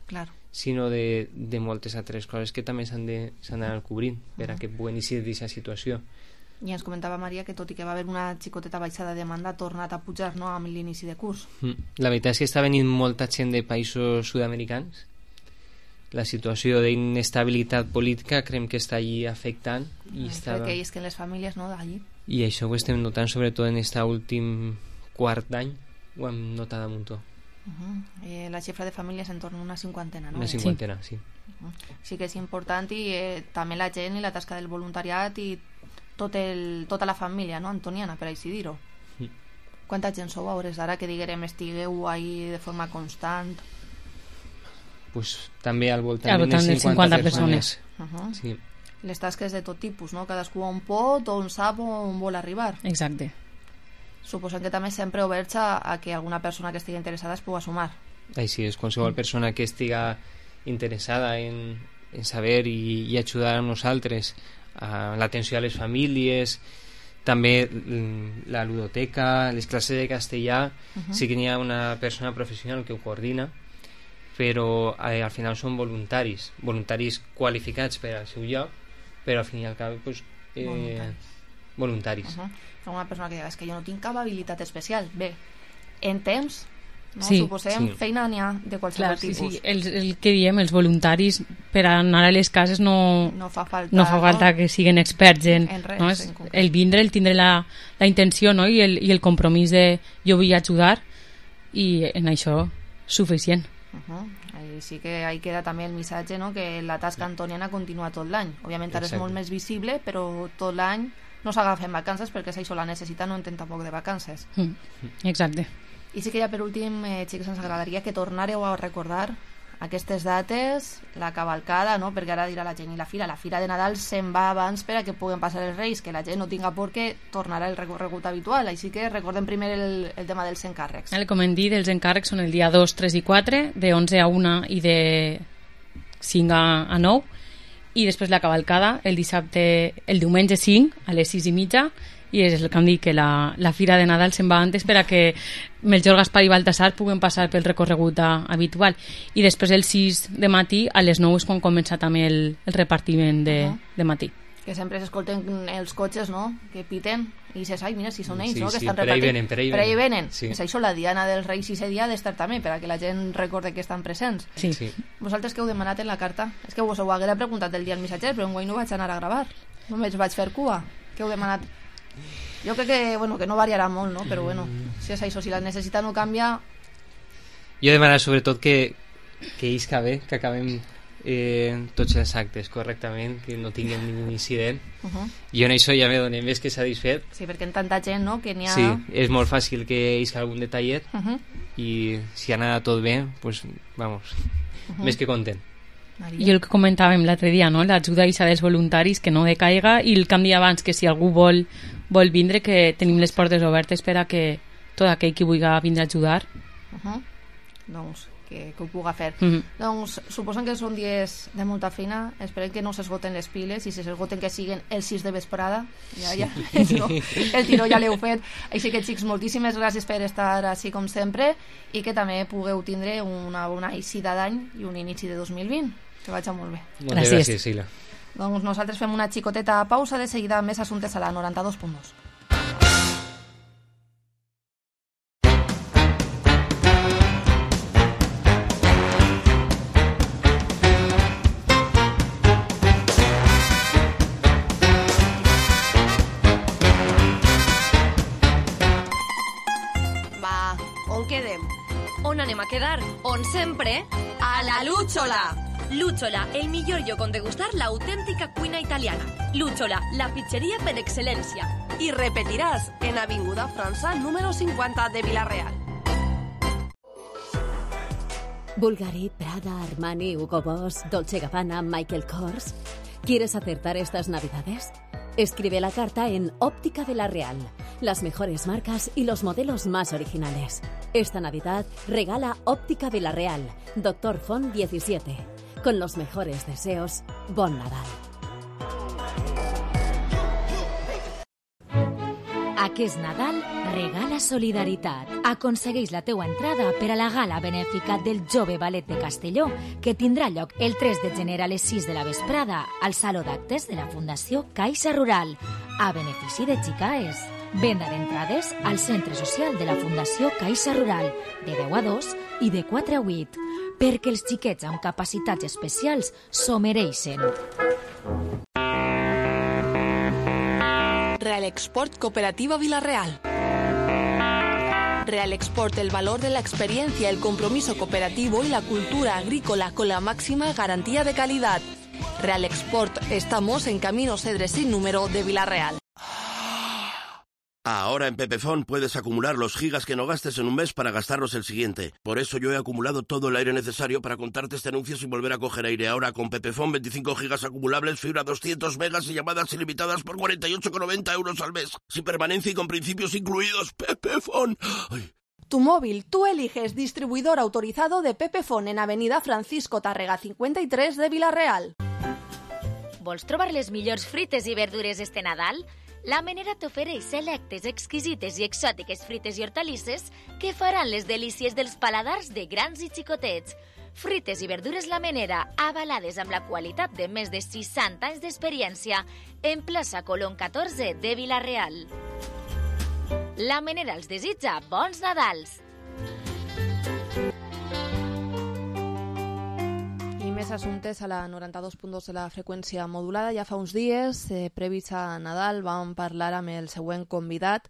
sinó de moltes altres coses que també s'han d'anar cobrint per a que puguen eixir d'aquesta situació. I ens comentava Maria que tot i que va haver una xicoteta baixada de demanda ha tornat a pujar, no?, amb l'inici de curs. La veritat és que està venint molta gent de països sud-americans. La situació d'inestabilitat política creiem que està allí afectant crec que és que les famílies, no?, d'allí. I això ho estem notant sobretot en aquest últim quart d'any, ho hem notat a muntó. La xifra de famílies en torn a una cinquantena, no? Una cinquantena, sí. Sí que és important, i també la gent i la tasca del voluntariat i tota la família, no?, antoniana, per així dir-ho. Quanta gent sou a hores d'ara que diguem estigueu ahí de forma constant? Pues també al voltant de 50 persones. Sí. Les tasques de tot tipus, no? Cadascú on pot, on sap, on vol arribar. Exacte. Suposem que també sempre oberts a que alguna persona que estigui interessada es pugui sumar. Així és, qualsevol persona que estiga interessada en saber i ajudar a nosaltres a l'atenció a les famílies, també la ludoteca, les classes de castellà, sí que n'hi ha una persona professional que ho coordina, però al final són voluntaris qualificats per al seu lloc, però al fin i al cap voluntaris. Una persona que diu, és que jo no tinc cap habilitat especial. Bé, en temps, no? Sí, suposem, feina n'hi ha de qualsevol tipus. Sí. El que diem, els voluntaris per anar a les cases no fa falta que siguin experts en res, no? El vindre, el tindre la intenció, no? I el compromís de jo vull ajudar, i en això suficient. Sí que ahí queda també el missatge, no?, que la tasca antoniana continua tot l'any. Òbviament ara és molt més visible, però tot l'any no s'agafen vacances perquè és això, la necessitat no entén tampoc de vacances. Exacte. I sí que ja per últim, xics, ens agradaria que tornareu a recordar aquestes dates, la cavalcada, no?, perquè ara dirà la gent, i la fira de Nadal se'n va abans per a que puguen passar els Reis, que la gent no tinga por que tornarà el recorregut habitual, així que recordem primer el tema dels encàrrecs. Com hem dit, els encàrrecs són el dia 2, 3 i 4, de 11 a 1 i de 5 a 9, i després la cavalcada el diumenge 5 a les 6 i mitja, i és el que em dic, que la fira de Nadal se'n va antes per a que Melchor, Gaspar i Baltasar puguen passar pel recorregut habitual, i després el 6 de matí a les 9 és quan comença també el repartiment de matí. Que sempre s'escolten els cotxes, no?, que piten i dices, ai, mira, si són ells, sí, no?, que sí, estan per ahí venen. Sí. És això, la diana dels Reis i dia ha d'estar també, per a que la gent recorde que estan presents. Sí. Vosaltres què heu demanat en la carta? És que vos ho haguera preguntat el dia al missatger, però enguany no vaig anar a gravar, només vaig fer cua. Què heu demanat? Jo crec que no variarà molt, no? Però si és això, si la necessitat no canvia... Jo he demanat sobretot que isca bé, que acabem tots els actes correctament, que no tinguem ningú incident. Jo en això ja me donem més que satisfet. Sí, perquè en tanta gent, no?, que n'hi ha... Sí, és molt fàcil que isca algun detallet, i si ha anat tot bé, pues vamos, més que content. I el que comentàvem l'altre dia, no?, l'ajuda dels voluntaris, que no decaiga, i el que em dia abans, que si algú vol vindre, que tenim les portes obertes per a que tot aquell que vulgui vindre a ajudar. Doncs que ho puga fer. Doncs suposen que són dies de molta feina, esperem que no s'esgoten les piles, i si s'esgoten que siguin el 6 de vesprada, el tiró ja l'heu fet. Així que, xics, moltíssimes gràcies per estar així com sempre, i que també pugueu tindre una bona eixida d'any i un inici de 2020. Que vagi molt bé. Gràcies, Sila. Doncs nosaltres fem una xicoteta pausa, de seguida més assumptes a la 92.2. On anem a quedar? On sempre? A la Lucciola! Lucciola, el millor lloc on degustar l'autèntica cuina italiana. Lucciola, la pizzeria per excel·lència. I repetiràs en Avinguda França, número 50 de Vila-real. Bulgari, Prada, Armani, Hugo Boss, Dolce Gabbana, Michael Kors. ¿Quieres acertar estas navidades? Escribe la carta en Óptica Vila-real. Las mejores marcas y los modelos más originales. Esta Navidad regala Óptica Vila-real, Doctor Font 17. Con los mejores deseos, Bon Nadal. Aquest Nadal regala solidaritat. Aconsegueix la teua entrada per a la gala benèfica del Jove Ballet de Castelló, que tindrà lloc el 3 de gener a les 6 de la vesprada al Saló d'Actes de la Fundació Caixa Rural, a benefici de Xicaes. Venda d'entrades al Centre Social de la Fundació Caixa Rural, de 10 a 2 i de 4 a 8, perquè els xiquets amb capacitats especials s'ho mereixen. Real Export Cooperativa Vila-real. Real Export, el valor de la experiencia, el compromiso cooperativo y la cultura agrícola con la máxima garantía de calidad. Real Export, estamos en Camino Cedres sin número de Vila-real. Ahora en Pepefon puedes acumular los gigas que no gastes en un mes para gastarlos el siguiente. Por eso yo he acumulado todo el aire necesario para contarte este anuncio sin volver a coger aire. Ahora con Pepefon 25 gigas acumulables, fibra 200 megas y llamadas ilimitadas por 48,90 € al mes. Sin permanencia y con principios incluidos. Pepefon. Ay. Tu móvil, tú eliges distribuidor autorizado de Pepefon en Avenida Francisco Tárrega 53 de Vila-real. Vols trobar les millors frites i verdures este Nadal? La Menera t'ofereix selectes, exquisites i exòtiques frites i hortalisses que faran les delícies dels paladars de grans i xicotets. Frites i verdures La Menera, avalades amb la qualitat de més de 60 anys d'experiència, en plaça Colón 14 de Vila-real. La Menera els desitja bons Nadals! Més assumptes a la 92.2 de la freqüència modulada. Ja fa uns dies, previs a Nadal, vam parlar amb el següent convidat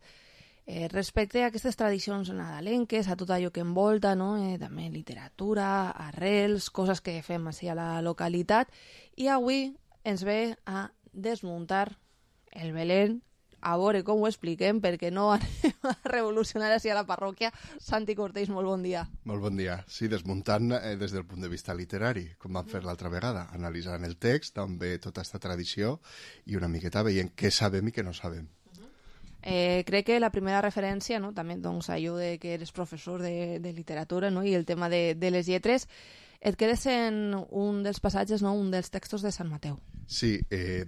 respecte a aquestes tradicions nadalenques, a tot allò que envolta, no? També literatura, arrels, coses que fem així a la localitat. I avui ens ve a desmuntar el Belén, a veure com ho expliquem, perquè no anem a revolucionar així a la parròquia. Santi Cortés, molt bon dia. Molt bon dia. Sí, desmuntant des del punt de vista literari, com vam fer l'altra vegada, analitzant el text, també tota aquesta tradició, i una miqueta veient què sabem i què no sabem. Crec que la primera referència, no? També doncs, allò de que eres professor de literatura, no? I el tema de les lletres, et quedes en un dels passatges, no? Un dels textos de Sant Mateu. Sí,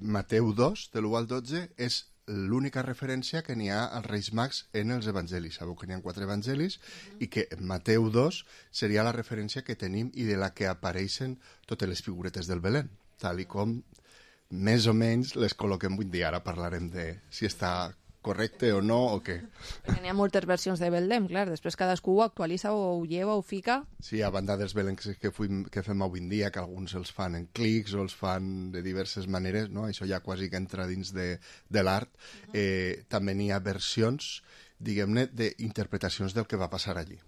Mateu 2, de l'1 al 12, és l'única referència que n'hi ha als Reis Mags en els evangelis. Sabeu que n'hi ha 4 evangelis i que Mateu 2 seria la referència que tenim i de la que apareixen totes les figuretes del Belén, tal i com més o menys les col·loquem avui dia. Ara parlarem de si està correcte o no o què. N'hi ha moltes versions de Belém, clar, després cadascú ho actualitza o ho lleva o ho fica. Sí, a banda dels Beléns que fem avui en dia, que alguns els fan en clics o els fan de diverses maneres, no? Això ja quasi que entra dins de l'art. També n'hi ha versions, diguem-ne, d'interpretacions del que va passar allí.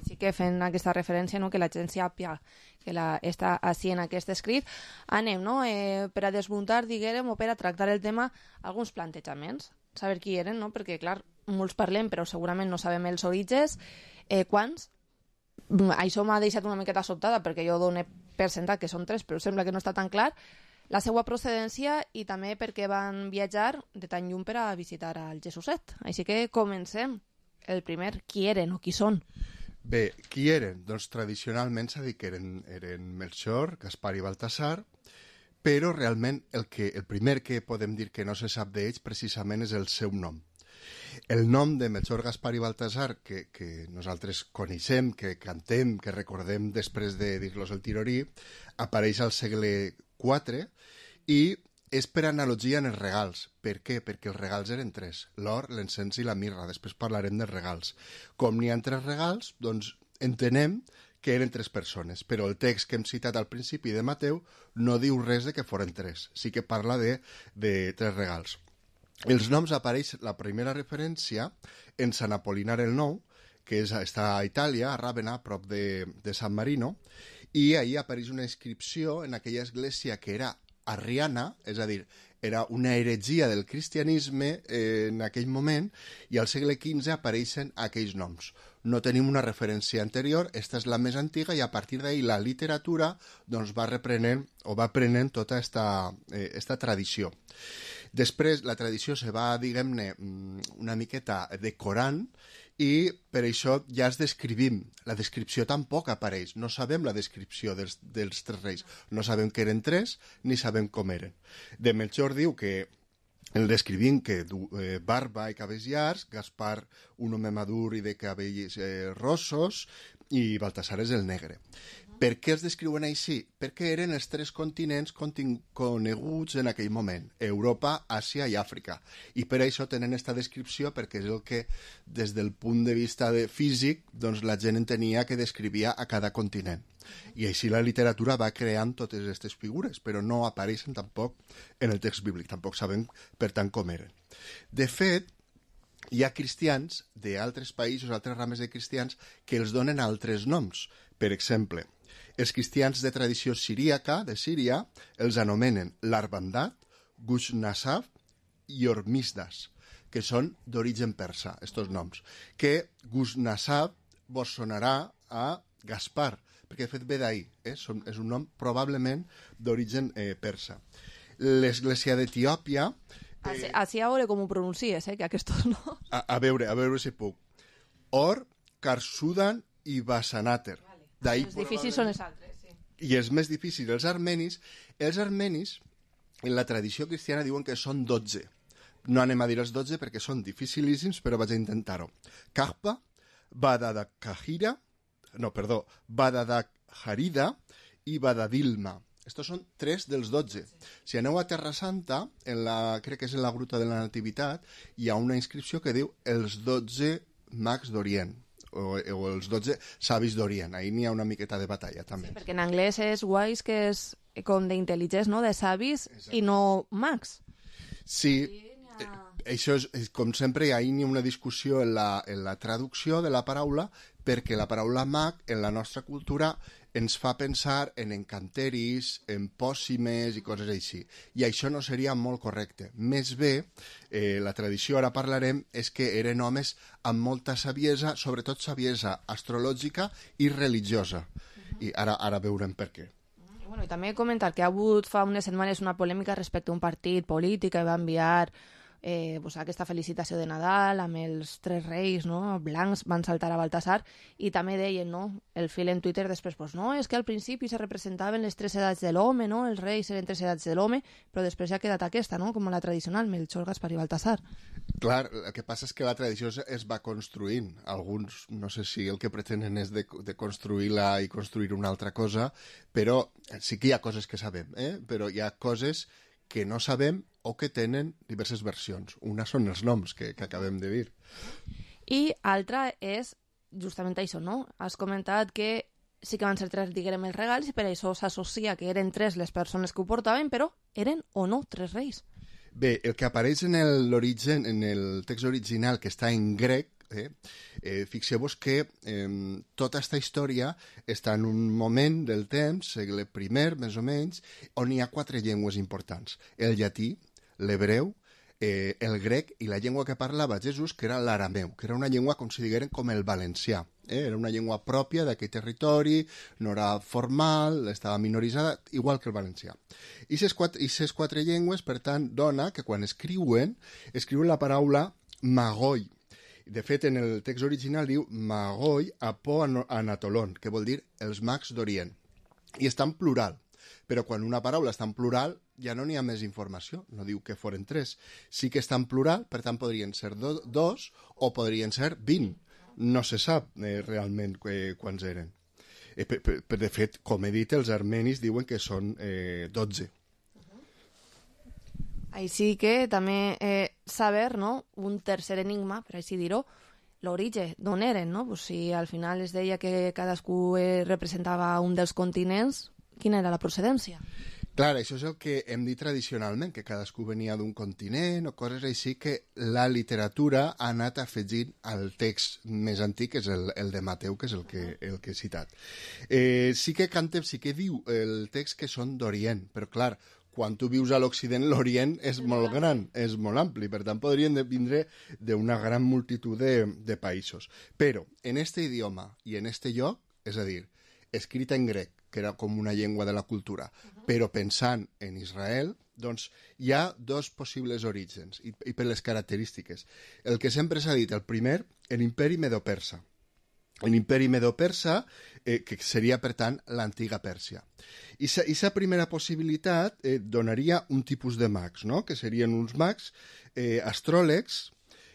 Sí que fent aquesta referència, no? Que la gent sàpiga que està així en aquest escrit. Anem, no? Per a desmuntar, diguem, o per a tractar el tema, alguns plantejaments. Saber qui eren, no? Perquè, clar, molts parlem, però segurament no sabem els orígens. Quants? Això m'ha deixat una miqueta sobtada, perquè jo dono per sentat que són 3, però sembla que no està tan clar. La seva procedència i també perquè van viatjar de tan lluny per a visitar al Jesuset. Així que comencem. El primer, qui eren o qui són? Bé, qui eren? Doncs tradicionalment s'ha dit que eren Melchor, Gaspar i Baltasar, però realment el primer que podem dir que no se sap d'ells precisament és el seu nom. El nom de Melchor, Gaspar i Baltasar, que nosaltres coneixem, que cantem, que recordem després de dir-los el tirorí, apareix al segle IV i és per analogia en els regals. Per què? Perquè els regals eren tres: l'or, l'encens i la mirra. Després parlarem dels regals. Com n'hi ha tres regals, doncs entenem que eren tres persones, però el text que hem citat al principi de Mateu no diu res de que foren tres. Sí que parla de tres regals. Els noms apareix la primera referència en Sant Apolinar el Nou, que està a Itàlia, a Ràvenna, a prop de San Marino, i ahir apareix una inscripció en aquella església que era arriana, és a dir, era una heretgia del cristianisme en aquell moment, i al segle XV apareixen aquells noms. No tenim una referència anterior, esta és la més antiga, i a partir d'ahir la literatura doncs, va prenent tota esta tradició. Després la tradició se va, diguem-ne, una miqueta decorant, i per això ja es descrivim. La descripció tampoc apareix. No sabem la descripció dels tres reis. No sabem que eren tres, ni sabem com eren. De Melchor diu que el descrivim que du barba i cabells llargs, Gaspar un home madur i de cabells rossos, i Baltasar és el negre. Per què els descriuen així? Perquè eren els tres continents coneguts en aquell moment: Europa, Àsia i Àfrica. I per això tenen aquesta descripció, perquè és el que, des del punt de vista físic, doncs la gent entenia que descrivia a cada continent. I així la literatura va creant totes aquestes figures, però no apareixen tampoc en el text bíblic. Tampoc sabem, per tant, com eren. De fet, hi ha cristians d'altres països, altres rames de cristians, que els donen altres noms. Per exemple, els cristians de tradició siríaca, de Síria, els anomenen l'Arbandat, Gushnasaf i Hormisdas, que són d'origen persa, estos noms. Que Gushnasaf vos sonarà a Gaspar, perquè de fet ve d'ahir, és un nom probablement d'origen persa. L'església d'Etiòpia... Així a veure com ho pronuncies, que aquests no... A veure si puc. Or, Karsudan i Basanater. Els difícils són els altres, sí. I els més difícils, els armenis, en la tradició cristiana diuen que són 12. No anem a dir els 12 perquè són dificilíssims, però vaig a intentar-ho. Kahpa, Badadakharida i Badadilma. Estos són 3 dels 12. Si aneu a Terra Santa, crec que és en la Gruta de la Nativitat, hi ha una inscripció que diu els 12 mags d'Orient, o els 12 savis d'Orient. Ahí n'hi ha una miqueta de batalla, també. Sí, perquè en anglès és wise, que és com d'intel·ligents, no?, de savis, i no mags. Sí, això és, com sempre, ahí n'hi ha una discussió en la traducció de la paraula, perquè la paraula mag, en la nostra cultura, ens fa pensar en encanteris, en pòssimes i coses així. I això no seria molt correcte. Més bé, la tradició, ara parlarem, és que eren homes amb molta saviesa, sobretot saviesa astrològica i religiosa. I ara veurem per què. I també comentar que ha hagut fa unes setmanes una polèmica respecte a un partit polític que va enviar aquesta felicitació de Nadal amb els tres reis, no? Blancs van saltar a Baltasar, i també deien, no? El fil en Twitter després, no, és que al principi se representaven les tres edats de l'home, no? Els reis eren tres edats de l'home, però després ja ha quedat aquesta, no? Com la tradicional, Melchor, Gaspar i Baltasar. Clar, el que passa és que la tradició es va construint. Alguns, no sé si el que pretenen és de construir-la i construir una altra cosa, però sí que hi ha coses que sabem, però hi ha coses que no sabem o que tenen diverses versions. Una són els noms que acabem de dir. I altra és justament això, no? Has comentat que sí que van ser tres, diguem, els regals, i per això s'associa que eren tres les persones que ho portaven, però eren o no tres reis. Bé, el que apareix en l'origen, en el text original, que està en grec, fixeu-vos que tota aquesta història està en un moment del temps, segle I, més o menys, on hi ha 4 llengües importants: el llatí, l'hebreu, el grec i la llengua que parlava Jesús, que era l'arameu, que era una llengua com si digueren com el valencià. Era una llengua pròpia d'aquell territori, no era formal, estava minoritzada, igual que el valencià. I ces 4 llengües, per tant, dona que quan escriuen la paraula magoi. De fet, en el text original diu Magoi Apo Anatolon, que vol dir els mags d'Orient. I està en plural, però quan una paraula està en plural ja no n'hi ha més informació, no diu que foren 3. Sí que està en plural, per tant podrien ser 2 o podrien ser 20. No se sap realment quants eren. De fet, com he dit, els armenis diuen que són 12. Així que també saber, no?, un tercer enigma, per així dir-ho, l'origen, d'on eren, no? Pues si al final es deia que cadascú representava un dels continents, quina era la procedència? Clar, això és el que hem dit tradicionalment, que cadascú venia d'un continent o coses així, que la literatura ha anat afegint al text més antic, que és el de Mateu, que és el que he citat. Sí que diu el text que són d'Orient, però clar, quan tu vius a l'Occident, l'Orient és molt gran, és molt ampli, per tant podrien vindre d'una gran multitud de països. Però en este idioma i en este lloc, és a dir, escrita en grec, que era com una llengua de la cultura, però pensant en Israel, doncs hi ha 2 possibles orígens, i per les característiques. El que sempre s'ha dit, el primer, l'imperi Medo-Persa. L'imperi Medo-Persa, que seria, per tant, l'antiga Pèrsia. I la primera possibilitat donaria un tipus de mags, no?, que serien uns mags astròlegs,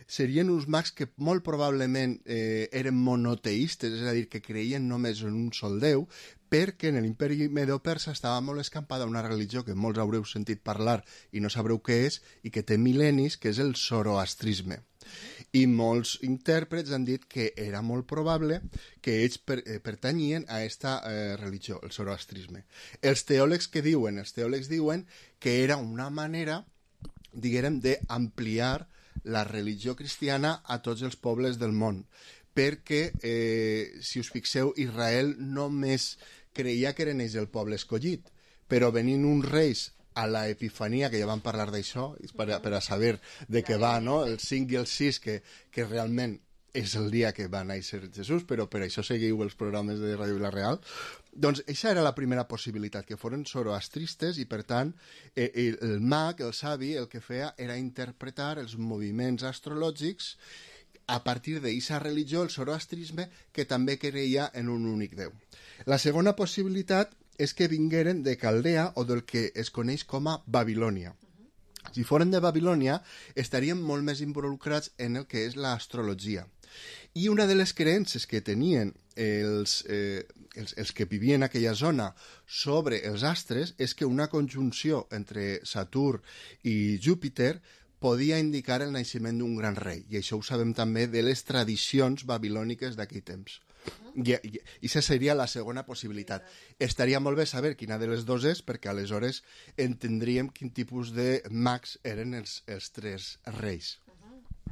serien uns mags que molt probablement eren monoteistes, és a dir, que creien només en un sol déu, perquè en l'imperi Medo-Persa estava molt escampada una religió que molts haureu sentit parlar i no sabreu què és, i que té mil·lennis, que és el zoroastrisme. I molts intèrprets han dit que era molt probable que ells pertanyien a aquesta religió, el zoroastrisme. Els teòlegs diuen que era una manera, diguem, d'ampliar la religió cristiana a tots els pobles del món, perquè, si us fixeu, Israel només creia que eren ells el poble escollit, però venint uns reis a la Epifania, que ja vam parlar d'això, per a saber de què va, no?, el 5 i el 6, que realment és el dia que va néixer Jesús, però per això seguiu els programes de Ràdio Vila-real. Doncs això era la primera possibilitat, que foren zoroastristes, i per tant el mag, el savi, el que feia era interpretar els moviments astrològics a partir d'aquesta religió, el zoroastrisme, que també creia en un únic déu. La segona possibilitat és que vingueren de Caldea o del que es coneix com a Babilònia. Si foren de Babilònia, estaríem molt més involucrats en el que és l'astrologia. I una de les creences que tenien els que vivien en aquella zona sobre els astres és que una conjunció entre Saturn i Júpiter podia indicar el naixement d'un gran rei. I això ho sabem també de les tradicions babilòniques d'aquell temps. I aquesta seria la segona possibilitat. Estaria molt bé saber quina de les 2 és, perquè aleshores entendríem quin tipus de mags eren els 3 reis.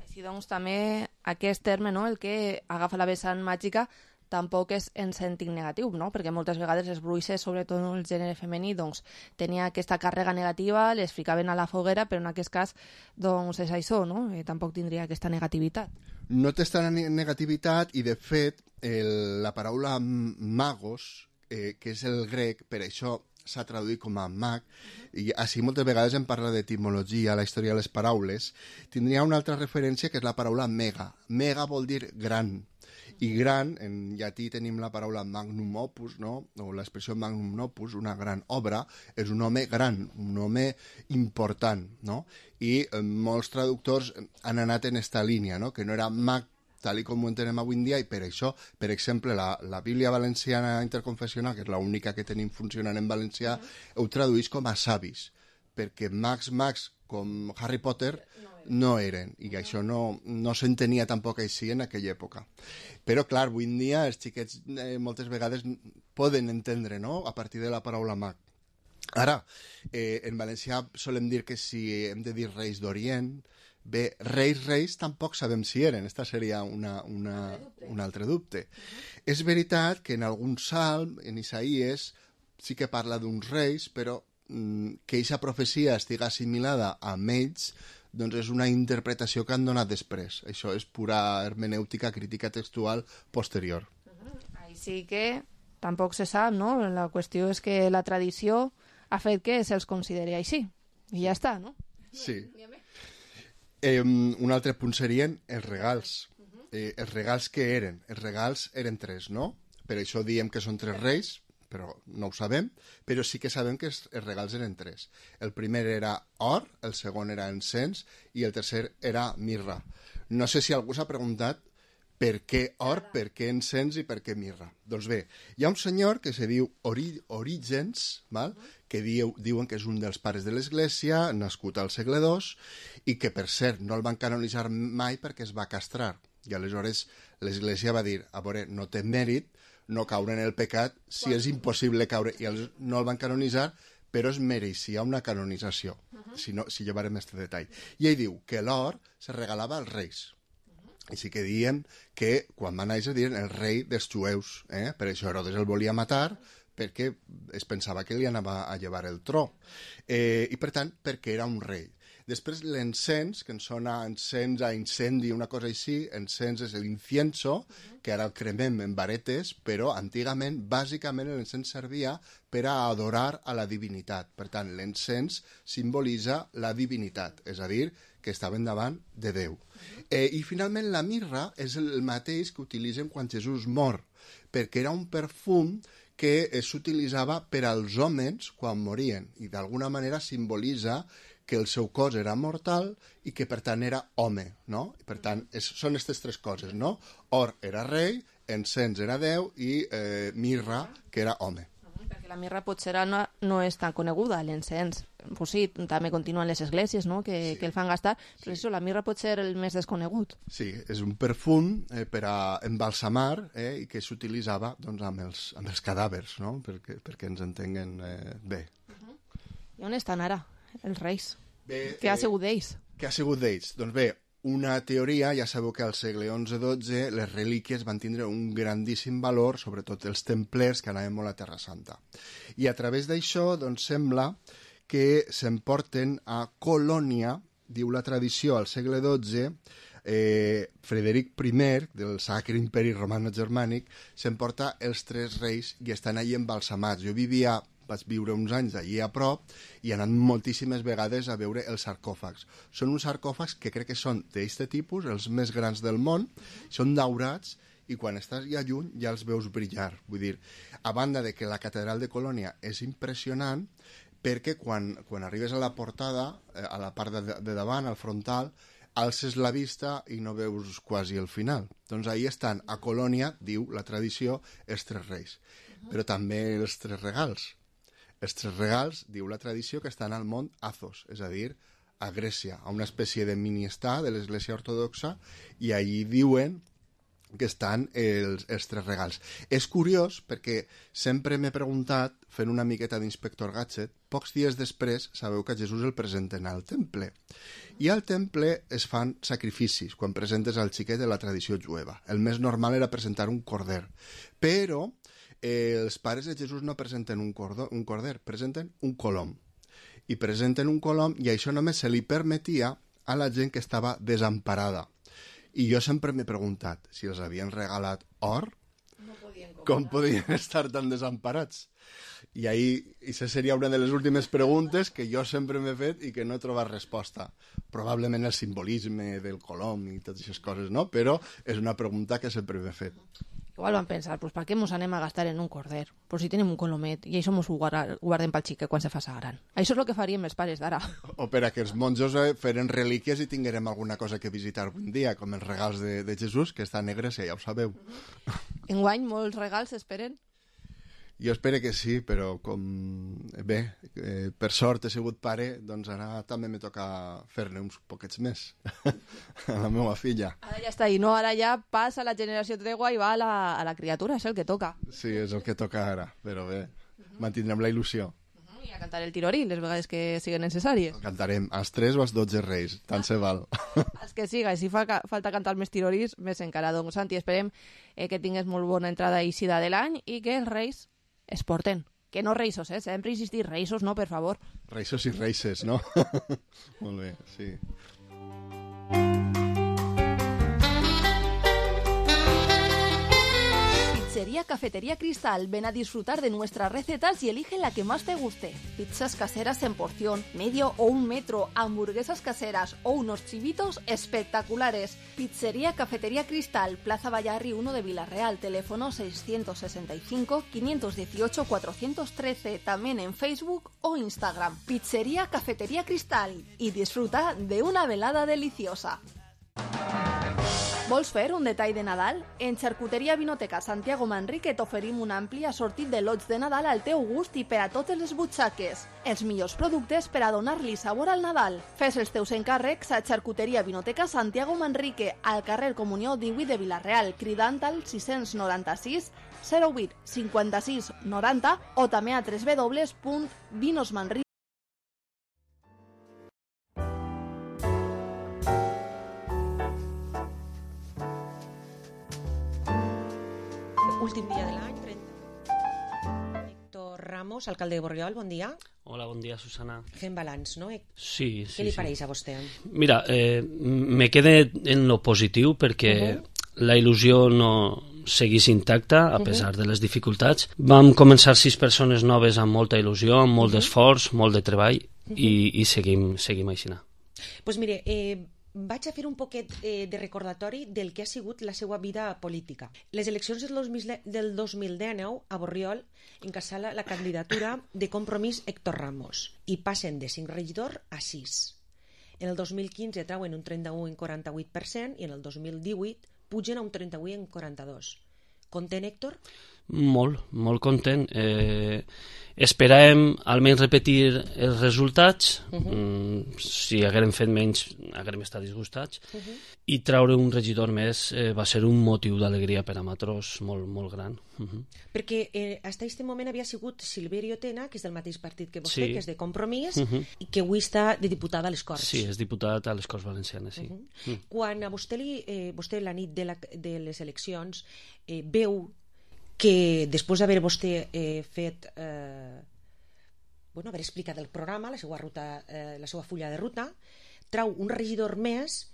Així doncs també aquest terme, no?, el que agafa la vessant màgica, tampoc és en sentit negatiu, no?, perquè moltes vegades les bruixes, sobretot el gènere femení, doncs tenia aquesta càrrega negativa, les ficaven a la foguera, però en aquest cas doncs és això, no?, tampoc tindria aquesta negativitat. No té aquesta negativitat, i de fet la paraula magos, que és el grec, per això s'ha traduït com a mag, i així moltes vegades en parla d'etimologia, la història de les paraules, tindria una altra referència que és la paraula mega. Mega vol dir gran, i gran, en llatí tenim la paraula magnum opus, no?, o l'expressió magnum opus, una gran obra, és un home gran, un home important, no?, i molts traductors han anat en esta línia, no?, que no era mag tal com ho entenem avui en dia, i per això, per exemple, la Bíblia Valenciana Interconfessional, que és l'única que tenim funcionant en valencià, ho traduís com a savis, perquè mags com Harry Potter no eren, i això no s'entenia tampoc així en aquella època. Però, clar, avui en dia els xiquets moltes vegades poden entendre, no?, a partir de la paraula mag. Ara, en valencià solem dir que si hem de dir reis d'Orient, bé, reis tampoc sabem si eren, aquesta seria un altre dubte. És veritat que en algun salm, en Isaías, sí que parla d'uns reis, però que aquesta profecia estigui assimilada amb ells, doncs és una interpretació que han donat després. Això és pura hermenèutica, crítica textual posterior. Així que tampoc se sap, no? La qüestió és que la tradició ha fet que se'ls consideri així. I ja està, no? Sí. Un altre punt serien els regals. els regals que eren? Els regals eren 3, no? Per això diem que són 3 reis, però no ho sabem, però sí que sabem que els regals eren 3. El primer era or, el segon era encens i el tercer era mirra. No sé si algú s'ha preguntat per què or, per què encens i per què mirra. Doncs bé, hi ha un senyor que se diu Orígens, que diuen que és un dels pares de l'Església, nascut al segle II, i que, per cert, no el van canonitzar mai perquè es va castrar. I aleshores l'Església va dir, a veure, no té mèrit no caure en el pecat si és impossible caure. I no el van canonitzar, però es mereixia una canonització, si llevarem este detall. I ell diu que l'or se regalava als reis. Així que diem que quan va néixer diuen el rei dels jueus. Per això Herodes el volia matar, perquè es pensava que li anava a llevar el tro. I per tant, perquè era un rei. Després l'encens, que ens sona encens a incendi, una cosa així, encens és l'incienso, que ara el cremem en varetes, però antigament, bàsicament, l'encens servia per a adorar a la divinitat. Per tant, l'encens simbolitza la divinitat, és a dir, que estaven davant de Déu. I finalment la mirra és el mateix que utilitzen quan Jesús mor, perquè era un perfum que s'utilitzava per als homes quan morien, i d'alguna manera simbolitza que el seu cos era mortal i que per tant era home, no? I per tant, són aquestes 3 coses, no? Or era rei, encens era Déu i mirra, que era home. Perquè la mirra potser no és tan coneguda, l'encens. Pues sí, també continuen les esglésies, no?, que el fan gastar, però això, la mirra pot ser el més desconegut. Sí, és un perfum per a embalsamar i que s'utilitzava doncs, amb els cadàvers, no?, perquè ens entenguen bé. I on estan ara els reis? Què ha sigut d'ells? Què ha sigut d'ells? Doncs bé, una teoria, ja sabeu que al segle XI-XII les relíquies van tindre un grandíssim valor, sobretot els templers que anaven molt a Terra Santa. I a través d'això doncs, sembla que s'emporten a Colònia, diu la tradició al segle XII, Frederic I, del Sacre Imperi Romano-Germànic, s'emporta els 3 reis i estan allí embalsamats. Jo vaig viure uns anys allí a prop i he anat moltíssimes vegades a veure els sarcòfags. Són uns sarcòfags que crec que són d'aquest tipus, els més grans del món, són daurats i quan estàs ja lluny ja els veus brillar. Vull dir, a banda de que la catedral de Colònia és impressionant, perquè quan arribes a la portada, a la part de davant, al frontal, alces la vista i no veus quasi el final. Doncs ahí estan, a Colònia, diu la tradició, els 3 reis. Però també els 3 regals. Els 3 regals, diu la tradició, que estan al mont Athos, és a dir, a Grècia, a una espècie de mini-estat de l'Església Ortodoxa, i allí diuen que estan els 3 regals. És curiós perquè sempre m'he preguntat, fent una miqueta d'inspector Gadget, pocs dies després sabeu que a Jesús el presenten al temple. I al temple es fan sacrificis quan presentes al xiquet de la tradició jueva. El més normal era presentar un corder. Però els pares de Jesús no presenten un corder, presenten un colom. I presenten un colom i això només se li permetia a la gent que estava desemparada. I jo sempre m'he preguntat si els havien regalat or, com podien estar tan desemparats. I això seria una de les últimes preguntes que jo sempre m'he fet i que no he trobat resposta. Probablement el simbolisme del colom i totes aquestes coses, no? Però és una pregunta que sempre m'he fet. Igual van pensar, pues, per què mos anem a gastar en un corder? Pues si tenim un colomet, i això mos ho guardem pel xic quan se faça gran. Això és el que faríem els pares d'ara. O per a que els monjos feren relíquies i tinguérem alguna cosa que visitar un dia, com els regals de Jesús, que està a Grècia, ja ho sabeu. Enguany molts regals s'esperen? Jo espero que sí, però com bé, per sort he sigut pare, doncs ara també me toca fer-ne uns poquets més a la meva filla. Ara ja està ahí, no? Ara ja passa la generació tregua i va a la criatura, és el que toca. Sí, és el que toca ara, però bé, mantindrem la il·lusió. I a cantar el tirorí, les vegades que siguin necessàries. Cantarem als 3 o als 12 reis, tant se val. Els que siga, si fa falta cantar més tirorís, més encara. Doncs, Santi, esperem que tingues molt bona entrada i eixida de l'any i que els reis es porten. Que no reisos, sempre insistir, reisos no, per favor. Reisos i reises, no? Molt bé, sí. Pizzería Cafetería Cristal. Ven a disfrutar de nuestras recetas y elige la que más te guste. Pizzas caseras en porción, medio o 1 metro, hamburguesas caseras o unos chivitos espectaculares. Pizzería Cafetería Cristal, Plaza Vallarri 1 de Villarreal, teléfono 665-518-413, también en Facebook o Instagram. Pizzería Cafetería Cristal y disfruta de una velada deliciosa. Vols fer un detall de Nadal? En Xarcuteria Vinoteca Santiago Manrique t'oferim un ampli assortit de lots de Nadal al teu gust i per a totes les butxaques. Els millors productes per a donar-li sabor al Nadal. Fes els teus encàrrecs a Xarcuteria Vinoteca Santiago Manrique, al carrer Comunió 18 de Vilareal, cridant al 696 08 56 90 o també a www.vinosmanrique. Últim dia de l'any, 30. Héctor Ramos, alcalde de Borriol, bon dia. Hola, bon dia, Susana. Fem balanç, no? Sí. Què li pareix a vostè? Mira, me quedé en lo positiu perquè la il·lusió no seguís intacta a pesar de les dificultats. Vam començar 6 persones noves amb molta il·lusió, amb molt d'esforç, molt de treball i seguim així. Doncs mire, vaig a fer un poquet de recordatori del que ha sigut la seva vida política. Les eleccions del 2019 a Borriol encasala la candidatura de Compromís Héctor Ramos i passen de 5 regidors a 6. En el 2015 trauen un 31,48% i en el 2018 pugen a un 31,42%. Content, Héctor? Molt content. Esperàvem almenys repetir els resultats. Si haguérem fet menys haguérem estat disgustats i traure un regidor més va ser un motiu d'alegria per a nosaltres molt gran. Perquè fins a aquest moment havia sigut Silverio Tena, que és del mateix partit que vostè, que és de Compromís, i que avui està de diputada a les Corts. Sí, és diputat a les Corts Valencianes, sí. Quan a vostè la nit de les eleccions veu que després d'haver vostè fet haver explicat el programa, la seva fulla de ruta, trau un regidor més,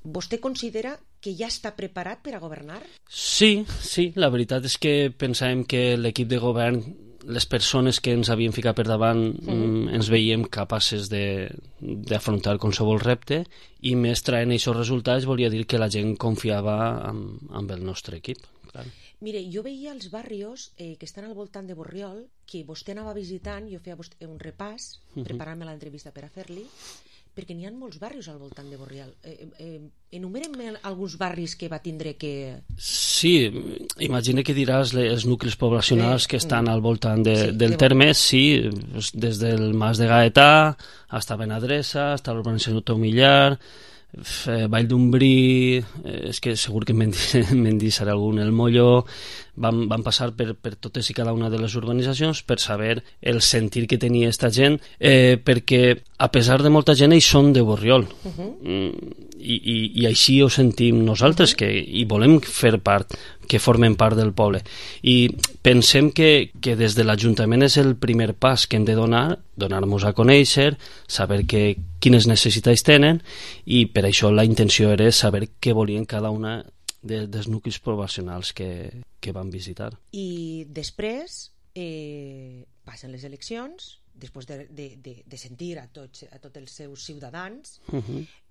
vostè considera que ja està preparat per a governar? Sí, la veritat és que pensàvem que l'equip de govern, les persones que ens havien ficat per davant, ens veiem capaces d'afrontar qualsevol repte i més traient aquests resultats volia dir que la gent confiava en el nostre equip. Clar. Mire, jo veia els barrios que estan al voltant de Borriol, que vostè anava visitant, jo feia un repàs, preparant-me l'entrevista per a fer-li, perquè n'hi ha molts barris al voltant de Borriol. Enumerem alguns barris que va tindre que... Sí, imagina que diràs els nuclis poblacionals que estan al voltant del terme, sí, des del Mas de Gaetà, hasta Benadressa, hasta l'urbanització Tomillar, Vall d'Umbrí, és que segur que me'n deixaré algun, el Molló. Vam passar per totes i cada una de les urbanitzacions per saber el sentir que tenia aquesta gent, perquè a pesar de molta gent ells són de Borriol i així ho sentim nosaltres, i volem fer part, que formen part del poble, i pensem que des de l'Ajuntament és el primer pas que hem de donar-nos a conèixer, saber quines necessitats tenen, i per això la intenció era saber què volien cada una dels nuclis poblacionals que van visitar. I després passen les eleccions, després de sentir a tots els seus ciutadans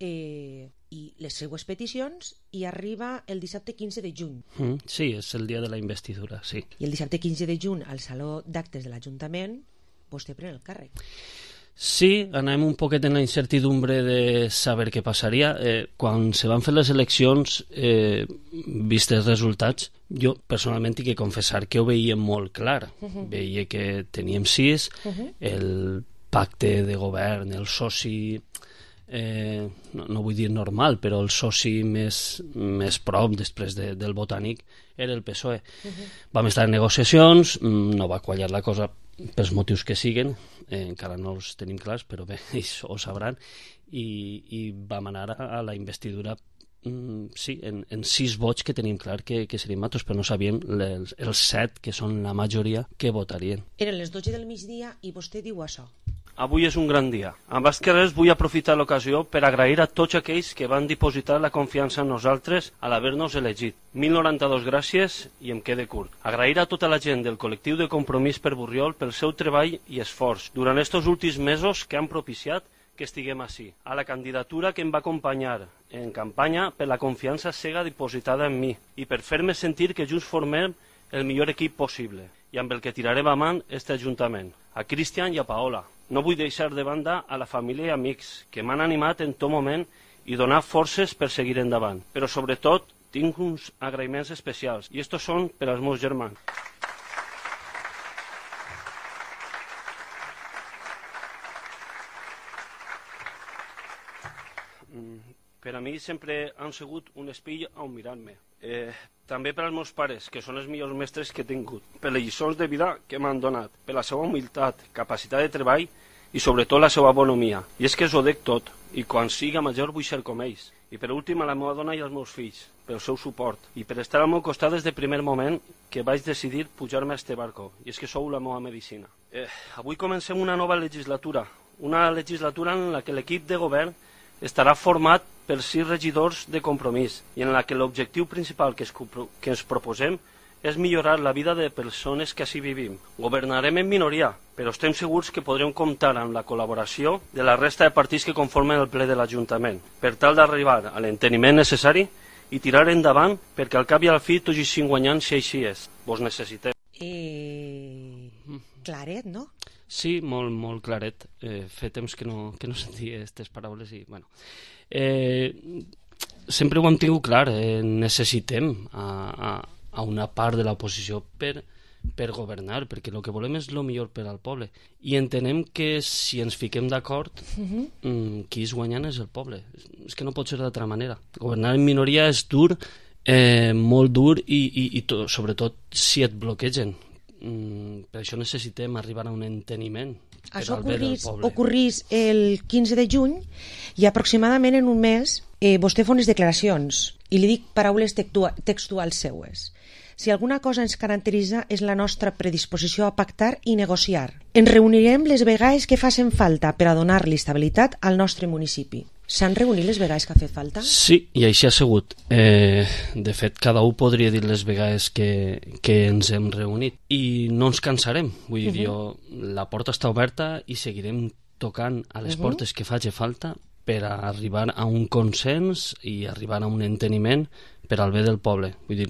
i les seues peticions, i arriba el dissabte 15 de juny. Sí, és el dia de la investidura, sí. I el dissabte 15 de juny al Saló d'Actes de l'Ajuntament vostè pren el càrrec. Sí, anem un poquet en la incertidumbre de saber què passaria. Quan se van fer les eleccions, vist els resultats, jo personalment he de confessar que ho veia molt clar. Veia que teníem 6, el pacte de govern, el soci, no vull dir normal, però el soci més prop després del Botànic era el PSOE. Vam estar en negociacions, no va quallar la cosa pels motius que siguen, encara no els tenim clars, però bé, ells ho sabran, i vam anar a la investidura, sí, en 6 vots que tenim clar que serien matos, però no sabíem els 7, que són la majoria, que votarien. Eren les 12 del migdia i vostè diu això. avui és un gran dia. Abans que res vull aprofitar l'ocasió per agrair a tots aquells que van dipositar la confiança en nosaltres a l'haver-nos elegit. 1092 gràcies i em quede curt. Agrair a tota la gent del col·lectiu de Compromís per Borriol pel seu treball i esforç durant estos últims mesos que han propiciat que estiguem així. A la candidatura que em va acompanyar en campanya per la confiança cega dipositada en mi i per fer-me sentir que junts formem el millor equip possible i amb el que tirarem avant este Ajuntament. A Cristian i a Paola. No vull deixar de banda a la família i amics que m'han animat en tot moment i donar forces per seguir endavant. Però sobretot tinc uns agraïments especials i estos són per als meus germans. Per a mi sempre han sigut un espill on mirar-me. També per als meus pares, que són els millors mestres que he tingut, per les lliçons de vida que m'han donat, per la seva humilitat, capacitat de treball i sobretot la seva bonomia. I és que us ho dic tot, i quan siga major vull ser com ells. I per últim a la meva dona i als meus fills, pel seu suport, i per estar al meu costat des del primer moment que vaig decidir pujar-me a este barco, i és que sou la meva medicina. Avui comencem una nova legislatura en la que l'equip de govern estarà format per 6 regidors de Compromís i en la que l'objectiu principal que ens proposem és millorar la vida de persones que així vivim. Governarem en minoria, però estem segurs que podrem comptar amb la col·laboració de la resta de partits que conformen el ple de l'Ajuntament, per tal d'arribar a l'enteniment necessari i tirar endavant perquè al cap i al fi tots hi siguin guanyant si així és. Vos necessitem. Claret, no? Sí, molt claret. Fa temps que no sentia aquestes paraules i, bueno... sempre ho hem tingut clar, necessitem a una part de l'oposició per governar, perquè el que volem és el millor per al poble. I entenem que si ens fiquem d'acord, qui és guanyant és el poble. És que no pot ser d'altra manera. Governar en minoria és dur, molt dur, i sobretot si et bloquegen. Per això necessitem arribar a un enteniment. Això ocorrís el 15 de juny i aproximadament en un mes vostè fa unes declaracions i li dic paraules textuals seues. Si alguna cosa ens caracteritza és la nostra predisposició a pactar i negociar. Ens reunirem les vegades que facin falta per a donar-li estabilitat al nostre municipi. S'han reunit les vegades que ha fet falta? Sí, i així ha sigut. De fet, cada un podria dir les vegades que ens hem reunit. I no ens cansarem. Vull dir, la porta està oberta i seguirem tocant a les portes que faci falta per a arribar a un consens i arribar a un enteniment per al bé del poble. Vull dir,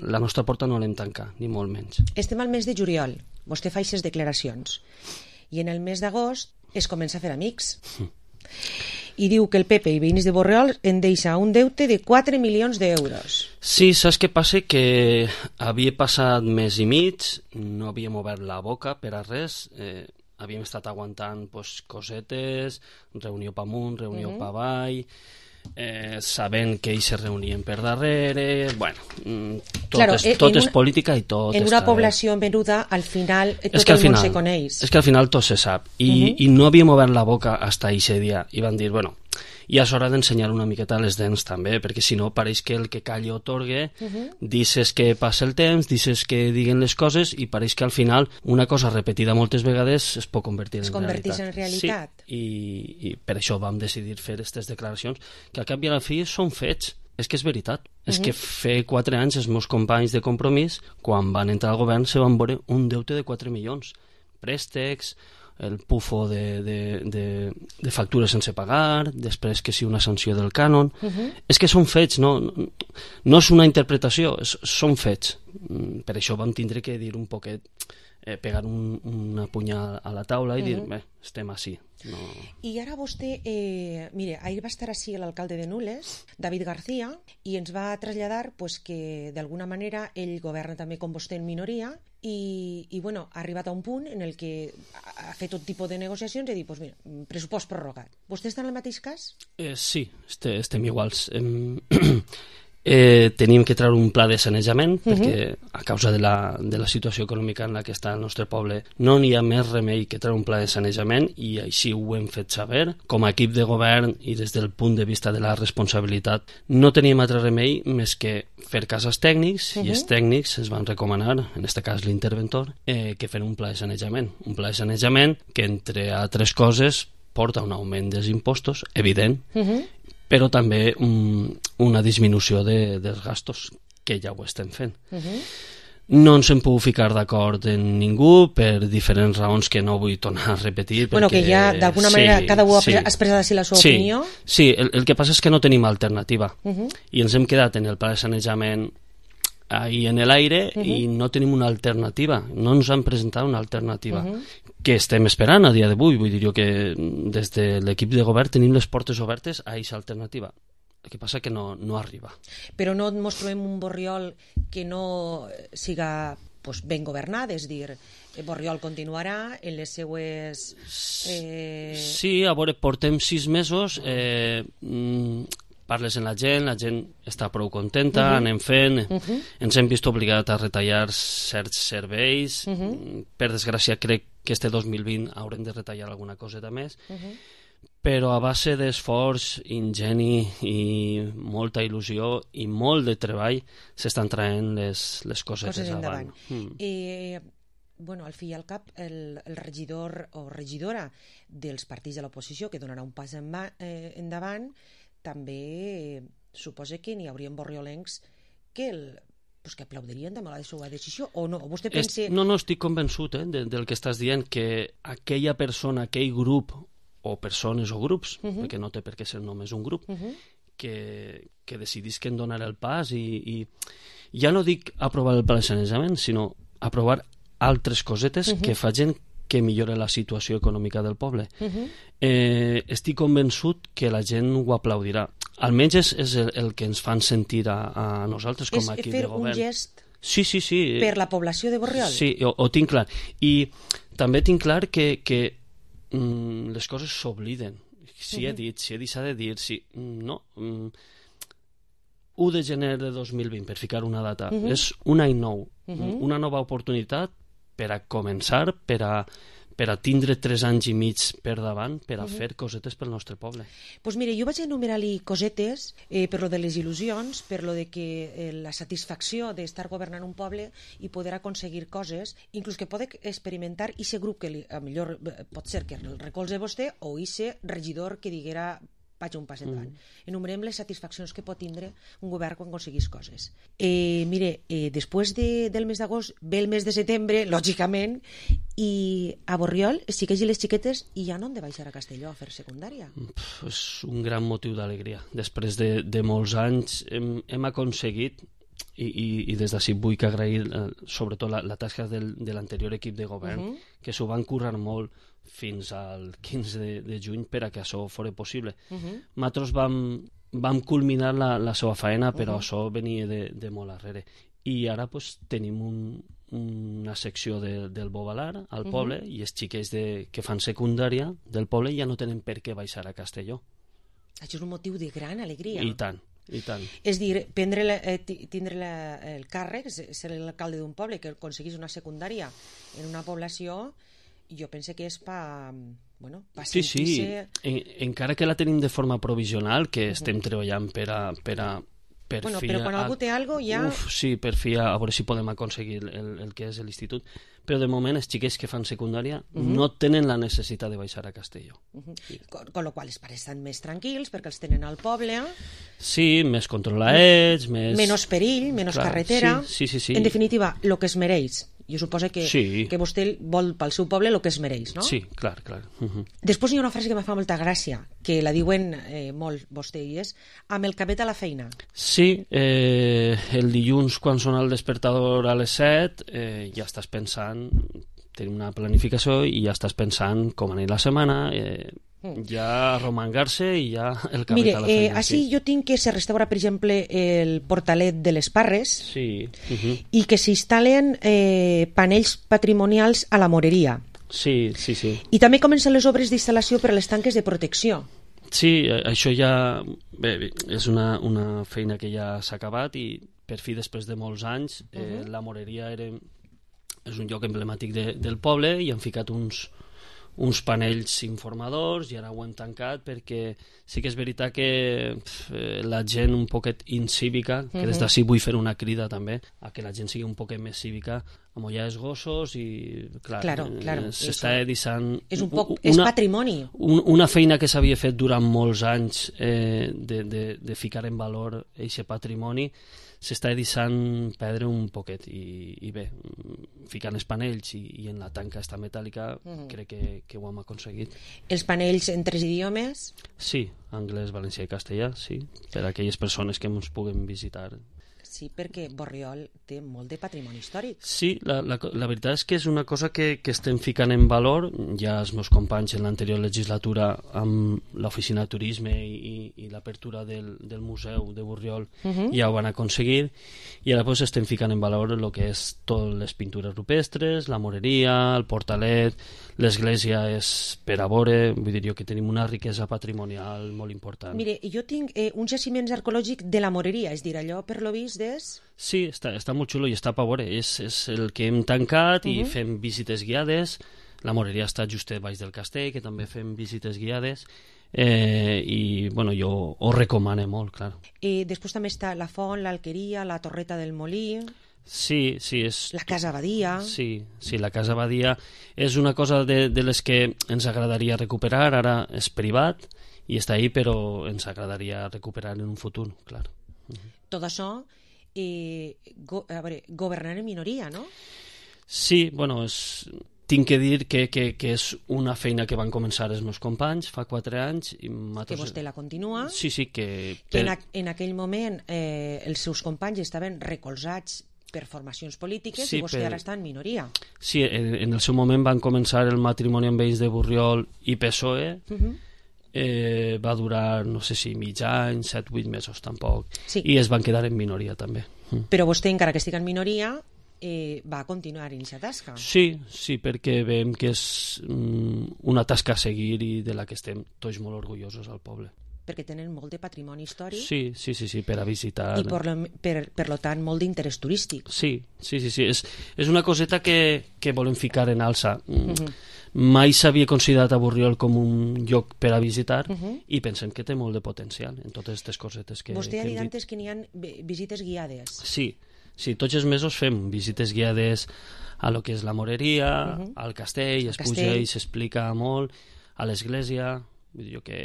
la nostra porta no l'hem tancat, ni molt menys. Estem al mes de juliol. Vostè fa aquestes declaracions. I en el mes d'agost es comença a fer amics. I diu que el PP i veïns de Borriol en deixa un deute de 4 milions d'euros. Sí, saps què passa? Que havia passat mes i mig, no havíem obert la boca per a res, havíem estat aguantant cosetes, reunió pa amunt, reunió pa avall, sabent que ells se reunien per darrere, bueno, tot és política i tot en una població menuda, al final tot el món se coneix. És que al final tot se sap i no havíem obert la boca fins a aquest dia i van dir, bueno, ja és hora d'ensenyar una miqueta les dents també, perquè si no pareix que el que calla otorga, dices que passa el temps, dices que diguen les coses i pareix que al final una cosa repetida moltes vegades es pot convertir en realitat. Sí, i per això vam decidir fer aquestes declaracions que al cap i a la fi són fets. És que és veritat. És que fa 4 anys els meus companys de Compromís, quan van entrar al govern, se van veure un deute de 4 milions. Préstecs, el pufo de factures sense pagar, després que sí una sanció del cànon. És que són fets, no és una interpretació, són fets. Per això vam tindre que dir un poquet, pegar una punyada a la taula i dir, bé, estem així. I ara vostè, mire, ahir va estar així l'alcalde de Nules, David García, i ens va traslladar que d'alguna manera ell governa també com vostè en minoria i bueno, ha arribat a un punt en el que ha fet tot tipus de negociacions i ha dit, doncs mira, pressupost prorrogat. Vostè està en el mateix cas? Sí, estem iguals. Tenim que treure un pla de sanejament, perquè a causa de la situació econòmica en la que està el nostre poble no n'hi ha més remei que treure un pla de sanejament, i així ho hem fet saber. Com a equip de govern i des del punt de vista de la responsabilitat no teníem altre remei més que fer cas als tècnics, i els tècnics ens van recomanar, en aquest cas l'interventor, que fer un pla de sanejament. Un pla de sanejament que, entre altres coses, porta un augment dels impostos, evident, però també una disminució dels gastos, que ja ho estem fent. No ens hem pogut ficar d'acord en ningú per diferents raons que no vull tornar a repetir. Bueno, que ja d'alguna manera cada un ha expressat així la seva opinió. Sí, el que passa és que no tenim alternativa, i ens hem quedat en el pla de sanejament ahí en l'aire i no tenim una alternativa, no ens han presentat una alternativa que estem esperant a dia d'avui. Vull dir jo que des de l'equip de govern tenim les portes obertes a aquesta alternativa. El que passa que no arriba. Però no ens trobem un Borriol que no siga ben governat, és dir, Borriol continuarà en les seues... Sí, a veure, portem 6 mesos, parles amb la gent està prou contenta, anem fent, ens hem vist obligats a retallar certs serveis, per desgràcia crec que este 2020 haurem de retallar alguna coseta més, però a base d'esforç, ingeni i molta il·lusió i molt de treball s'estan traient les cosetes avant. Bueno, al fi i al cap, el regidor o regidora dels partits de l'oposició que donarà un pas endavant, també suposa que n'hi haurien borriolencs que aplaudirien també la seva decisió, o no? Vostè pensa... No, estic convençut del que estàs dient, que aquella persona, aquell grup, o persones o grups, perquè no té per què ser només un grup, que decidisquen donar el pas i ja no dic aprovar el pla de sanejament, sinó aprovar altres cosetes que facin que millora la situació econòmica del poble. Estic convençut que la gent ho aplaudirà. Almenys és el que ens fan sentir a nosaltres com a equip de govern. És fer un gest sí. per la població de Borriol? Sí, ho tinc clar. I també tinc clar que les coses s'obliden. Si he dit, s'ha de dir, no. 1 de gener de 2020, per ficar una data, és un any nou, una nova oportunitat per a començar, per a tindre 3 anys i mig per davant, per a fer cosetes pel nostre poble. Doncs mire, jo vaig enumerar-li cosetes per lo de les il·lusions, per lo de que la satisfacció d'estar governant un poble i poder aconseguir coses, inclús que poder experimentar aquest grup que millor pot ser que el recolze vostè o aquest regidor que diguera vaig un pas endavant. Enumerem les satisfaccions que pot tindre un govern quan aconseguís coses. Mire, després del mes d'agost ve el mes de setembre, lògicament, i a Borriol es xiquets i les xiquetes i ja no han de baixar a Castelló a fer secundària. És un gran motiu d'alegria. Després de molts anys hem aconseguit, i des d'ací vull que agrair sobretot la tasca de l'anterior equip de govern, que s'ho van currar molt fins al 15 de juny per a que això fos possible. Nosaltres vam culminar la seva feina, però això venia de molt arrere. I ara tenim una secció del Bovalar al poble, i els xiquets que fan secundària del poble ja no tenen per què baixar a Castelló. Això és un motiu de gran alegria. I tant. És dir, tindre el càrrec, ser l'alcalde d'un poble que aconseguís una secundària en una població, jo penso que és per sentir-se... Sí, encara que la tenim de forma provisional, que estem treballant per però quan algú té alguna cosa ja... Sí, per fi a veure si podem aconseguir el que és l'institut. Però de moment els xiquets que fan secundària no tenen la necessitat de baixar a Castelló. Con lo qual els pares estan més tranquils perquè els tenen al poble. Sí, més controlats, més... Menys perill, menys carretera. Sí. En definitiva, el que es mereix. Jo suposo que vostè vol pel seu poble el que es mereix, no? Sí, clar. Després hi ha una frase que em fa molta gràcia, que la diuen molt vostè i és amb el cabet a la feina. Sí, el dilluns quan sona el despertador a les 7 ja estàs pensant, tenim una planificació i ja estàs pensant com anar la setmana, ja romangar-se i ja el cabet a la feina. Mire, així jo tinc que se restaura, per exemple, el portalet de les Parres i que s'instal·len panells patrimonials a la moreria. Sí. I també comencen les obres d'instal·lació per a les tanques de protecció. Sí, això ja... Bé, és una feina que ja s'ha acabat i per fi, després de molts anys, la Moreria és un lloc emblemàtic del poble i han ficat uns panells informadors i ara ho hem tancat perquè sí que és veritat que la gent un poquet incívica, que des d'ací vull fer una crida també a que la gent sigui un poquet més cívica, amollar els gossos i clar, s'està deixant... És patrimoni. Una feina que s'havia fet durant molts anys de ficar en valor aquest patrimoni s'està deixant perdre un poquet i bé, ficant els panells i en la tanca esta metàl·lica crec que ho hem aconseguit. Els panells en 3 idiomes? Sí, anglès, valencià i castellà, sí, per a aquelles persones que ens puguen visitar. Sí, perquè Borriol té molt de patrimoni històric. Sí, la veritat és que és una cosa que estem ficant en valor. Ja els meus companys en l'anterior legislatura amb l'oficina de turisme i l'apertura del museu de Borriol ja ho van aconseguir i ara pues, estem ficant en valor el que és totes les pintures rupestres, la moreria, el portalet, l'església és per a veure, vull dir jo que tenim una riquesa patrimonial molt important. Mire, jo tinc uns jaciments arqueològics de la moreria, és dir, allò per lo vist Sí, està molt xulo i està per veure. És el que hem tancat i fem visites guiades. La moreria està just baix del castell, que també fem visites guiades. I bueno, jo ho recomano molt, clar. Després també està la font, l'alqueria, la torreta del molí... Sí, és... La Casa Abadia... Sí, la Casa Abadia és una cosa de les que ens agradaria recuperar. Ara és privat i està ahí, però ens agradaria recuperar en un futur, clar. Tot això... governar en minoria, no? Sí, bueno, tinc que dir que és una feina que van començar els meus companys fa 4 anys. Que vostè la continua. Sí, que en aquell moment els seus companys estaven recolzats per formacions polítiques i vostè ara està en minoria. Sí, en el seu moment van començar el matrimoni amb ells de Borriol i PSOE. Va durar, no sé si mig any, 7-8 mesos tampoc, i es van quedar en minoria també. Però vostè, encara que estigui en minoria, va continuar en aquesta tasca. Sí, perquè veiem que és una tasca a seguir i de la que estem tots molt orgullosos al poble. Perquè tenen molt de patrimoni històric. Sí, per a visitar. I per lo tant molt d'interès turístic. Sí, és una coseta que volem ficar en alça. Mai s'havia considerat a Borriol com un lloc per a visitar i pensem que té molt de potencial en totes aquestes cosetes que vostè ha dit antes que n'hi ha visites guiades. Sí, tots els mesos fem visites guiades a lo que és la moreria, al castell, es puja i s'explica molt, a l'església, vull dir que...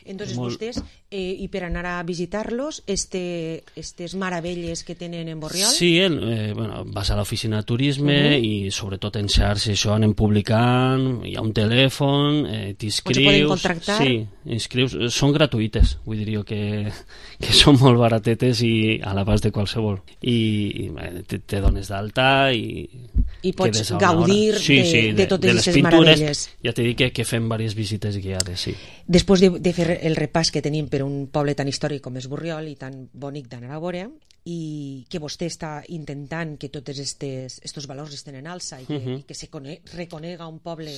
Entonces vostès, i per anar a visitar-los, estes meravelles que tenen en Borriol? Sí, vas a l'oficina de turisme i sobretot en xarxes això anem publicant, hi ha un telèfon, t'inscrius... On se poden contractar? Sí, inscrius, són gratuïtes, vull dir jo que són molt baratetes i a l'abast de qualsevol. I te dones d'alta i pots gaudir de totes aquestes meravelles. Ja t'he dit que fem diverses visites guiades, sí. Després de fer el repàs que tenim per un poble tan històric com és Borriol i tan bonic d'anar a veure, i que vostè està intentant que tots estos valors estén en alça i que se reconega un poble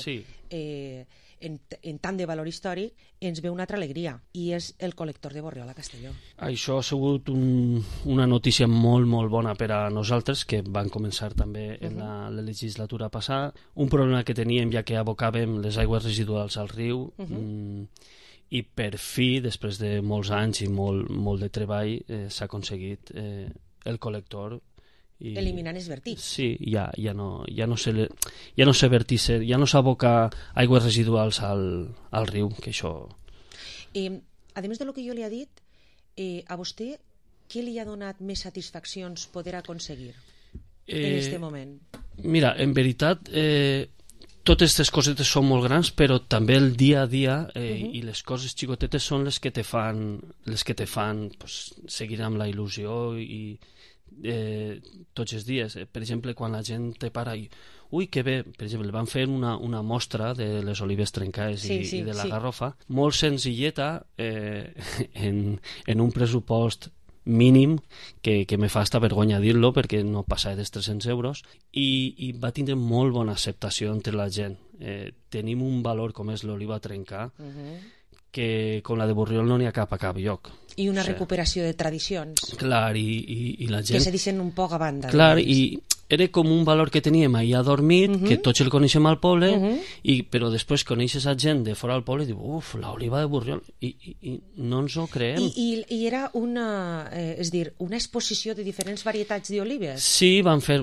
en tant de valor històric, ens ve una altra alegria, i és el col·lector de Borriol a Castelló. Això ha sigut una notícia molt, molt bona per a nosaltres, que van començar també en la legislatura passada. Un problema que teníem, ja que abocàvem les aigües residuals al riu, i per fi, després de molts anys i molt de treball, s'ha aconseguit el col·lector. Eliminant els vertics. Sí, ja no s'aboca aigües residuals al riu, que això... A més de lo que jo li ha dit, a vostè què li ha donat més satisfaccions poder aconseguir en aquest moment? Mira, en veritat... totes aquestes cosetes són molt grans, però també el dia a dia i les coses xicotetes són les que te fan seguir amb la il·lusió i tots els dies. Per exemple, quan la gent te para i ui, que bé, per exemple, van fer una mostra de les olives trencades i de la garrofa, molt senzilleta, en un pressupost mínim, que me fa hasta vergonya dir-lo perquè no passa dels 300 euros, i va tindre molt bona acceptació entre la gent. Tenim un valor com és l'oliva trencar que com la de Borriol no n'hi ha cap a cap lloc. I una recuperació de tradicions. Clar, i la gent... Que se deixen un poc a banda. Clar, i era com un valor que teníem allà dormit, que tots el coneixem al poble, però després coneixes a gent de fora del poble i diu, uf, l'oliva de Borriol, i no ens ho creem. I era una exposició de diferents varietats d'olives? Sí, van ser,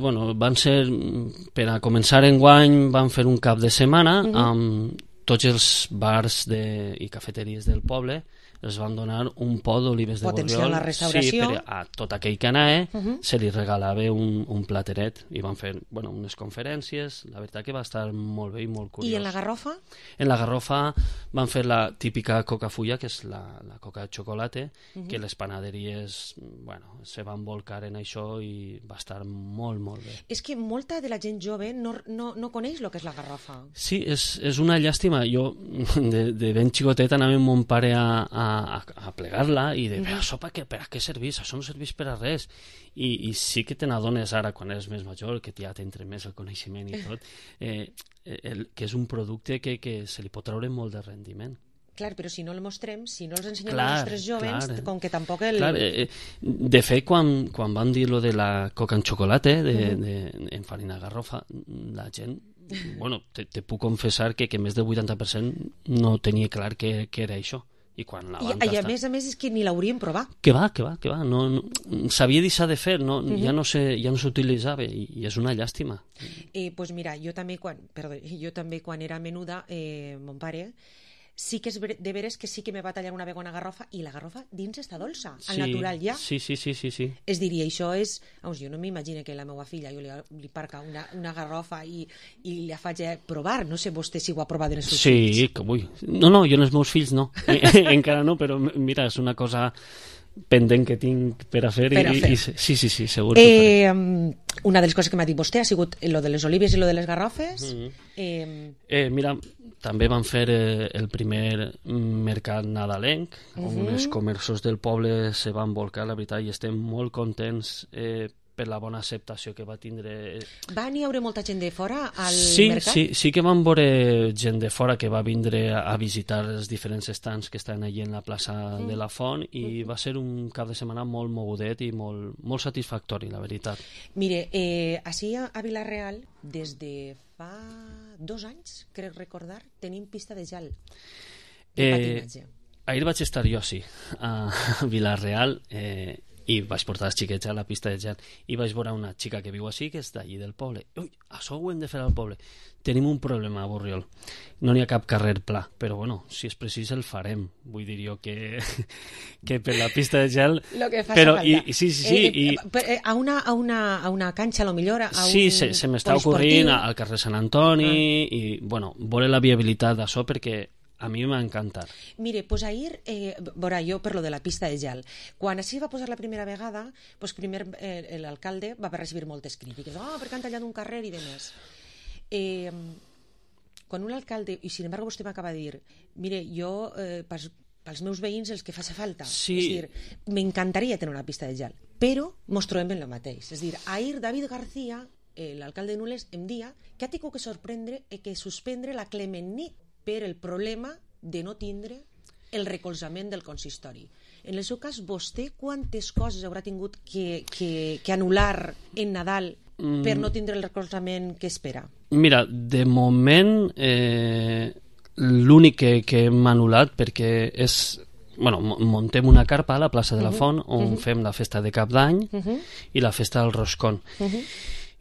per a començar enguany, van fer un cap de setmana amb tots els bars i cafeteries del poble, els van donar un pot d'olives de Borriol. Potenciar la restauració. Sí, a tot aquell que anava se li regalava un plateret i van fer unes conferències. La veritat que va estar molt bé i molt curiós. I en la Garrofa? En la Garrofa van fer la típica coca fulla, que és la coca de xocolata, que les panaderies se van volcar en això i va estar molt, molt bé. És que molta de la gent jove no coneix el que és la Garrofa. Sí, és una llàstima. Jo, de ben xicotet, anava amb mon pare a plegar-la i de, això per a què serveix? Això no serveix per a res. I sí que te n'adones ara, quan eres més major, que ja t'entra més el coneixement i tot, que és un producte que se li pot treure molt de rendiment. Clar, però si no el mostrem, si no els ensenyem als nostres jovens, com que tampoc el... De fet, quan van dir lo de la coca en xocolata, en farina garrofa, la gent... te puc confessar que més del 80% no tenia clar què era això. I a més és que ni l'hauríem provat. Que va, s'havia deixat de fer, ja no s'utilitzava i és una llàstima. Doncs mira, jo també quan era menuda, mon pare sí que és de veres que sí que me va tallar una vegada una garrofa i la garrofa dins està dolça, al natural ja. Sí. Es diria, això és... jo no m'imagino que la meva filla jo li parca una garrofa i la faig provar. No sé vostè si ho ha provat en els seus fills. Sí, que vull. No, jo en els meus fills no. Encara no, però mira, és una cosa pendent que tinc per a fer. Sí, segur. Una de les coses que m'ha dit vostè ha sigut lo de les olives i lo de les garrofes. Mira, també van fer el primer mercat nadalenc, on els comerços del poble se van volcar, la veritat, i estem molt contents per la bona acceptació que va tindre. Va n'hi haure molta gent de fora al mercat? Sí que van veure gent de fora que va vindre a visitar els diferents estants que estan allà en la plaça de la Font i va ser un cap de setmana molt mogudet i molt satisfactori, la veritat. Mire, així a Vila-real, des de fa 2 anys, crec recordar, tenim pista de gel de patinatge. Ahir vaig estar jo, sí, a Vila-real, i vaig portar els xiquets a la pista de gel i vaig veure una xica que viu així, que és d'allí del poble. Ui, això ho hem de fer al poble. Tenim un problema a Borriol. No n'hi ha cap carrer pla, però si és precís el farem. Vull dir jo que per la pista de gel... Lo que faci falta. Sí. A una canxa, a lo millor... Sí, se m'està ocorrint al carrer Sant Antoni i, veure la viabilitat d'això perquè a mi m'ha encantat. Mire, doncs ahir, jo per lo de la pista de gel, quan així va posar la primera vegada, primer l'alcalde va recibir moltes crítiques, perquè han tallat un carrer i demés. Quan un alcalde, i sin embargo vostè m'acaba de dir, mire, jo pels meus veïns els que faci falta, és dir, m'encantaria tenir una pista de gel, però mos trobem en el mateix. És dir, ahir David García, l'alcalde de Nules, em dia que ha tingut que suspendre la Clement nit per el problema de no tindre el recolzament del consistori. En el seu cas, vostè quantes coses haurà tingut que anul·lar en Nadal per no tindre el recolzament que espera? Mira, de moment l'únic que hem anul·lat perquè és... muntem una carpa a la plaça de la Font on fem la festa de Cap d'Any i la festa del Roscón.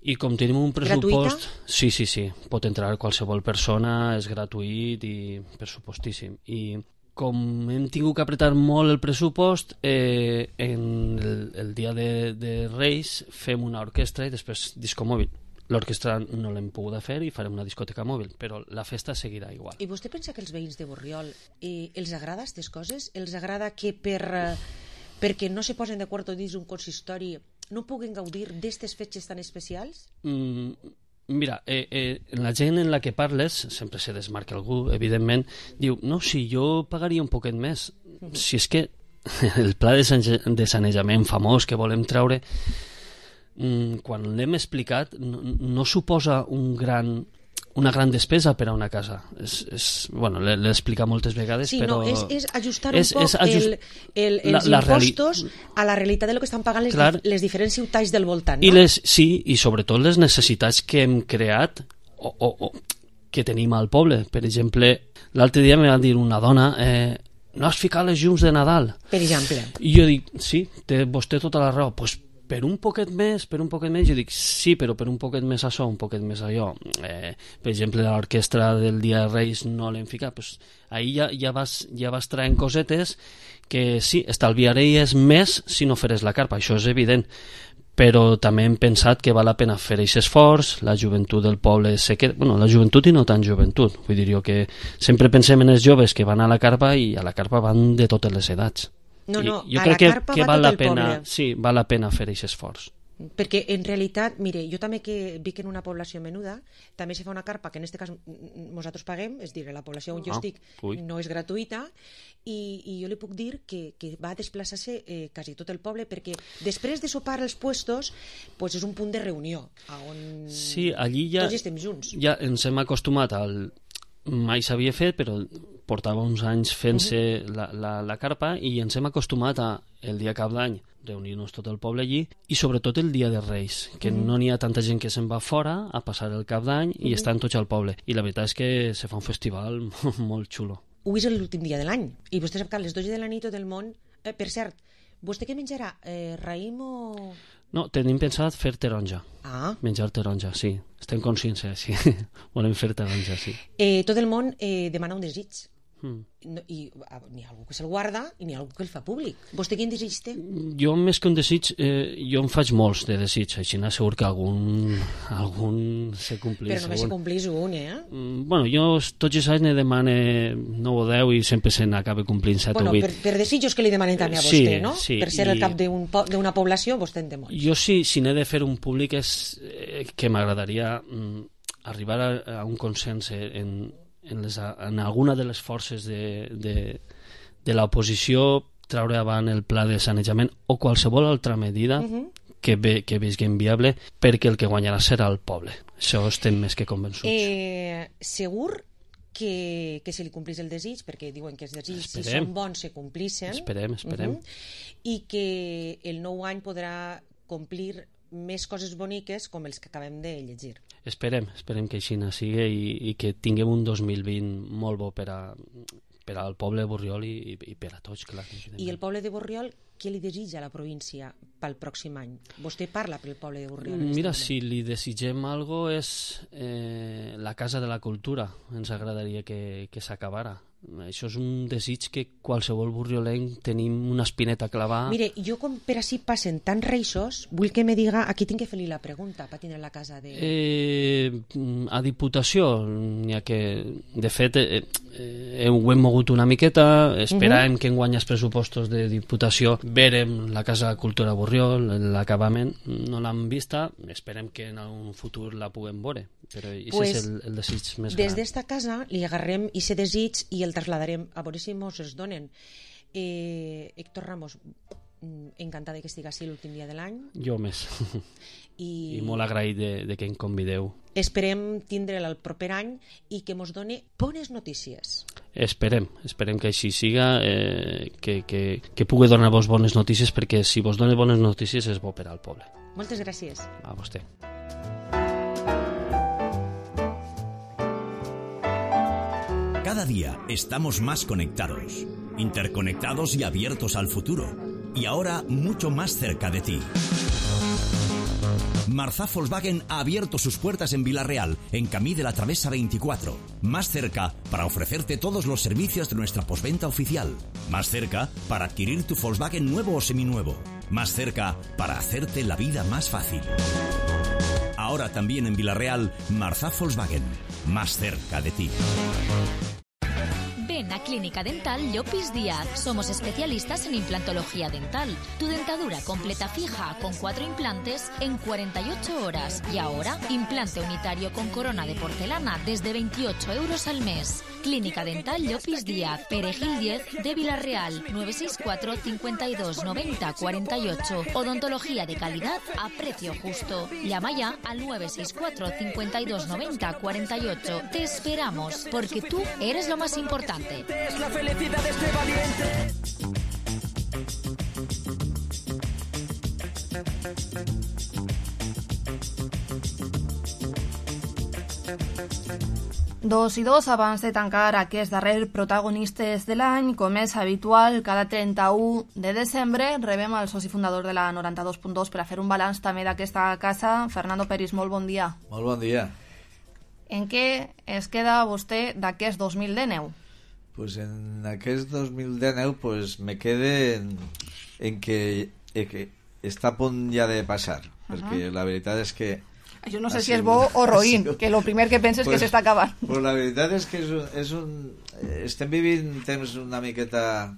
I com tenim un pressupost... Gratuïta? Sí. Pot entrar qualsevol persona, és gratuït i pressupostíssim. I com hem tingut que apretar molt el pressupost, en el dia de Reis fem una orquestra i després disco mòbil. L'orquestra no l'hem pogut fer i farem una discoteca mòbil, però la festa seguirà igual. I vostè pensa que els veïns de Borriol els agrada aquestes coses? Els agrada que perquè no se posen d'acord dins un consistori no puguen gaudir d'aquestes fetges tan especials? Mira, la gent en la que parles, sempre se desmarca algú, evidentment, diu, no, si jo pagaria un poquet més. Si és que el pla de sanejament famós que volem treure, quan l'hem explicat, no suposa un gran una gran despesa per a una casa. Bueno, l'he explicat moltes vegades, sí, però... Sí, és ajustar un poc els impostos a la realitat de lo que estan pagant les diferents ciutats del voltant, no? Sí, i sobretot les necessitats que hem creat o que tenim al poble. Per exemple, l'altre dia me va dir una dona... no has ficat les llums de Nadal. Per exemple. I jo dic, sí, té vostè tota la raó. Pues per un poquet més, jo dic, sí, però per un poquet més això, un poquet més allò. Per exemple, l'orquestra del Dia de Reis no l'hem ficat. Pues ahir ja vas traient cosetes que sí, estalviaries més si no feres la carpa, això és evident. Però també hem pensat que val la pena fer aquest esforç, la joventut del poble se queda... Bueno, la joventut i no tan joventut. Vull dir jo que sempre pensem en els joves que van a la carpa i a la carpa van de totes les edats. No, jo crec que val la pena, sí, val la pena fer aquest esforç. Perquè en realitat, mire, jo també que vic en una població menuda, també se fa una carpa que en aquest cas nosaltres paguem, és dir, la població on jo estic no és gratuïta, i jo li puc dir que va desplaçar-se quasi tot el poble, perquè després de sopar els puestos pues és un punt de reunió on sí, allí ja, tots estem junts. Ja ens hem acostumat al... Mai s'havia fet, però portava uns anys fent-se la carpa i ens hem acostumat a el dia cap d'any reunir-nos tot el poble allí i sobretot el dia de Reis, que no n'hi ha tanta gent que se'n va fora a passar el cap d'any i estan tots al poble. I la veritat és que se fa un festival molt xulo. Avui és l'últim dia de l'any i vostè sap que a les 12 de la nit tot el món... per cert, vostè què menjarà? Raïm o...? No, tenim pensat fer taronja. Menjar taronja, sí. Estem conscients, sí. Volem fer taronja, sí. Tot el món demana un desig. I n'hi ha algú que se'l guarda i n'hi ha algú que el fa públic. Vostè quin desig té? Jo, més que un desig, jo en faig molts de desig, així segur que algun se complís. Però només se complís un, Bueno, jo tots els anys ne demane 9 o 10 i sempre se n'acaba complint 7 o 8. Per desitjos que li demanen també a vostè, no? Sí, per ser el cap d'una població, vostè en té molts. Jo sí, si n'he de fer un públic és que m'agradaria arribar a un consens en alguna de les forces de l'oposició, treure avant el pla de sanejament o qualsevol altra medida que visquem viable, perquè el que guanyarà serà el poble. Això estem més que convençuts. Segur que se li complís el desig, perquè diuen que els desigs, si són bons, se complixen. Esperem. I que el nou any podrà complir més coses boniques com els que acabem de llegir. Esperem que així sigui i que tinguem un 2020 molt bo per al poble de Borriol i per a tots, clar. I el poble de Borriol, què li desitja a la província pel pròxim any? Vostè parla pel poble de Borriol. Mira, si li desitgem alguna cosa és la Casa de la Cultura. Ens agradaria que s'acabara. Això és un desig que qualsevol borriolenc tenim una espineta clavada. Mire, jo com per així passen tants reixos, vull que me diga a qui tinc que fer-li la pregunta per tindre la casa de... A Diputació n'hi ha que... De fet, ho hem mogut una miqueta, esperàvem que enguany els pressupostos de Diputació verem la Casa de Cultura Borriol, l'acabament, no l'hem vista, esperem que en un futur la puguem veure, però aquest és el desig més gran. Des d'esta casa li agarrem aquest desig i el traslladarem a veure si mos es donen. Héctor Ramos, encantada que estigui així l'últim dia de l'any. Jo més. I molt agraït de que em convideu. Esperem tindre'l el proper any i que mos doni bones notícies. Esperem que així siga, que pugui donar-vos bones notícies, perquè si vos dona bones notícies és bo per al poble. Moltes gràcies. A vostè. Cada día estamos más conectados, interconectados y abiertos al futuro. Y ahora mucho más cerca de ti. Marzá Volkswagen ha abierto sus puertas en Vila-real, en Camí de la Travesa 24. Más cerca para ofrecerte todos los servicios de nuestra postventa oficial. Más cerca para adquirir tu Volkswagen nuevo o seminuevo. Más cerca para hacerte la vida más fácil. Ahora también en Vila-real, Marzá Volkswagen. Más cerca de ti. Ven a Clínica Dental Llopis Díaz. Somos especialistas en implantología dental. Tu dentadura completa fija con 4 implantes en 48 horas. Y ahora, implante unitario con corona de porcelana desde 28 euros al mes. Clínica Dental Llopis Díaz, Perejil 10 de Villarreal, 964 52 90 48. Odontología de calidad a precio justo. Llama ya al 964 52 90 48. Te esperamos, porque tú eres lo más importante. Es la felicidad de este valiente. Dos i dos, abans de tancar aquest darrer protagonistes de l'any, com és habitual, cada 31 de desembre rebem el soci fundador de la 92.2 per a fer un balanç també d'aquesta casa. Fernando Peris, molt bon dia. Molt bon dia. En què es queda vostè d'aquest 2019? Pues en aquest 2019 pues me quede en que està a punt ja de passar, perquè la veritat és que jo no sé si és bo o roïn, que el primer que penses que s'està acabant. Pues la veritat és que estem vivint temps una miqueta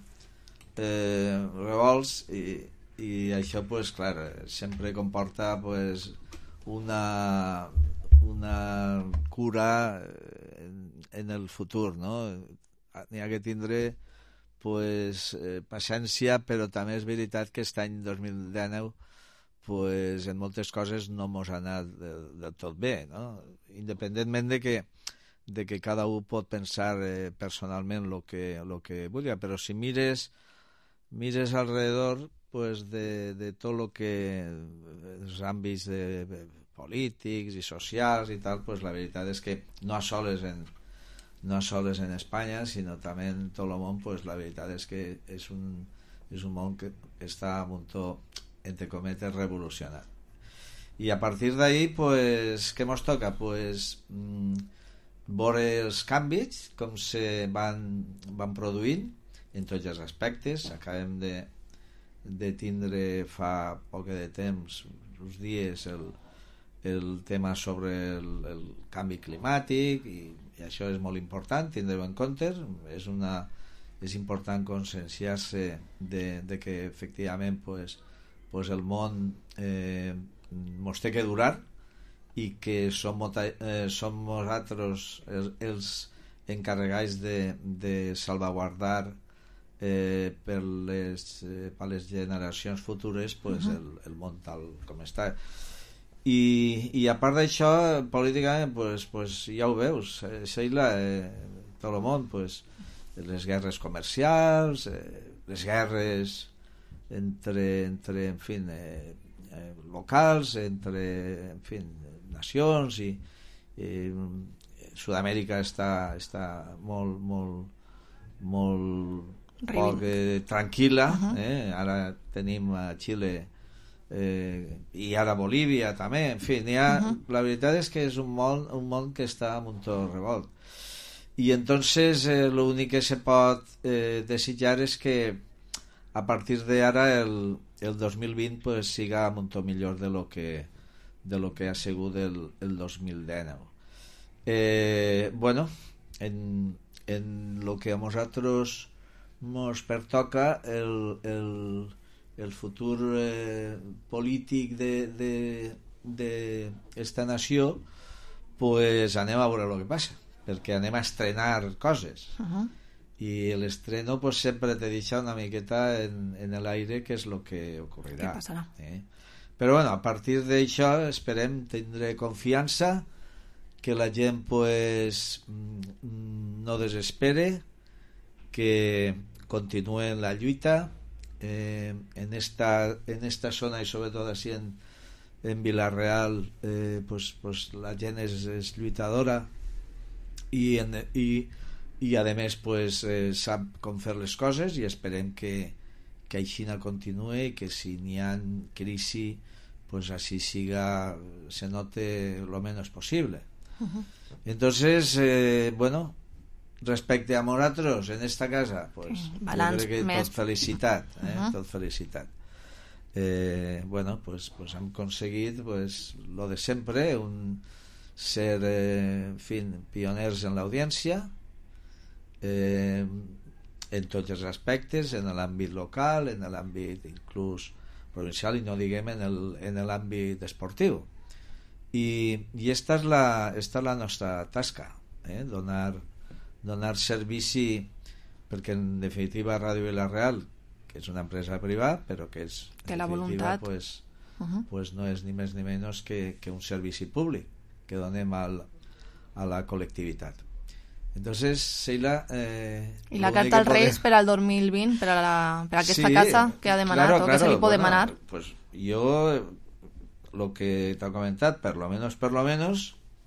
revolts i això, pues, clar, sempre comporta pues, una cura en el futur, no? N'hi ha que tindre pues, paciència, però també és veritat que aquest any 2019 pues, en moltes coses no mos ha anat del tot bé, no? Independentment de que cada un pot pensar personalment lo que vulgui, però si mires alrededor pues, de tot lo que els àmbits polítics i socials i tal, pues, la veritat és que no sols en Espanya, sinó també en tot el món, pues, la veritat és que és un món que està a punt, entre cometes, revolucionat. I a partir d'ahí, pues, què mos toca? Pues, veure els canvis, com se van produint en tots els aspectes. Acabem de tindre fa poc de temps, uns dies, el tema sobre el canvi climàtic, i això és molt important, tindre-ho en compte. És important conscienciar-se de que efectivament pues, el món mos té que durar i que som nosaltres els encarregats de salvaguardar per les generacions futures pues, el món tal com està. I a part d'això, políticament, pues, ja ho veus, Sheila, tot el món, pues, les guerres comercials, les guerres entre en fin, locals, entre, en fin, nacions, i Sud-amèrica està molt poc tranquil·la, ara tenim a Xile i ara Bolívia també, en fi, la veritat és que és un món que està a un tot revolt, i entonces l'únic que se pot desitjar és que a partir de ara el 2020 pues, siga un to millor de lo que ha sigut el 2019. Bueno, en lo que a nosaltres nos pertoca el futur polític d'esta nació, pues anem a veure el que passa, perquè anem a estrenar coses. Y el estreno pues siempre te deixa una miqueta en el aire qué es lo que ocurrirá. ¿Qué pasará? Pero bueno, a partir d'això esperem tindre confiança, que la gent pues no desespere, que continue en la lluita en esta zona, i sobretot així en Villarreal, pues la gent és lluitadora i a més pues, sap com fer les coses, i esperem que així continue, i que si n'hi ha crisi pues així se note lo menos posible. Entonces bueno, respecte a nosaltres en esta casa, pues balanç, jo crec que tot felicitat, tot felicitat. Bueno, pues hem aconseguit pues lo de sempre, ser en fin, pioners en l'audiència, en tots els aspectes, en l'àmbit local, en l'àmbit inclús provincial i no diguem en l'àmbit esportiu. I esta és la nostra tasca, donar servici, perquè en definitiva Ràdio Vila-real, que és una empresa privada, però que és té la voluntat, pues no és ni més ni menys que un servici públic que donem a la col·lectivitat. Entonces, Sheila... I la carta als Reis per al 2020, per a aquesta casa que ha demanat, o que se li pot demanar? Pues yo, lo que t'he comentat, per lo menos,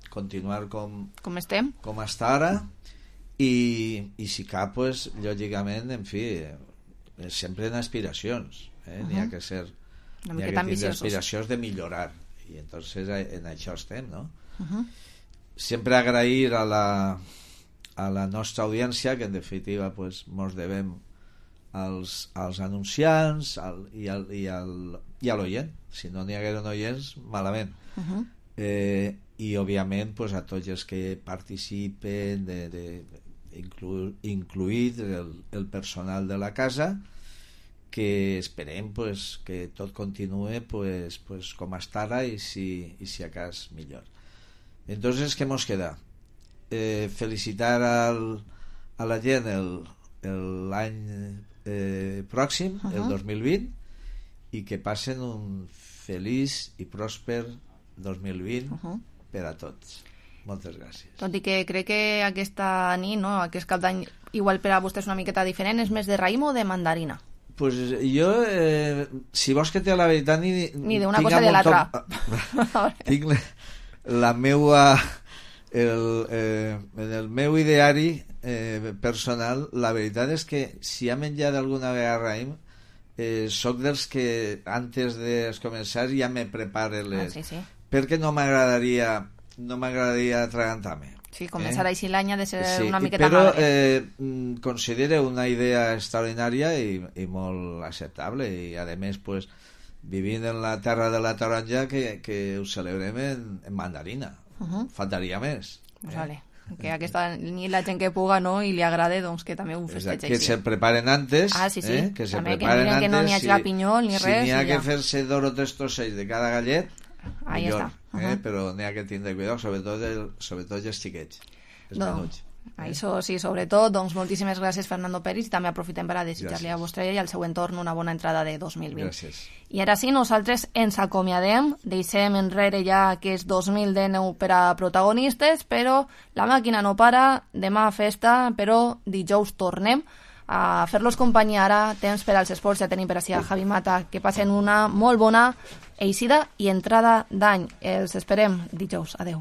continuar com estem, com hasta ara, i si cap, pues, lògicament, en fi, sempre en aspiracions, n'hi ha que ser... N'hi ha que tindre aspiracions de millorar, i entonces en això estem, no? Sempre agrair a la nostra audiència, que en definitiva pues, mos devem als anunciants i a l'oient. Si no n'hi hagueren oients, malament. I òbviament pues, a tots els que participen, incluït el personal de la casa, que esperem pues, que tot continue pues, com està ara i si a cas millor. Entonces, ¿qué nos queda? Felicitar a la gent l'any pròxim, el 2020, i que passen un feliç i pròsper 2020 per a tots. Moltes gràcies. Tot i que crec que aquesta nit, no, aquest cap d'any, igual per a vostè és una miqueta diferent, és més de raïm o de mandarina? Pues jo, si vols que té la veritat, ni d'una cosa de l'altra. Tinc la meua en el meu ideari personal, la veritat és que si ha menjat alguna vegada raïm, soc dels que antes de començar ja me prepare les... perquè no m'agradaria atragantar-me. Sí, començar així l'any ha de ser una miqueta però considero una idea extraordinària i molt acceptable, i a més pues, vivint en la terra de la taronja que ho celebrem en mandarina. Faltaria més. Vale. Que aquesta nit la gent que puga, no, i li agrada, doncs que també ho festeja. Que se preparen antes. Sí. Que se també preparen antes, que no n'hi hagi pinyol ni res. Si n'hi ha que fer-se 2 o 3 trossells de cada gallet, millor. Però n'hi ha que tindre cuidado, sobretot els xiquets, els menuts. Això sí, sobretot, doncs moltíssimes gràcies Fernando Peris, i també aprofitem per a desitjar-li a vostè i al seu entorn una bona entrada de 2020. Gràcies. I ara sí, nosaltres ens acomiadem, deixem enrere ja aquest 2019 per a protagonistes, però la màquina no para, demà festa, però dijous tornem a fer-los companyia. Ara, temps per als esports, ja tenim per ací a Javi Mata, que passen una molt bona eixida i entrada d'any. Els esperem dijous. Adeu.